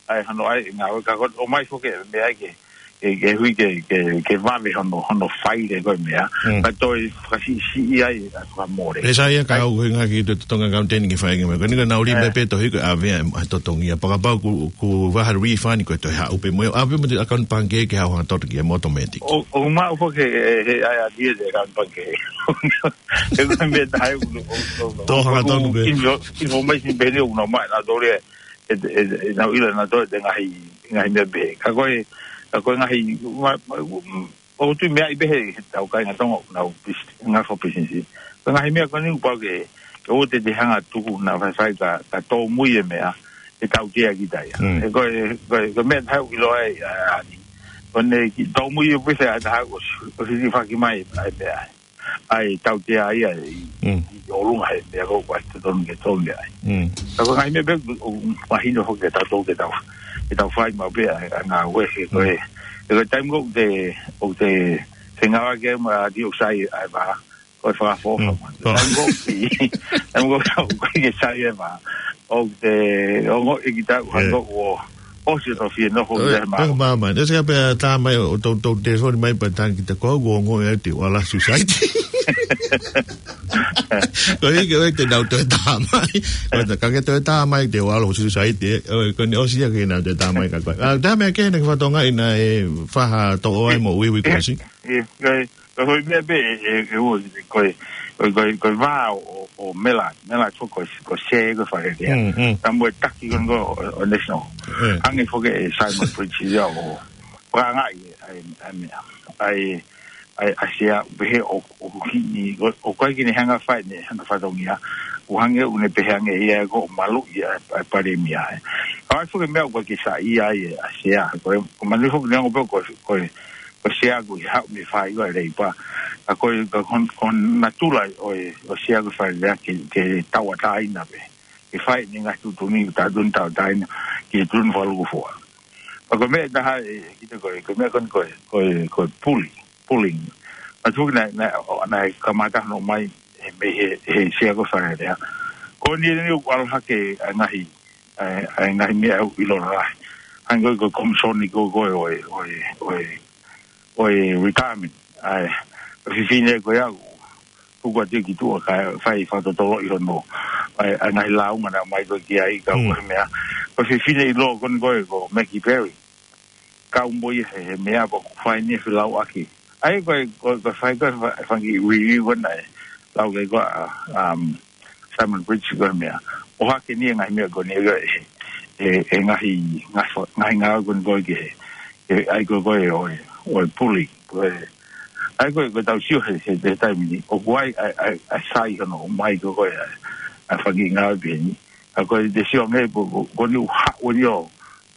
ʻAi, hano ʻai ngāue ka ko, ʻomai foki e meʻa ke, ke, ke hui ke, ke, ke vave hono, hono file ko e meʻa. Mm. Ka toe fakasiʻisiʻi ai, ʻa fakamole. ʻE sai ia ka ʻAi. ʻOku ʻuhinga ki he totongi accountant ke fai ngāue ko eni ka nau lima Eh. pē tohi ko e ʻave ʻa e totongi ia. Pea kapau ʻoku, ʻoku ʻi ai ha refund ko e toe haʻu pē mo ia. ʻAve mo e account pangikē ke haʻu hanga totongi ia mo automatic. ʻO, ʻoku maʻu foki he, he, he ʻai ʻa e account pangikē. He ko e meʻa taha ʻoku, ʻoku, ʻoku, Tō hanga ʻoku tonu pē. info-, information pē ʻoku nau maʻu nautolu e, e, e, e, nau ʻilo nautolu e ngaahi, ngaahi meʻa pehē. Ka ko e, ka ko e ngaahi, ma, ma, ʻoku tui meʻa ʻi pehē he tau kāinga Tonga ʻoku nau pis-, ngaahi fo business. Ko e ngaahi meʻa ko eni ʻoku pau ke, ke ʻoua te te hanga tuku na faifai ka, ka tōmui e meʻa, ʻe tautea kita ia. Mm. He ko e, ko e, ko e meʻa taha ʻoku ʻiloa ai, ʻa, ʻa, ni. Ko ʻene ki tōmui e pese ʻa e taha ʻoku, ʻoku hilifaki mai, ʻa e meʻa. ʻAi tautea ia ʻi, Mm. ʻi ʻolunga he meʻa ko ē ʻoku ʻikai totonu ke tōmui ai. Mm. Ka ko e ngaahi meʻa pē ʻoku mahino foki ke tau tō ke tau, ke tau fai maʻu pē ʻa, ʻa ngāue he ko e, Mm. he ko e taimi ko ē ʻoku te, ʻoku te, te ngāue ke ma ti ʻoku sai ʻa e vā, ko e fakafofa Mm. mo. Oh. Taimi ko ē, taimi ko ē ʻoku ʻikai ke sai e vā. ʻOku te, ongoʻi kita ʻoku hanga Eh. ʻo, ʻosi ʻo fie nofo ʻOi, ki he mā. Pea māmā. Nē se ka pea tā mai ʻo tau, tau telefoni mai pea tā kita ko au, ʻoku ongoʻi ʻe au te u ala society. Ko e hiki ʻoe te nau toe tā mai. Ko e tā, ka ke toe tā mai te walo suicide, ē. ʻOe, ko ʻene ʻosi ia ke nau toe tā mai ka ko e. ʻA, tā meʻa ke na ke fatonga ina e faha toʻo ai mo uiui ko si. ʻIo, ko e, ko e hoi meʻa pē, ʻe, ʻe, ʻe, ʻo, ko e, ko e, ko e, ko e vā ʻo, ʻo Mela, Mela ko, ko, ko Sea ko e fale lea. Mm, mm. Tā mo e taki ko eni ko ʻo, ʻo National. ʻE. Hangē foki ʻe Simon Bridge ia ʻo, fakaangaʻi, ʻa e, ʻa e meʻa. ʻA e, ʻa e, ʻa Sea, pehē ʻo, ʻoku hiki, ʻo, ʻoku ʻikai ke ne hanga fai, ne hanga fatongia. ʻOku hangē ʻoku ne pehē ange ia ko e maluʻi ʻa e, ʻa e palēmia, ē. ʻA e foki meʻa ʻoku ʻikai ke saiʻia ai ʻa Sea. Ko e, ko e manui foki neongo pē ko, ko, ko Sea ko e haʻu mei he fāiva Leipa. Ka ko e, ka ko, ko e natula ʻo e, ʻo Sea ko e fale lea ke, ke tauʻatāina pē. Ke fai ʻene ngaahi tuʻutuʻuni, tā tun tauʻatāina, ki he tuʻutuʻuni fakalūkufua. Ka ko e meʻa ʻe taha ʻe, kita ko e, ko e meʻa ko eni ko e, ko e, ko e puli, pulling. Ka tuku naʻe, naʻe, ʻo, naʻe kamata hono ʻomai, ʻe, mei he, he Sea ko e fale lea. Ko eni eni ʻoku ʻalu hake ʻa e ngaahi, ʻa e, ʻa e ngaahi meʻa ʻoku ʻiloa lahi. Hangē ko e, ko e komisoni ko, ko e, ʻo e, ʻo e, ʻo e, ʻo e retirement. ʻA e, ʻa e fefine ko ia ʻoku tuku atu ki tuʻa kae fai fakatotoloʻi hono, ʻa e, ʻa e ngaahi lāunga naʻe ʻomai ko ē ki ai ka Mm. ko e meʻa. Ko e fefine ʻiloa ko eni ko e, ko Maggie Perry. Kau mo ia he, he meʻa pea ʻoku fai ni e felauʻaki. ʻA ia ko e, ko e, ko e fai ko e fa-, fanga review ko ena ē. Lau ke ko e, um, Simon Bridge ko e meʻa. ʻOhake ni e ngaahi meʻa ko eni ko e, e, e ngaahi, ngaahi fa-, ngaahi ngāue ko eni ko e ke, e, ʻa ia ko e, ko e, ʻo e, ʻo e puli. Ko e, ʻa ia ko e, ko e tau sio he, he, he taimi ni. ʻOku ʻi ai, ʻa e, ʻa e, ʻa e sai hono ʻomai ko e, ko e, ʻa e, ʻa e fanga ngāue pē eni. ʻA ia ko e te sio ange ko, ko, ko eni ʻoku haʻu eni ʻo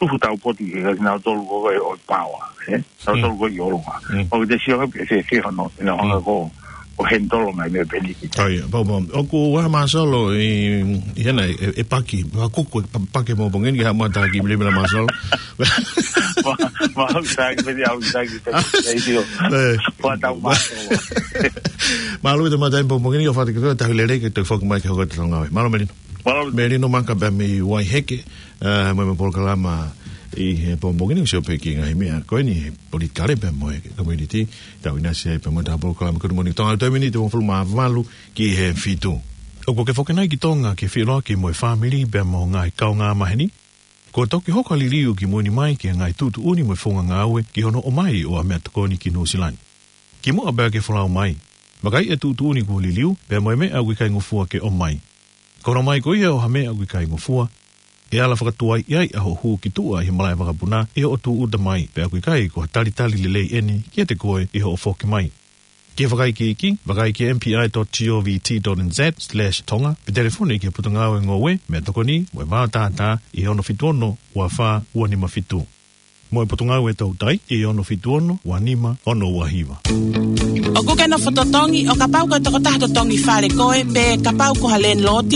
tuhu taupotu ki he kinautolu ko e ʻo e paoa, ē? Kinautolu ko e ʻi ʻolunga. Mm. ʻOku te sio ange pe fēfē hono, ina hanga Mm. ko, ʻo handle ngaahi meʻa pē eni ki. ʻA ia, pau, pau. ʻOku ʻi ai ha māsalo ʻi, ʻi hena, ʻe, ʻe paki, ha kuku, pa-, paki mo pongeni, ha mata ki mele mele māsalo. Ma, ma, au taki, peni au taki, peni, ʻe, io. ʻE. Pea tau māsalo. Mālō e te mata mo pongeni, ʻo fati ke tahi lelei ke te foki mai ke hoko atu e ngāue. Mālō Melino. Mālō. Melino Maka pea mei Waiheke, ʻa, mo e polokalama ʻi he pongipongi ni, ʻoku sio pē ki he ngaahi meʻa ko eni he politikale pea mo e community, tau ʻinasi ai pea mo e taha polokalama Good Morning Tonga, ʻa e taimi ni ʻe hongofulu mā valu ki he fitu. ʻOku ke foki nai ki Tonga ke feʻiloaki mo e fāmili pea mo e ngaahi kaungāmaheni? Kuo toki hoko ʻa e liliu ki mui ni mai ki he ngaahi tuʻutuʻuni mo e founga ngāue ki hono ʻomai ʻo ha meʻatokoni ki Nuʻusila ni. Kimuʻa pea ke folau mai, vakai e tuʻutuʻuni kuo liliu, pea mo e meʻa ʻoku ʻikai ngofua ke ʻomai. Ko hono ʻomai ko ia ʻo ha meʻa ʻoku ʻikai ngofua, ʻe ala fakatuai ai ʻa hoʻo hū ki tuʻa ʻi he malaʻe vakapuna ʻi hoʻo tūʻuta mai, pea ʻoku ʻikai ko ha talitali lelei eni kiate koe ʻi hoʻo foki mai. Ke fakaikiiki, vakai ki M P I dot G O V T dot N Z slash Tonga, pe telefoni ki he Potungāue Ngoue, Meʻatokoni mo e Vātātā ʻi he ono fitu ono, ua fā, ua nima fitu. Mo e Potungāue Toutai ʻi he ono fitu ono, ua nima, ono ua hiva. ʻOku ke nofo totongi, ʻo kapau ko e tokotaha totongi fale koe, pe kapau ko ha landlord,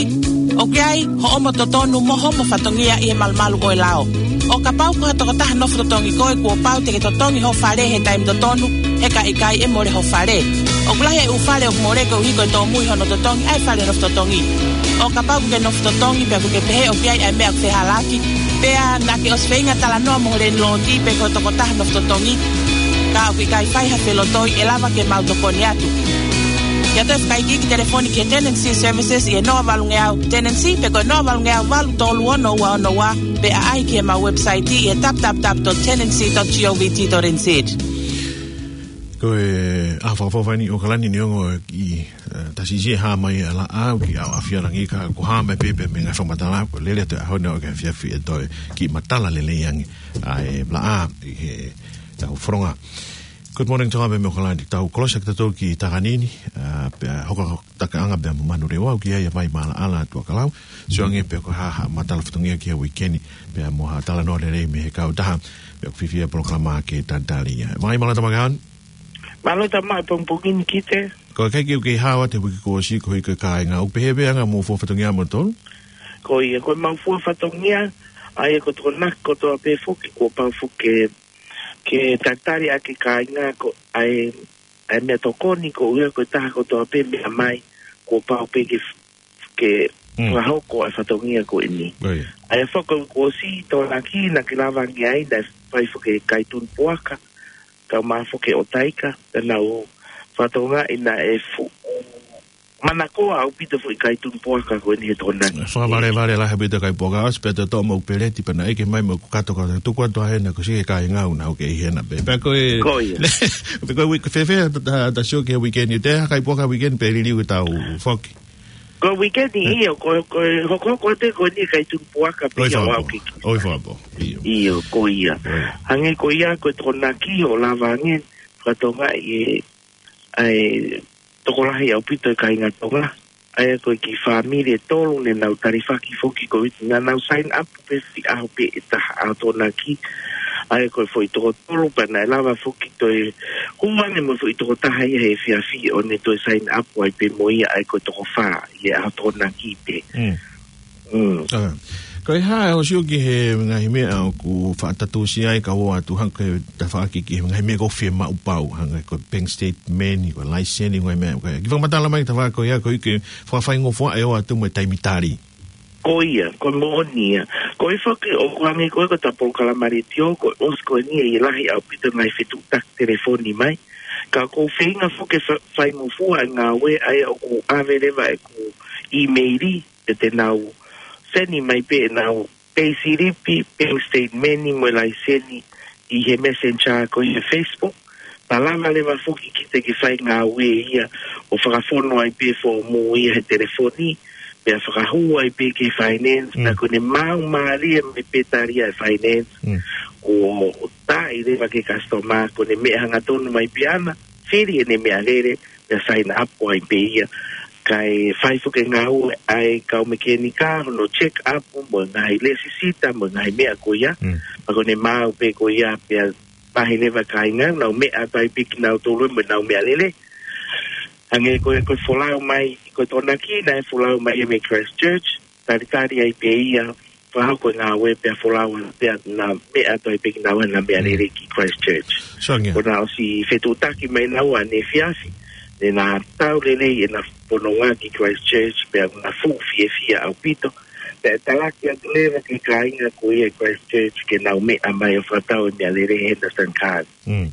ʻoku ʻi ai hoʻomo totonu mo hoʻomo fatongia ʻi he malumalu ʻo e lao. ʻO kapau ko ha tokotaha nofo totongi koe, kuo pau te ke totongi ho fale he taimi totonu, he ka ʻikai ʻe mole ho fale. ʻOku lahi e ʻū fale ʻoku mole koeʻuhi ko e tōmui hono totongi ʻa e fale nofo totongi. ʻO kapau ʻoku ke nofo totongi pea ʻoku ke pehē ʻoku ʻi ai ʻa e meʻa ʻoku fehālaaki, pea naʻa ke ʻosi feinga talanoa mo ho landlord pe ko e tokotaha nofo totongi, ka ʻoku ʻikai fai ha felotoi, ʻe lava ke mau tokoni atu. Ke ʻoatu e fakaikiiki, telefoni ki he Tenancy Services ʻi he noa valungeau Tenancy pe ko e noa valungeau valu tolu ono ua ono ua, pe ʻaʻahi ki heʻemau website ʻi he W W W dot tenancy dot govt dot N Z. Ko e ʻaho fakafofonga ni ʻo ʻAokalani, neongo ʻi, ʻe, tasi ʻi he hā mai ʻa e laʻā ki ʻaoʻafi ʻa langi, ka ko e hā mai pē pē mei he ngaahi fakamatala, ko e lele atu e ʻaho ni ʻo e afiafi ʻe toe kiʻi matala lelei ange ʻa e laʻā ʻi heʻetau fononga. Good Morning Tonga pē mei ʻAokalani, tau kolosi ʻaki tautolu ki Takanini, ʻa, pea hoko ʻa Takaʻanga pea mo Manurewa, ʻoku ʻi ai ʻa Vaimaʻalaʻala, Tuʻakalau. Sio ange pe ko e hā ha matala fatongia ki he uike ni, pea mo ha talanoa lelei mei he kautaha, pea ʻoku fiefia e polokalama ke talitali ia. Mai Malata Makaon. Mālō e tama e pongipongi ni Kite. Ko e ʻikai ke u kei hao atu he uike kuo ʻosi koeʻuhi ko e kāinga. ʻOku pehē pē anga hoʻomou fua fatongia moutolu? Ko ia, ko ʻemau fua fatongia, ʻa ia ko e tokonaki kotoa pē foki, kuo pau foki ke, ke talitali ʻaki e kāinga ko e, ʻa e meʻatokoni koeʻuhi ko e taha kotoa pē meʻa mai, kuo pau pē ke, ke Mm. fakahoko ʻa e fatongia ko eni. Ko ia. ʻA ia foki kuo ʻosi e tokonaki naʻa ke lava ange ai, naʻe fai foki e kai tunu puaka, kae ʻumaʻā foki ʻo taika, pea nau fakatokangaʻi naʻe fuʻu manakoa ʻaupito foʻi kai tunu puaka ko eni he Tokonaki. Fakavalevale lahi ʻaupito kai puaka, ʻosi pē ʻe toʻo mo peleti pea na ʻeke mai mo ʻeku kato ka tuku atu ʻa hena ko e siʻi kāinga ʻoku nau kei hena pē. Pea ko e, Ko ia. Pea ko e uike, fēfē ʻa, ʻa, ʻa Sioki he uike ni, ʻe ʻi ai ha kai puaka uike ni pe liliu ʻetau foki? Ko e uike ni, ʻio, ko, ko e hokohoko atu ko eni kai tunu puaka pē ʻOi ia fakapō. ʻAukiki. ʻOi fakapō. ʻIo. ʻIo, ko ia. ʻOi. Hangē ko ia ko e Tokonaki ʻoku lava ange fakatokangaʻi ʻe, ʻa e tokolahi ʻaupito e kāinga Tonga. ʻA ia ko e kiʻi fāmili ʻe tolu ne nau talifaki foki ko e uike ni, naʻa nau sign up pē siʻi ʻaho pē ʻe taha ʻa e Tokonaki. ʻA ia ko e foʻi toko tolu pea naʻe lava foki toe hū ange mo e foʻi toko taha ia he efiafi ʻo ne toe sign up ai pē mo ia, ʻa ia ko e toko fā ia ʻa e Tokonaki pē. Mm. Mm. ʻA. Ko e hā ʻa Sioki he ngaahi meʻa ʻoku faʻa tatusi ai ka ʻoatu hangē ko e tafaʻaki ki he ngaahi meʻa ʻoku fiemaʻu pau, hangē ko e bank statement, ko e laiseni, ngaahi meʻa, ko e kiʻi fakamatala mai tafaʻaki ko ia, ko e uike fakafaingofuaʻi ʻoatu mo e taimi tali. Ko ia, ko e moʻoni ia. Ko e foki ʻoku hangē ko e ko e ta polokalama letiō, ko e ʻosi ko eni ʻe lahi ʻaupito ngaahi fetuʻutaki telefoni mai. Ka ʻoku ou feinga foki ke fa-, faingofua e ngāue, ʻa ia ʻoku ʻave leva ʻeku ʻīmeili, pea te nau send mai pē ʻenau payslip, bank statement mo e laiseni ʻi he Messenger ko ia he Facebook. Pea lava leva foki kita ke fai ngāue ia ʻo fakafonu ai pē fōmu ia he telefoni, pea fakahū ai pē ki he finance, Mm. pea ko ʻene maau mālie mai pē tali ʻa e finance, Mm. ʻo tā ʻi leva ki he customer, ko ʻene meʻa hangatonu mai pē ʻana, fili ʻene meʻalele, pea sign up ai pē ia. Kae fai foki e ngāue ʻa e kau mekenika, hono check up, mo e ngaahi lēsisita, mo e ngaahi meʻa ko ia. Mm. Pea ko ʻene maau pē ko ia, pea vahe leva kāinga, nau meʻa atu ai pē kinautolu mo ʻenau meʻalele. Hangē ko e, ko e folau mai, ko e Tokonaki naʻe folau mai ia mei Christchurch, talitali ai pē ia, fakahoko e ngāue pea folau, pea na meʻa atu ai pē kinaua ʻenau meʻalele Mm. ki Christchurch. Sio ange. Ko ʻena ʻosi fetuʻutaki mai naua ʻaneefiafi, ne na tau lelei ʻena fononga ki Christchurch, pea na fuʻu fiefia ʻaupito. Pea talaki atu leva ki he kāinga ko ia ʻi Christchurch ke nau meʻa mai ʻo fakatau e meʻalele he Henderson Cars. Mm.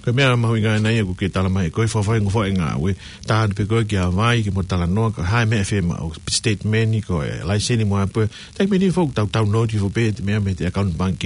Ko e meʻa mahuʻinga ʻena ia ʻoku ke tala mai, ko e fakafaingofuaʻi e ngāue, tā atu pē koe ki Hawaii, ke mo talanoa, ko e hā e meʻa ʻe fiemaʻu, statement, ko e laiseni mo e hā pē, taimi ni foki ʻoku tau download hifo pē, meʻa mei he account bank,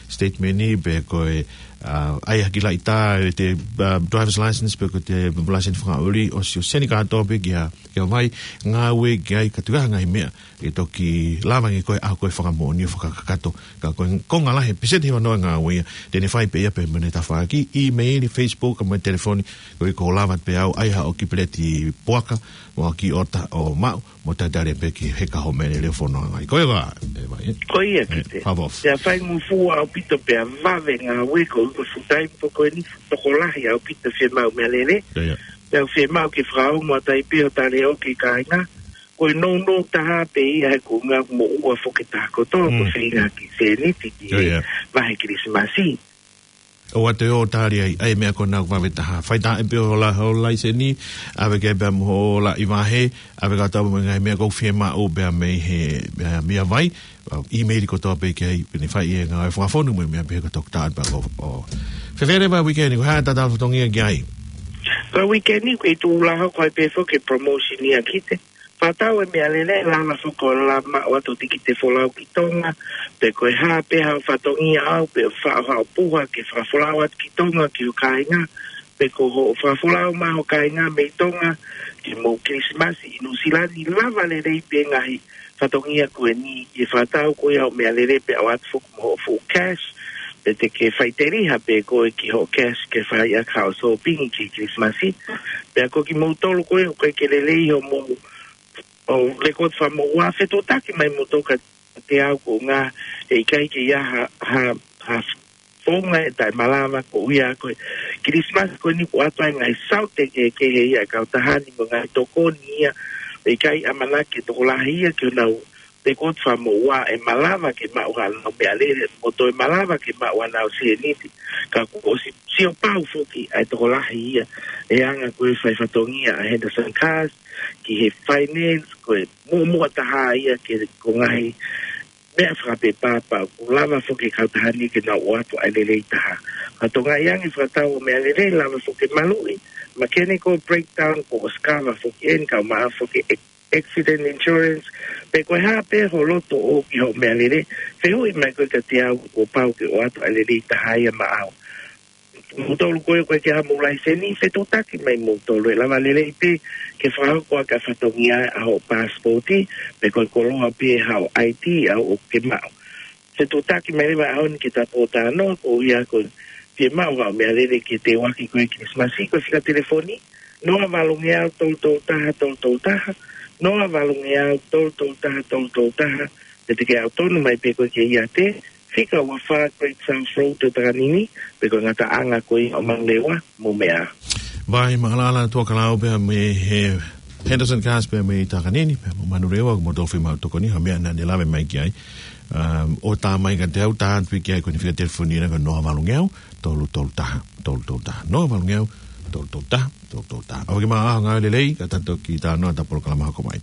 statement, pe ko e, ʻa, ʻai ha kiʻi laʻitā, ʻete, ʻa, driver's license, pe ko ʻete license fakaʻuli, ʻosi ʻo send kātoa pē ki ha, ki Hawaii, ngāue ki ai, ka tuku ai ha ngaahi meʻa ʻe toki lava ange ko e ʻaho ko e fakamoʻoni ʻo fakakakato. Ka ko e konga lahi, peseti hiva noa e ngāue ia te ne fai pē ia pē mo ʻene tafaʻaki, ʻīmeili, Facebook, mo e telefoni, ko e ʻikai lava pē au ʻai haʻo kiʻi peleti puaka, mo ha kiʻi ʻota ʻo maʻu, mo talitali pē ki he kaho mele leo fononga ai. Ko ia, ʻe, vai, ʻe. Ko ia, ʻE, Kite. Fakaʻofoʻofa. Pea faingofua ʻaupito pea vave ngāue ko e full time ko eni tokolahi ʻaupito fiemaʻu meʻalele. Ia, ia. Pea fiemaʻu ke fakaongo atu ai pē ʻo tali ʻo ki he kāinga. Ko e nounou taha pē ia he ko e ngaahi moʻua foki taha kotoa, ko Mm. e feinga ki he sēniti ki Ia, he ia. vahe Kilisimasi. ʻOua te ō tali ai, ʻa e meʻa ko ena ʻoku vave taha. Fai taha pē hoʻo la-, hoʻo laiseni, ʻave ki ai pē mo hoʻo laʻi vahe, ʻave kātoa mo e ngaahi meʻa ʻoku fiemaʻu pea mei he, pea mei Hawaii, ʻīmeili kotoa pē ki ai, pea ne fai e ngāue fakafonu mo e meʻa pehē ko e toki tā atu pē ʻo, ʻo. Fēfē leva e uike ni, ko e hā e tatau fatongia ki ai? Ko e uike ni, ko e tuʻu laho ko e pē foki e promotion ia, Kite. Fakatau e meʻalele, lava foki ʻo lava maʻu atu e tikite folau ki Tonga, pe ko e hā pē haʻo fatongia ʻaʻau, pe ʻoku faʻo haʻo puha ke fakafolau atu ki Tonga ki ho kāinga, pe ko hoʻo fakafolau mai ho kāinga mei Tonga, ke mou Kilisimasi ʻi Nuʻusila ni, lava lelei pē ngaahi fatongia ko eni, ʻe fakatau ko ia hoʻo meʻalele pea ʻoatu foki mo hoʻo fuʻu cash, pe te ke faʻiteliha pē koe ki hoʻo cash ke fai ʻaki haʻo sōpingi ki Kilisimasi. Pea ko kimoutolu ko ē ʻoku ʻikai ke lelei hoʻomou ʻo lekooti fakamoʻua, fetuʻutaki mai moutolu kiate au, ko e ʻuhinga he ʻikai ke ʻi ai ha, ha, ha founga ʻe taʻemalava, ko e ʻuhinga ko e Kilisimasi ko eni ʻoku ʻoatu ai e ngaahi saute kehekehe ia ʻa e kautaha ni mo e ngaahi tokoni ia, ʻe ʻikai ʻamanaki e tokolahi ia ke nau lekooti fakamoʻua ʻe malava ke maʻu haʻanau meʻalele, mo toe malava ke maʻu haʻanau sēniti, ka kuo ʻosi sio pau foki ʻa e tokolahi ia, ʻe anga ko e fai fatongia ʻa Henderson Cars, ki he finance, ko e muʻomuʻa taha ia ke ko e ngaahi meʻa fakapepapa, ʻoku lava foki e kautaha ni ke nau ʻoatu ʻa e lelei taha. Ka toki ʻi ai ange fakatau ʻo e meʻalele, lava foki e maluʻi, mechanical breakdown, kuo ʻosi kava foki eni, ka ʻoku maʻa foki e accident insurance, pe ko e hā pē ho loto ʻoku ʻi hoʻo meʻalele, fehuʻi mai koe kiate au, kuo pau ke ʻoatu ʻa e lelei taha ia maʻau. Moutolu ko ē ʻoku ʻikai ke ʻi ai haʻamou laiseni, fetuʻutaki mai moutolu, ʻe lava lelei pē ke fakahoko ʻaki ʻa e fatongia ʻa hoʻo passport, pe ko e koloa pē haʻo I D ʻoku ke maʻu. Fetuʻutaki mai leva he ʻaho ni ki he tapou talanoa, koeʻuhi ko e fiemaʻu haʻo meʻalele ke teuaki ko ē ki he Kilisimasi, ko e fika telefoni, noa valungeau tolu tolu taha tolu tolu taha, noa valungeau tolu tolu taha tolu tolu taha, pe te ke ʻalu tonu mai pē koe ki he ʻiate, fika ua fā Great South Road ʻi Takanini, pe ko e ngataʻanga ko ia ʻo Manurewa mo Meʻa. Vai maʻalaʻala Tuʻakalau pea mei he Henderson Cars pea mei Takanini, pea mo Manurewa, ko moutolu fiemaʻu tokoni, ha meʻa naʻa ne lave mai ki ai. Um, ʻo tā mai kiate au, tā atu pē ki ai ko eni fika telefoni ena ko e noa valungeau tolu tolu taha tolu tolu taha. Noa valungeau tolu tolu taha tolu tolu taha. ʻOku maʻa ha ngāue lelei, ka ta toki talanoa ʻi he polokalama hoko mai.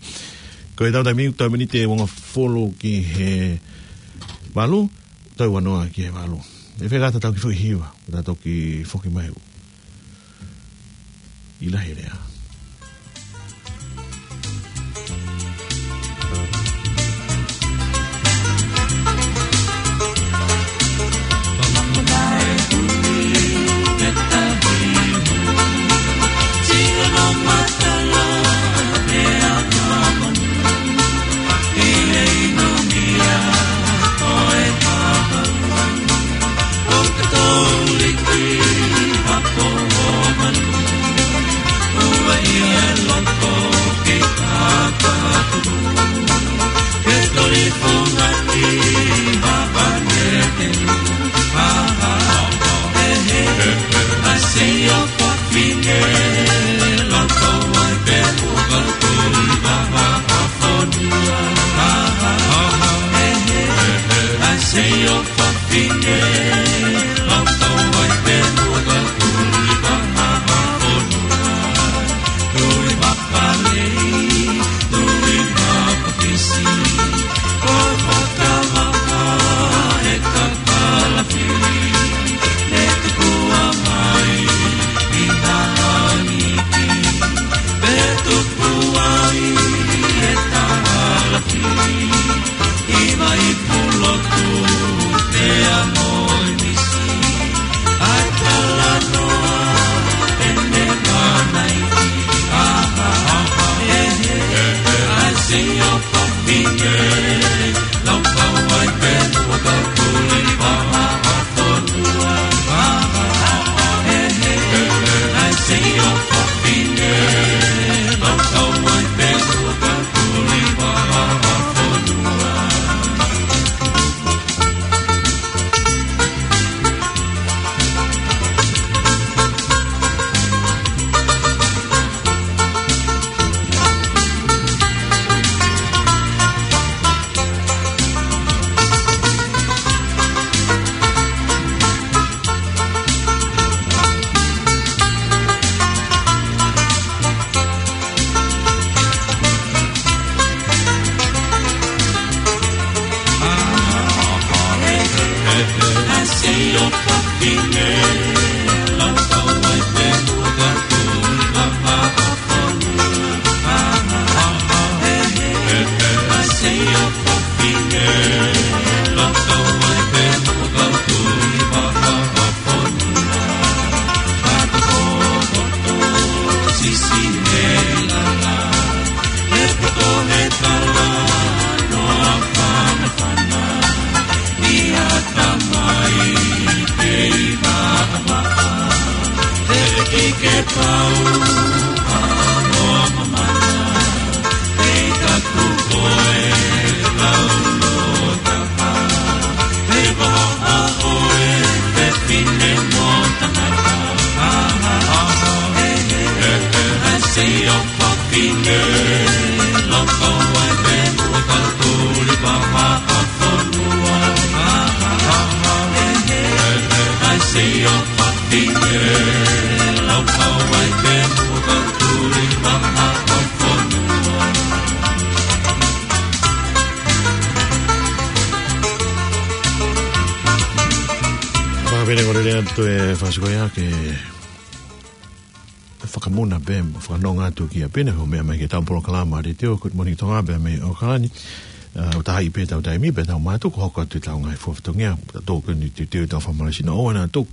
Ko e tau taimi, tau miniti ʻe uangofulu ki he valu, tau uanoa ki he valu. ʻE fēfē ka ta toki foʻi hiva, ta toki foki mai ʻi lahi lea. Ka pehē ʻoku lele atu e fasi ko ia ke fakamuna pē, fakanonga atu ki ʻapi ni, ʻo meʻa mai ki heʻetau polokalama letiō, Good Morning Tonga, pea mei ʻAokalani. ʻA, ʻo taha i pē ʻetau taimi, pea tau mātuku hoko atu ʻetau ngaahi fua fatongia, ta tō ke ni te te tau fakamālō sino ʻo ana atu.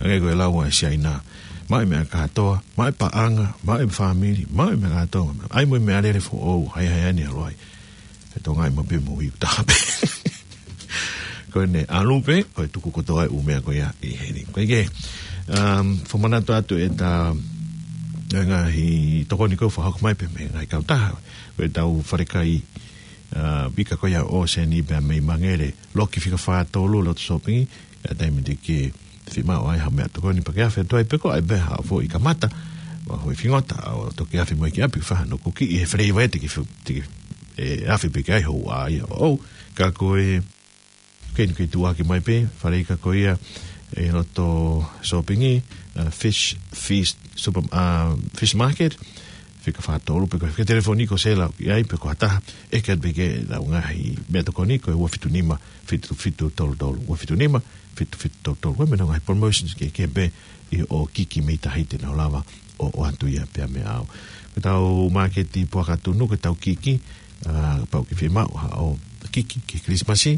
Ange ko e lau ʻa e Siaina. Maʻu e meʻa kātoa, maʻu e paʻanga, maʻu e fāmili, maʻu e meʻa kātoa. ʻAi mo e meʻalele foʻou, hai hai ani aloai. E Tonga ʻi mo pē mo i taha pē. Ko ʻene ʻalu pē, ko e tuku kotoa e ʻū meʻa ko ia ʻi heni. Ko e ke, um, fakamanatu atu ʻeta, e ngaahi tokoni ko ē fakahoko mai pē mei he ngaahi kautaha. Ko ʻetau falekai, uh, vika ko ia ʻo Seni pea mei Mangere. Loki fika fā tolu loto sōpingi, ʻa e taimi te ke fiemaʻu ai ha meʻatokoni pea ke afe atu ai pe ko e hā pē ha foʻi kamata, mo e foʻi fingota, ʻo toki afe mai ki ʻapi, fai hano kuki ʻi he flavor ē te ke fi-, te ke, ʻe, afe pē ki ai hoʻo ʻā ia ʻoʻou, ka ko e, ke ni ke tuʻuaki mai pē, faleika ko ia, ʻi loto sōpingi, ʻa, Fish Feast Super, ʻa, Fish Market, fika fā tolu, pe ko e fika telefoni ko Sela, ʻi ai, pe ko ha taha, ʻeke atu pē ki he lau ngaahi meʻatokoni, ko e ua fitu nima, fitu fitu tolu tolu, ua fitu nima, fitu fitu tolu tolu. Ko e meʻa ngaahi promotions kehekehe pē ʻi hoʻo kiki mei tahi te nau lava ʻo, ʻoatu ia pea mei ai. Ko ʻetau māketi Puakatunu, ko ʻetau kiki, ʻa, kapau ʻoku ke fiemaʻu haʻo kiki ki he Kilisimasi,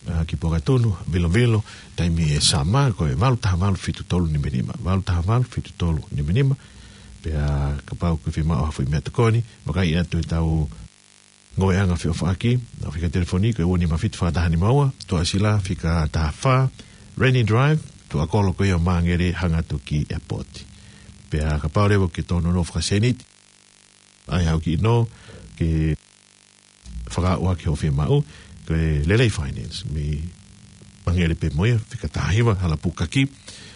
ʻa, ki Puakatunu, Vilovilo, taimi ʻe sama, ko e valu taha valu fitu tolu nima nima, valu taha valu fitu tolu nima nima, pea kapau ʻoku ke fiemaʻu ha foʻi meʻatokoni, vakai atu ʻetau ngāueʻanga feʻofaʻaki, ʻa e fika telefoni, ko e ua nima fitu fā taha nima ua, Tuʻasila, fika taha fā, Rainy Drive, tuʻa kolo ko ia ʻo Mangere hangē atu ki he airport. Pea kapau leva ʻoku ke tō nonofo fakaseniti, ʻai haʻo kiʻi nō, ke fakaaʻu ʻaki hoʻo fiemaʻu, ko e Lelei Finance, mei Mangere pē mo ia, fika taha hiva, Halapukaki,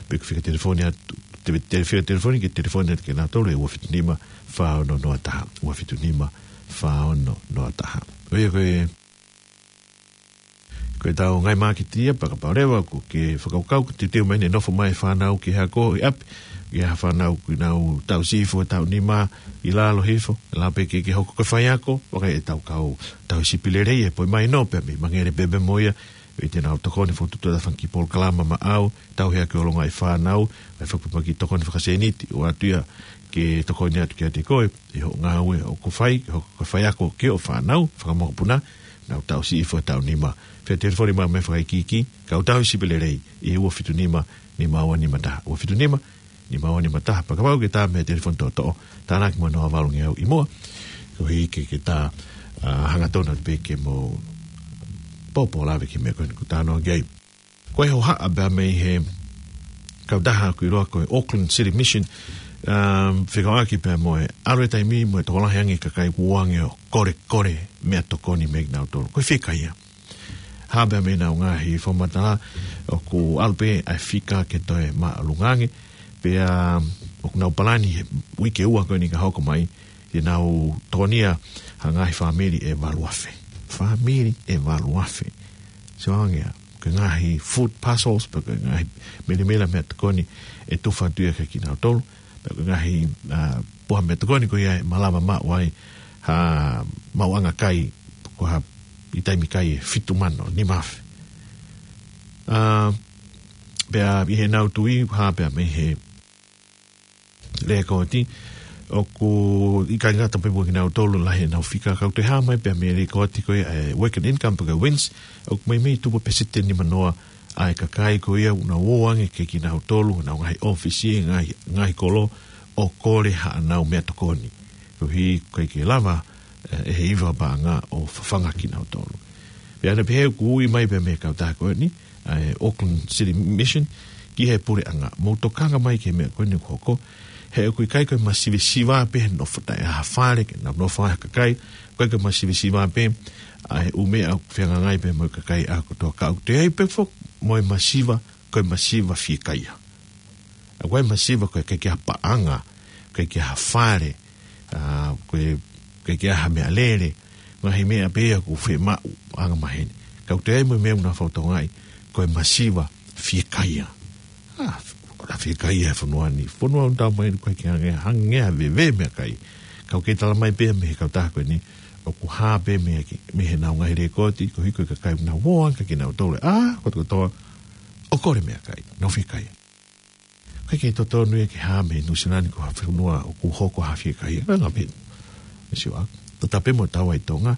pe ko e fika telefoni atu, te, te, fika telefoni, ke telefoni atu kia nautolu, ʻe ua fitu nima, fā ono noa taha, ua fitu nima, fā ono noa taha. ʻO ia ko e, ko ʻetau ngaahi māketi ia, pea kapau leva ʻoku ke fakakaukau, ʻoku teuteu mai ʻene nofo mai e fānau ki he ako ʻi ʻapi, ʻi ha fānau ʻoku nau tauhi hifo e taʻu nima ʻi lalo hifo, ʻe lava pē ke ke hoko ko e faiako, vakai ʻetau kau tauhi sipi lelei ʻe poi mai nō, pea mei Mangere pē pea mo ia, ʻi heʻenau tokoni fokotuʻutuʻu ʻa e fanga kiʻi polokalama maʻau, tauhi ʻaki ʻo e ngaahi fānau, ʻa e fakapapauʻaki tokoni fakaseniti, ʻoatu ia ke tokoni atu kiate koe, ʻi hoʻo ngāue ʻoku fai, ʻi hoʻo faiako ki hoʻo fānau, fakamokopuna, nau tauhi hifo e taʻu nima. Fika telefoni mai mo e fakaikiiki, kau tauhi sipi lelei, ʻi he ua fitu nima, nima ua nima taha, ua fitu nima, nima ua nima taha, pea kapau ʻoku ke tā mei he telefoni toʻotoʻo, tānaki mo e noa valu ngeau ʻi muʻa, koeʻuhi ke ke tā, ʻa, hangatonu pē ke mou pōpō lave ki he meʻa ko eni ʻoku ke talanoa ki ai. Ko e hohaʻa pea mei he kautaha ʻoku ʻiloa ko e Auckland City Mission, um, fekauʻaki pea mo e ʻalu e taimi mo e tokolahi ange e kakai ʻoku ō ange ʻo kolekole meʻatokoni mei kinautolu. Ko e fika ia. Hā pea mei heʻenau ngaahi fakamatala ʻoku ʻalu pē ʻa e fika ke toe māʻolunga ange, pea ʻoku nau palani he uike ua ko eni ka hoko mai, te nau tokonia ha ngaahi fāmili ʻe valu afe. Fāmili ʻe valu afe. Sio ange ia, ko e ngaahi food parcels, pe ko e ngaahi melemela meʻatokoni ʻe tufa atu ia kia kinautolu, pe ko e ngaahi, ʻa, puha meʻatokoni ko ia ʻe malava maʻu ai ha maʻuʻanga kai, ko ha ʻi taimi kai ʻe fitu mano, nima afe. ʻA, pea ʻi heʻenau tui, hā pea mei he lēkooti, ʻoku ʻikai ngata pē mo kinautolu lahi ʻenau fika, ka ʻoku toe hā mai pea mei he lēkooti ko ia ʻa e working income pe ko e WINZ, ʻoku meimei tupu peseti ʻe nima noa ʻa e kakai ko ia ʻoku nau ō ange kia kinautolu, ʻenau ngaahi ʻōfisi, ngaahi, ngaahi kolo, ʻo kole haʻanau meʻatokoni. Koeʻuhi ʻoku ʻikai ke lava, ʻe, ʻe he hiva paʻanga ʻo fafanga kinautolu. Pea ʻoku pehē ʻoku ui mai pea mei he kautaha ko eni, ʻa e Auckland City Mission, ki he puleʻanga. Mou tokanga mai ki he meʻa ko eni ʻoku hoko. He ʻoku ʻikai ko e masivesiva pē he nofo taʻe ʻi ai ha fale ke nau nofo ai ha kakai. ʻOku ʻikai ko e masivesiva pē ʻa e ʻū meʻa ʻoku fehangahangai pē mo e kakai ʻa kotoa, ka ʻoku toe ʻi ai pē foki mo e masiva, ko e masiva fiekaia. ʻA, ko e masiva ko e ʻikai ke ʻi ai ha paʻanga, ʻikai ke ʻi ai ha fale, ʻa, ko e ʻikai ke ʻi ai ha meʻalele, ngaahi meʻa pē ia ʻoku fiemaʻu anga maheni. Ka ʻoku toe ʻi ai mo e meʻa ʻoku nau fakatokangaʻi ko e masiva fiekaia. ʻA, ʻoku fiekaia e fonua ni. Fonua ʻoku tau mai ko e ʻikai ke hangē, hangē ha veve meʻakai. Ka ʻoku kei tala mai pē mei he kautaha ko eni, ʻoku hā pē mei he, mei heʻenau ngaahi lēkooti, koeʻuhi ko e kakai ʻoku nau ō ange kia kinautolu. ʻA, kotokotoa, ʻo kole meʻakai, nau fiekaia. ʻIkai ke totonu ia ke hā mei Nuʻusila ni ko ha fonua ʻoku hoko ha fiekaia. Ka ngā pē. Mesiwa. Tata pē mo taua ʻi Tonga.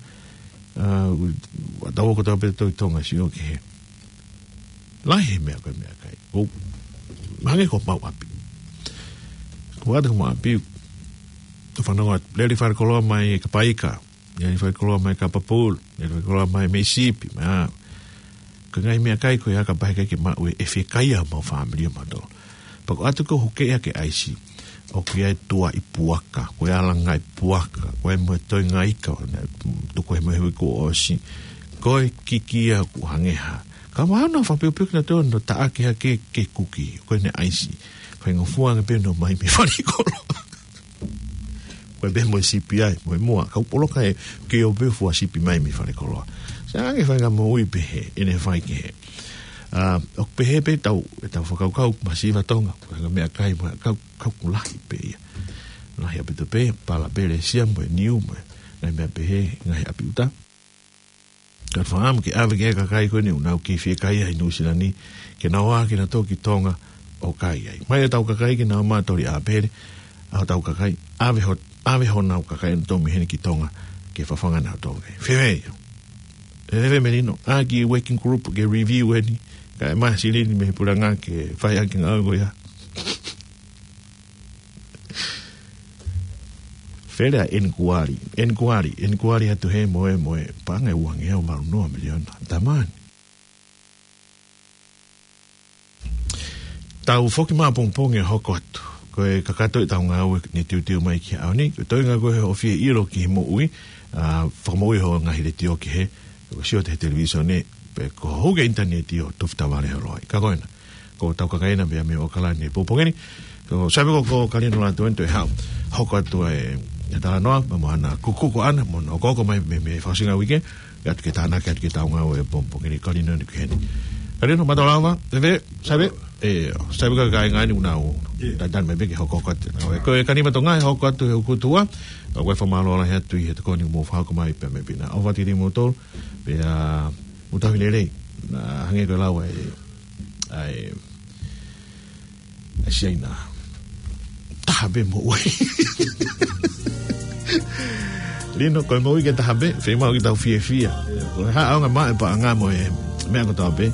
ʻA, taua ko taua pē tau ʻi Tonga sio ki he. Lahi he meʻa ko e meʻakai. Ko, hangē ko mau ʻapi. Ko atu ko mau ʻapi. Ko fanongo atu. Lele fakakoloa mai e kapaika. Lele fakakoloa mai kapapulu. Lele fakakoloa mai mei sipi. Mā. Ko e ngaahi meʻakai ko ia ka pehē ʻikai ke maʻu e, ʻe fiekaia mau fāmili ʻo mautolu. Pea ko ʻoatu ko e huke ia ke ʻaisi. ʻOku ʻi ai e tuaʻi puaka, ko e alangaʻi puaka, ko e mo e toenga ika, ʻo ne tuku he mo e hui kuo ʻosi. Ko e kiki ia ʻoku hangē ha. Ka mahalo naʻa nau fakapeupeu kinautolu ʻo nau taʻaki hake ke kuki, ko ʻene ʻaisi. Faingofua ange pē ʻenau ō mai mei falekoloa. Ko e pehē mo e sipi ai, mo e mua. Kau poloka e, ke ō pē fua sipi mai mei falekoloa. Sai ange faingamālie pehē, ʻene fai kehe. ʻA, ʻoku pehē pē tau, ʻetau fakakaukau, masiva Tonga, ko e ngaahi meʻakai, mo e kau, kau ʻoku lahi pē ia. Lahi ʻaupito pē, pala pē le sia mo e niu mo e, ngaahi meʻa pehē, ngaahi ʻapi ʻuta. Ka fakaʻamu ke ʻave ki he kakai ko eni ʻoku nau kei fiekaia ʻi Nuʻusila ni, ke nau ō ā kinautolu ki Tonga ʻo kai ai. Mai ʻetau kakai ke nau ō mai ʻo toli ʻāpele, ʻa hotau kakai, ʻave ho, ʻave honau kakai ʻonautolu mei heni ki Tonga, ke fafanga ʻenautolu. Fēfē ia. Fēfē Melino, ʻa e kiʻi working group ke review eni, kae ʻomai ha silini mei he puleʻanga ke fai ʻaki e ngāue ko ia. Fele ʻa e ʻenikuali, ʻenikuali, ʻenikuali atu he mo e, mo e, paʻanga ʻe uangeau valu noa miliona. Tamani. Tau foki mai ʻapongipongi ʻo hoko atu. Ko e kakato ʻetau ngāue ne tiutiu mai ki he ʻaho ni. Ko e toenga ko e ʻoku fie ʻilo ki he moʻui, ʻa, fakamoʻui ho ngaahi letiō kehe, ko e sio atu he televīsone, pe ko e hū ki he ʻinitaneti ʻo tufi tavale ho loa. Ka ko ena. Ko ʻetau kakai ena mei, mei ʻAokalani he pongipongi ni. Ko, sai pē ko, ko Kalino Lātū eni toe haʻu. Hoko atu e, e talanoa, mo hana kukuku ʻana, mo hono hokohoko mai mei, mei he fakaʻosinga uike, ʻoatu ke tānaki atu ki heʻetau ngāue he pongipongi ni, Kalino eni ki heni. Kalino, mālō lava, fēfē, sai pē, ē, sai pē ka kāinga ni ʻoku nau, ʻio, tatali mai pē ke hokohoko atu. Ko e Kalino Tonga, hoko atu he ʻoku tuʻa, ʻoku ou fakamālō lahi atu ʻi he tokoni mo fakahoko mai pē mei Pina. ʻOfa atu kiate kimoutolu, pea, mou tauhi lelei, naʻa hangē ko e lau ʻa e, ʻa e, ʻa e Siaina. Taha pē moʻui. Lino, ko e moʻui ke taha pē, fiemaʻu ke tau fiefia. Ko e hā ʻaonga maʻu e paʻanga mo e meʻa kotoa pē,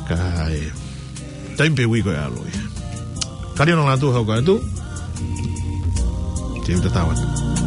ka ʻi he taimi pē ʻoku ʻi ai ko e ʻalu ia. Kalino Lātū hoko atu. Te u tatau atu.